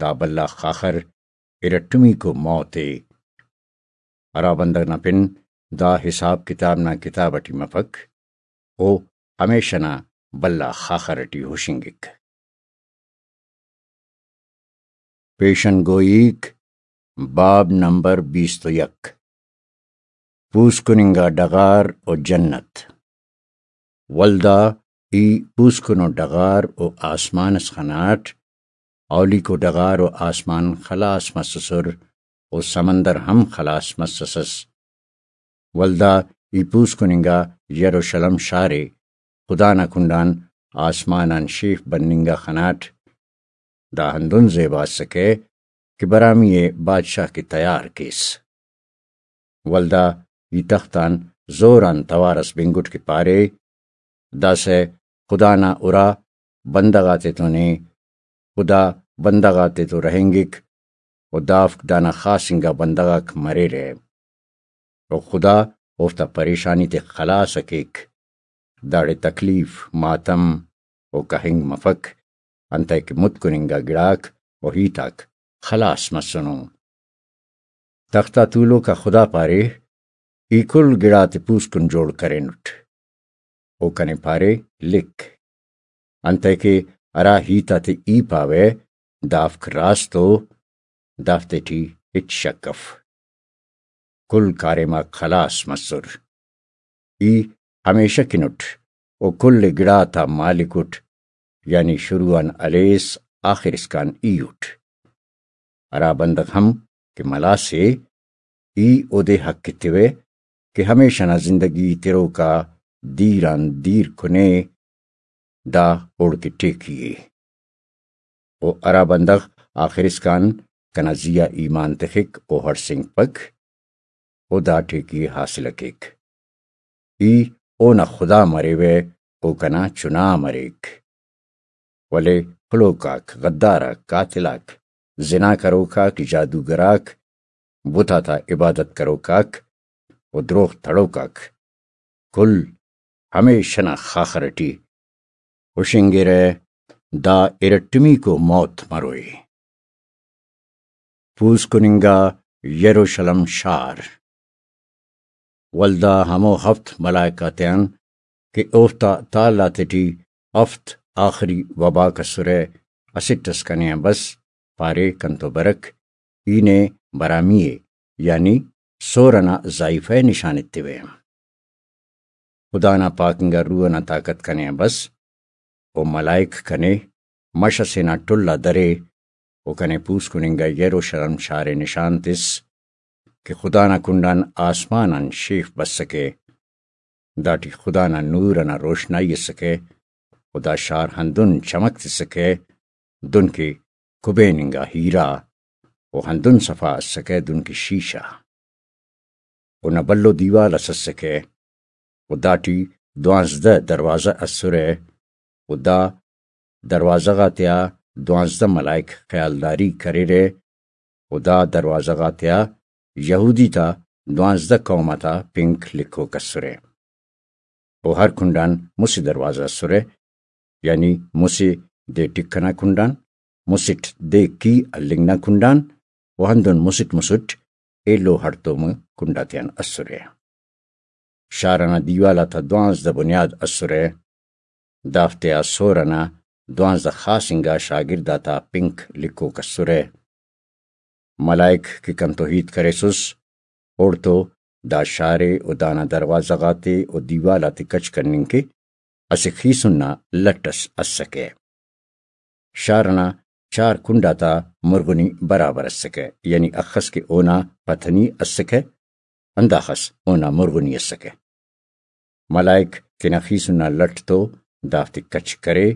دا بھلا خاخر ارٹمیکو موت ءِ۔ ہرا بندغ نا پن دا حساب کتاب نا کتاب ئٹی مفک، او ہمیشہ نا بھلا خاخر ئٹی ہشنگک۔ پیشن گوئیک، باب نمبر بیست و یک۔ پوسکن انگا ڈغار و جنت۔ ولدا ای پوسکنو ڈغار و آسمان اس خناٹ، اولیکو ڈغار و آسمان خلاس مسسر و سمندر ہم خلاس مسسس۔ ولدا ای پوسکن انگا یروشلم شار ءِ خدا نا کنڈآن آسمان آن شیف بننگ آ خناٹ۔ دا ہندن زیبا اسکہ کہ برامی ءِ بادشاہ کہ تیار کیس۔ ولدا ای تخت آن زور آن توار ئس بنگٹ کہ پارے، داسہ خدا نا ارا بندغ آتیتون ءِ، خدا بندغ آتیتون رہینگک و دافک دانا خاص انگا بندغ آک مریرہ۔ و خدا اوفتا پریشانی تے خلاص ءِ کیک۔ داڑے تکلیف، ماتم و کہنگ مفک، انتئے کہ متکن انگا گڑاک و ہیت آک خلاص مسنو۔ تخت آ تولوک آ خدا پارے، ای کل گڑاتے پوسکن جوڑ کرینٹ۔ او کنے پارے، لکھ۔ انتئے کہ ہرا ہیت آتے ای پاوہ، دافک راست ءُ، دافتے ٹی ہچ شک اف۔ کل کاریم آک خلاص مسر۔ ای ہمیشہ کن اٹ و کل گڑا تا مالک اٹ، یعنی شروع آن ہلیس آخر اسکان ای اٹ۔ ہرا بندغ ہم کہ ملاس ءِ، ای اودے حق ایتوہ کہ ہمیشہ نا زندگی تروک آ دیر آن دیر کنے، دا اوڑکہ ٹیکی ءِ۔ و ہرا بندغ آخر اسکان کنا زی آ ایمان تخک، او ہڑسینگپک، او دا ٹیکی ءِ حاصل ءِ کیک۔ ای اونا خدا مریوہ، او کنا چنا مریک۔ ولے خلوک آک، غدار آک، قاتل آک، زنا کروک آک، جادوگر آک، بت آتا عبادت کروک آک و دروغ تڑوک آک کل ہمیشہ نا خاخر ٹی ہشنگرہ، دا ارٹمیکو موت مروئے۔ پوسکن انگا یروشلم شار۔ ولدا ہمو ہفت ملائک آتیان کہ اوفتا تال آتیٹی ہفت آخری وباک اسرہ، اسٹ اس کنے آن بس، پارے، کنتو برک، ای نے برامی ءِ، یعنی سور ئنا زائیفہ ءِ نشان ایتوہ۔ خدا نا پاک انگا روح ئنا طاقت کنے آن بس، و ملائک کنے مش ئسے نا ٹل آ درے، و کنے پوسکن انگا یروشلم شار ءِ نشان تس کہ خدا نا کنڈآن آسمان آن شیف بسکہ۔ داٹی خدا نا نور ئنا روشنائی اسکہ، و دا شار ہندن چمک تسکہ، دن کہ کبین انگا ہیرا، و ہندن صفا اسکہ، دن کہ شیشہ۔ اونا بھلو دیوال اس اسکہ، و داٹی دوانزدہ دروازہ اسرہ، و دا دروازہ غاتیا دوانزدہ ملائک خیالداری کریرہ، و دا دروازہ غاتیا یہودی تا دوانزدہ قوم آتا پنک لکھوک اسرہ۔ و ہر کنڈآن مسہ دروازہ اسرہ، یعنی مسہ دے ٹک ئنا کنڈآن، مسٹ دے کی ہلنگ نا کنڈآن، و ہندن مسٹ مسٹ ایلو ہڑتوم کنڈ آتیان اسرہ۔ شار ئنا دیوال آتا دوانزدہ بنیاد اسرہ۔ دافتیا سور ئنا دوانزدہ خاص انگا شاگرد آتا پنک لکھوک اسرہ۔ ملائک کہ کنتو ہیت کریسس، اوڑتو دا شار ءِ و دانا دروازہ غاتے و دیوال آتے کچ کننگ کہ اسہ خیسن نا لٹ ئس اسکہ۔ شار ئنا چار کنڈ آتا مرغنی برابر اسکہ، یعنی اخس کہ اونا پتنی اسکہ، ہنداخس اونا مرغنی اسکہ۔ ملائک تینا خیسن نا لٹ تو دافتے کچ کرے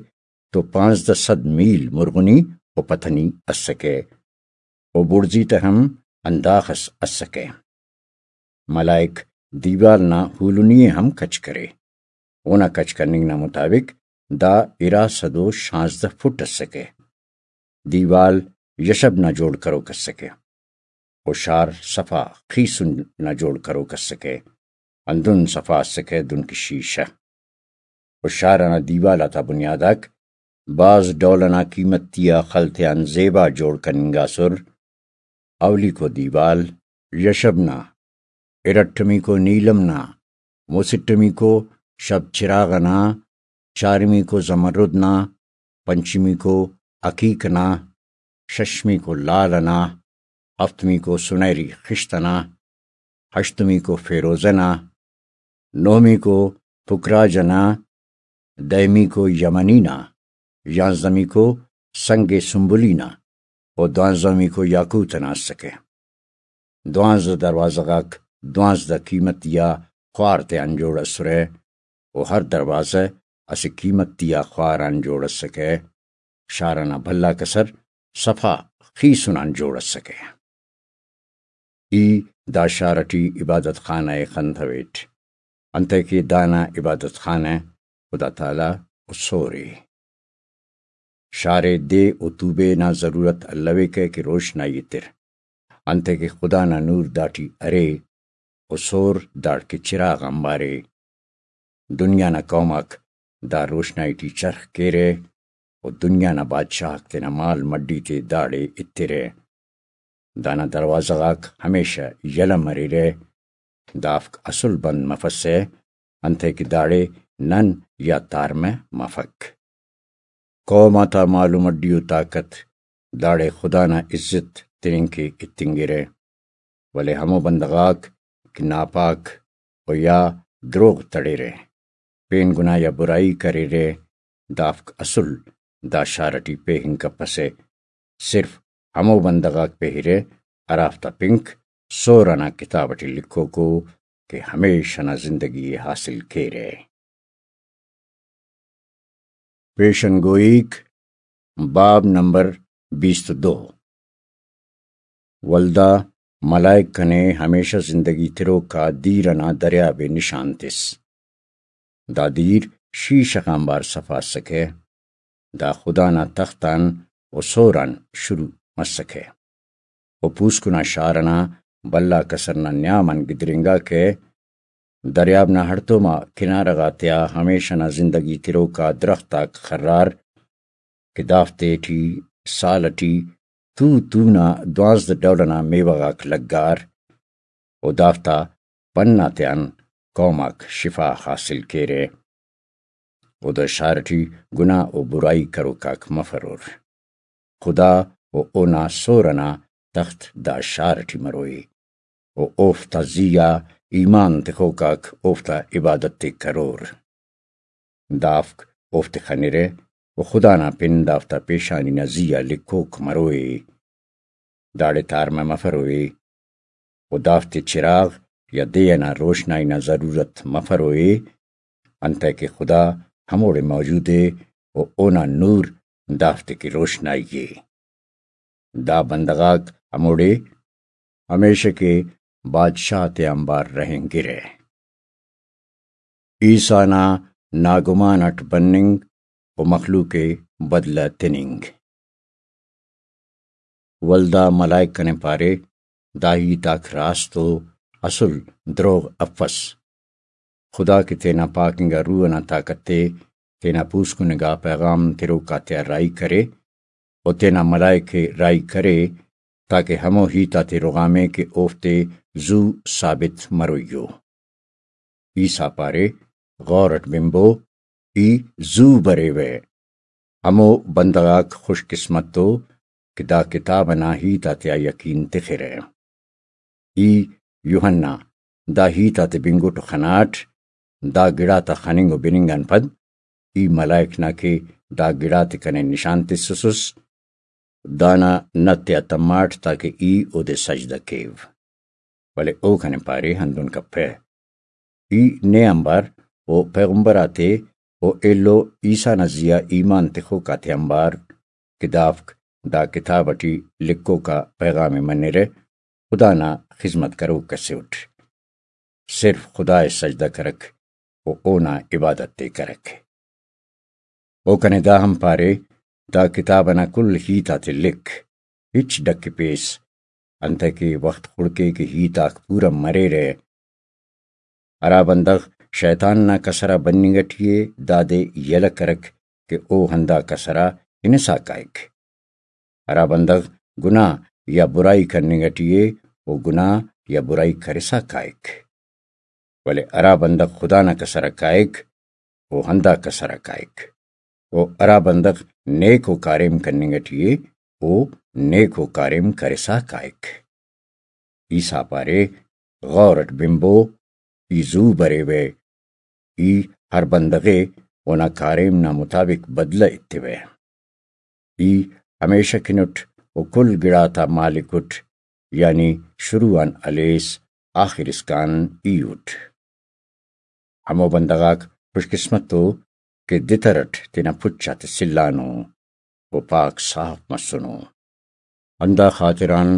تو پانزدہ سد میل مرغنی و پتنی اسکہ، و بڑزی تہ ہم ہنداخس اسکہ۔ ملائک دیوال نا ہولنی ءِ ہم کچ کرے۔ اونا کچ کننگ نا مطابق دا ارا سد و شانزدہ فٹ اسکہ۔ دیوال یشب نا جوڑ کروک اسکہ، و شار صفا خیسن نا جوڑ کروک اسکہ، ہندن صفا اسکہ دن کہ شیشہ۔ و شار ئنا دیوال آتا بنیاد آک بھاز ڈول ئنا قیمتی آ خل تیان زیبا جوڑ کننگاسر۔ اولیکو دیوال یشب نا، ارٹمیکو نیلم نا، مسٹمیکو شب چراغ ئنا، چارمیکو زمرد نا، پنچمیکو عقیق ئنا، ششمیکو لال ئنا، ہفتمیکو سنہری خشت ئنا، ہشتمیکو فیروزہ نا، نہمیکو پکراج ئنا، دہمیکو یمنی نا، یانزدہمیکو سنگ سنبلی نا و دوانزدہمیکو یاقوت ئنا اسکہ۔ دوانزدہ دروازہ غاک دوانزدہ قیمتی آ خوار تیان جوڑ اسرہ، و ہر دروازہ اسہ قیمتی آ خوار آن جوڑ اسکہ۔ شار ئنا بھلا کسر صفا خیسن آن جوڑ اسکہ۔ ای دا شار ٹی عبادت خانہ ءِ خنتویٹ، انتئے کہ دانا عبادت خانہ خدا تعالی و سور ءِ۔ شار ءِ دے و توبے نا ضرورت الویکہ کہ روشنائی ایتر، انتئے کہ خدا نا نور داٹی ارے و سور داڑکہ چراغ آنبار ءِ۔ دنیا نا قوم آک دا روشنائی ٹی چرخ کیرہ و دنیا نا بادشاہ آک تینا مال مڈی تے داڑے ایترہ۔ دانا دروازہ غاک ہمیشہ یلہ مریرہ، دافک اسل بند مفسہ، انتئے کہ داڑے نن یا تارمہ مفک۔ قوم آتا مال و مڈی و طاقت داڑے خدا نا عزت تننگ کہ اتنگرہ، ولے ہمو بندغ آک کہ ناپاک و یا دروغ تڑرہ، پین گناہ یا برائی کریرہ، دافک اسل دا شار ٹی پیہنگ کپسہ۔ صرف ہمو بندغ آک پیہرہ ہرافتا پنک سور ئنا کتاب ٹی لکھوکو کہ ہمیشہ نا زندگی ءِ حاصل کیرہ۔ پیشن گوئیک، باب نمبر بیست و دو۔ ولدا ملائک کنے ہمیشہ زندگی تروک آ دیر ئنا دریاب ءِ نشان تس۔ دا دیر شیشہ غان بار صفا اسکہ۔ دا خدا نا تخت آن و سور آن شروع مسکہ و پوسکن آ شار ئنا بھلا کسر نا نیام آن گدرینگاکہ۔ دریاب نا ہڑتوم آ کنارہ غاتیا ہمیشہ نا زندگی تروک آ درخت آک خرار کہ دافتے ٹی سال ٹی تو تو نا دوانزدہ ڈول ئنا میوہ غاک لگار و دافتا پن آتیان قوم آک شفا حاصل کیرہ۔ و دا شار ٹی گناہ و برائی کروک آک مفرور۔ خدا و اونا سور ئنا تخت دا شار ٹی مروئے و اوفتا زی آ ایمان تخوک آک اوفتا عبادت ءِ کرور۔ دافک اوفتے خنرہ و خدا نا پن دافتا پیشانی نا زی آ لکھوک مروئے۔ داڑے تارمہ مفروئے و دافتے چراغ یا دے ئنا روشنائی نا ضرورت مفروئے، انتئے کہ خدا ہموڑے موجود ءِ و اونا نور دافتے کہ روشنائی ءِ۔ دا بندغ آک ہموڑے ہمیشہ کہ بادشاہ تے آنبار رہینگرہ۔ عیسیٰ نا ناگمان اٹ بننگ و مخلوق ءِ بدلہ تننگ۔ ولدا ملائک کنے پارے، دا ہیت آک راست و اسل دروغ افس۔ خدا کہ تینا پاک انگا روح ئنا طاقت تے تینا پوسکن انگا پیغام تروک آتیا راہی کرے و تینا ملائک ءِ راہی کرے، تاکہ ہمو ہیت آتے رغامے کہ اوفتے زو ثابت مروئی ءُ۔ عیسیٰ پارے، غور اٹ بنبو، ای زو بریوہ۔ ہمو بندغ آک خوش قسمت ءُ کہ دا کتاب ئنا ہیت آتیا یقین تخرہ۔ ای یوحنا دا ہیت آتے بنگٹ و خناٹ، دا گڑاتا خننگ و بننگ آن پد ای ملائک نا کہ دا گڑاتے کنے نشان تسسس، دانا نت تیا تماٹ تاکہ ای اودے سجدہ کیو۔ ولے او کنے پارے، ہندن کپہ۔ ای نے آنبار و پیغمبر آتے و ایلو عیسیٰ نا زیہا ایمان تخوک آتے آنبار کہ دافک دا کتاب اٹی لکھوکا پیغام ءِ منرہ، خدا نا خذمت کروک اسے اٹ، صرف خدا ءِ سجدہ کرک و اونا عبادت ءِ کرک۔ او کنے دا ہم پارے، دا کتاب ئنا کل ہیت آتے لکھ، ہچ ڈکپیس، انتئے کہ وخت خڑکے کہ ہیت آک پورا مریرہ۔ ہرا بندغ شیطان نا کسر آ بننگ ٹی ءِ، دادے یلہ کرک کہ او ہندا کسر آ ہنسا کائک۔ ہرا بندغ گناہ یا برائی کننگ ٹی ءِ، او گناہ یا برائی کرسا کائک۔ ولے ہرا بندغ خدا نا کسر آ کائک، او ہندا کسر آ کائک۔ و ہرا بندغ نیکو کاریم کننگ ٹی ءِ، او نیکو کاریم کرسا کائک۔ عیسیٰ پارے، غور اٹ بنبو، ای زو بریوہ، ای ہر بندغ ءِ اونا کاریم نا مطابق بدلہ ایتوہ۔ ای ہمیشہ کن اٹ و کل گڑاتا مالک اٹ، یعنی شروع آن ہلیس آخر اسکان ای اٹ۔ ہمو بندغ آک خوش قسمت ءُ کہ دتر اٹ تینا پچ آتے سلانو و پاک صاف مسنو۔ ہندا خاطران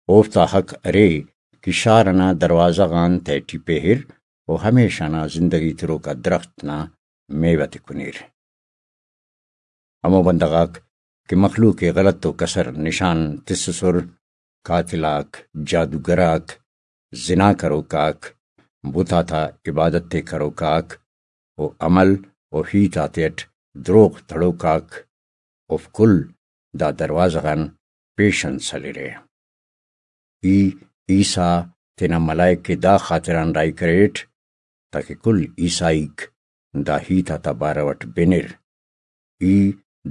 اوفتا حق ارے کہ شار ئنا دروازہ غان تہٹی پہر و ہمیشہ نا زندگی تروکا درخت نا میوہ تے کنیر۔ ہمو بندغ آک کہ مخلوق ءِ غلط و کسر نشان تسسر، قاتل آک، جادوگر آک، زنا کروک آک، بت آتا عبادت ءِ کروک آک و عمل و ہیت آتیٹ دروغ تڑوک آک، اوفک کل دا دروازہ غان پیشن سلرہ۔ ای عیسیٰ تینا ملائک ءِ دا خاطران راہی کریٹ تاکہ کل عیسائیک دا ہیت آتا بارو اٹ بنر۔ ای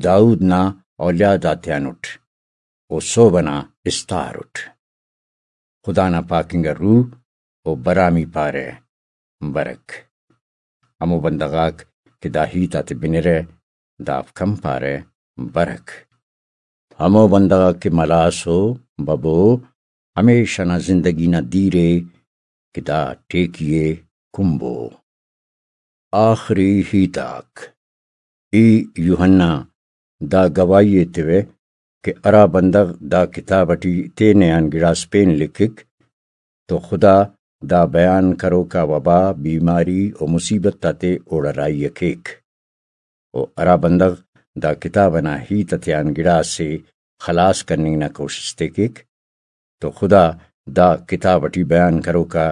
داؤد نا اولیاد آتیان اٹ، او سہب ئنا استار اٹ۔ خدا نا پاک انگا روح و برامی پارہ، برک۔ ہمو بندغ آک کہ دا ہیت آتے بنرہ، دافک ہم پارہ، برک۔ ہمو بندغ آک کہ ملاس و ببو، ہمیشہ نا زندگی نا دیر ءِ کہ دا ٹیکی ءِ کنبو۔ آخری ہیت آک۔ ای یوحنا، دا گواہی ایتوہ کہ ہرا بندغ دا کتاب اٹی تینے آن گڑاس پین لکھک تو خدا دا بیان کروکا وبا، بیماری و مصیبت آتے اوڑا راہی ءِ کیک۔ و ہرا بندغ دا کتاب ئنا ہیت آتیان گڑاسے خلاس کننگ نا کوشست ءِ کیک تو خدا دا کتاب اٹی بیان کروکا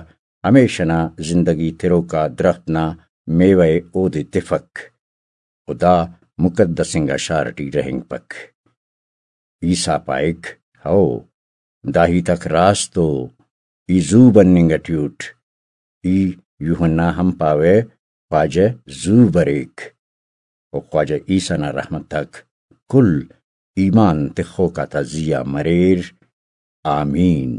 ہمیشہ نا زندگی تروکا درخت نا میوہ ءِ اودے تفک و دا مقدس انگا شار اٹی رہینگپک۔ عیسیٰ پائک، ہئو، دا ہیت آک راست ءُ، ای زو بننگ اٹی اٹ۔ ای یوحنا ہم پاوہ، خواجہ زو بریک۔ و خواجہ عیسیٰ نا رحمت آک کل ایمان تخوک آتا زی آ مریر۔ آمین۔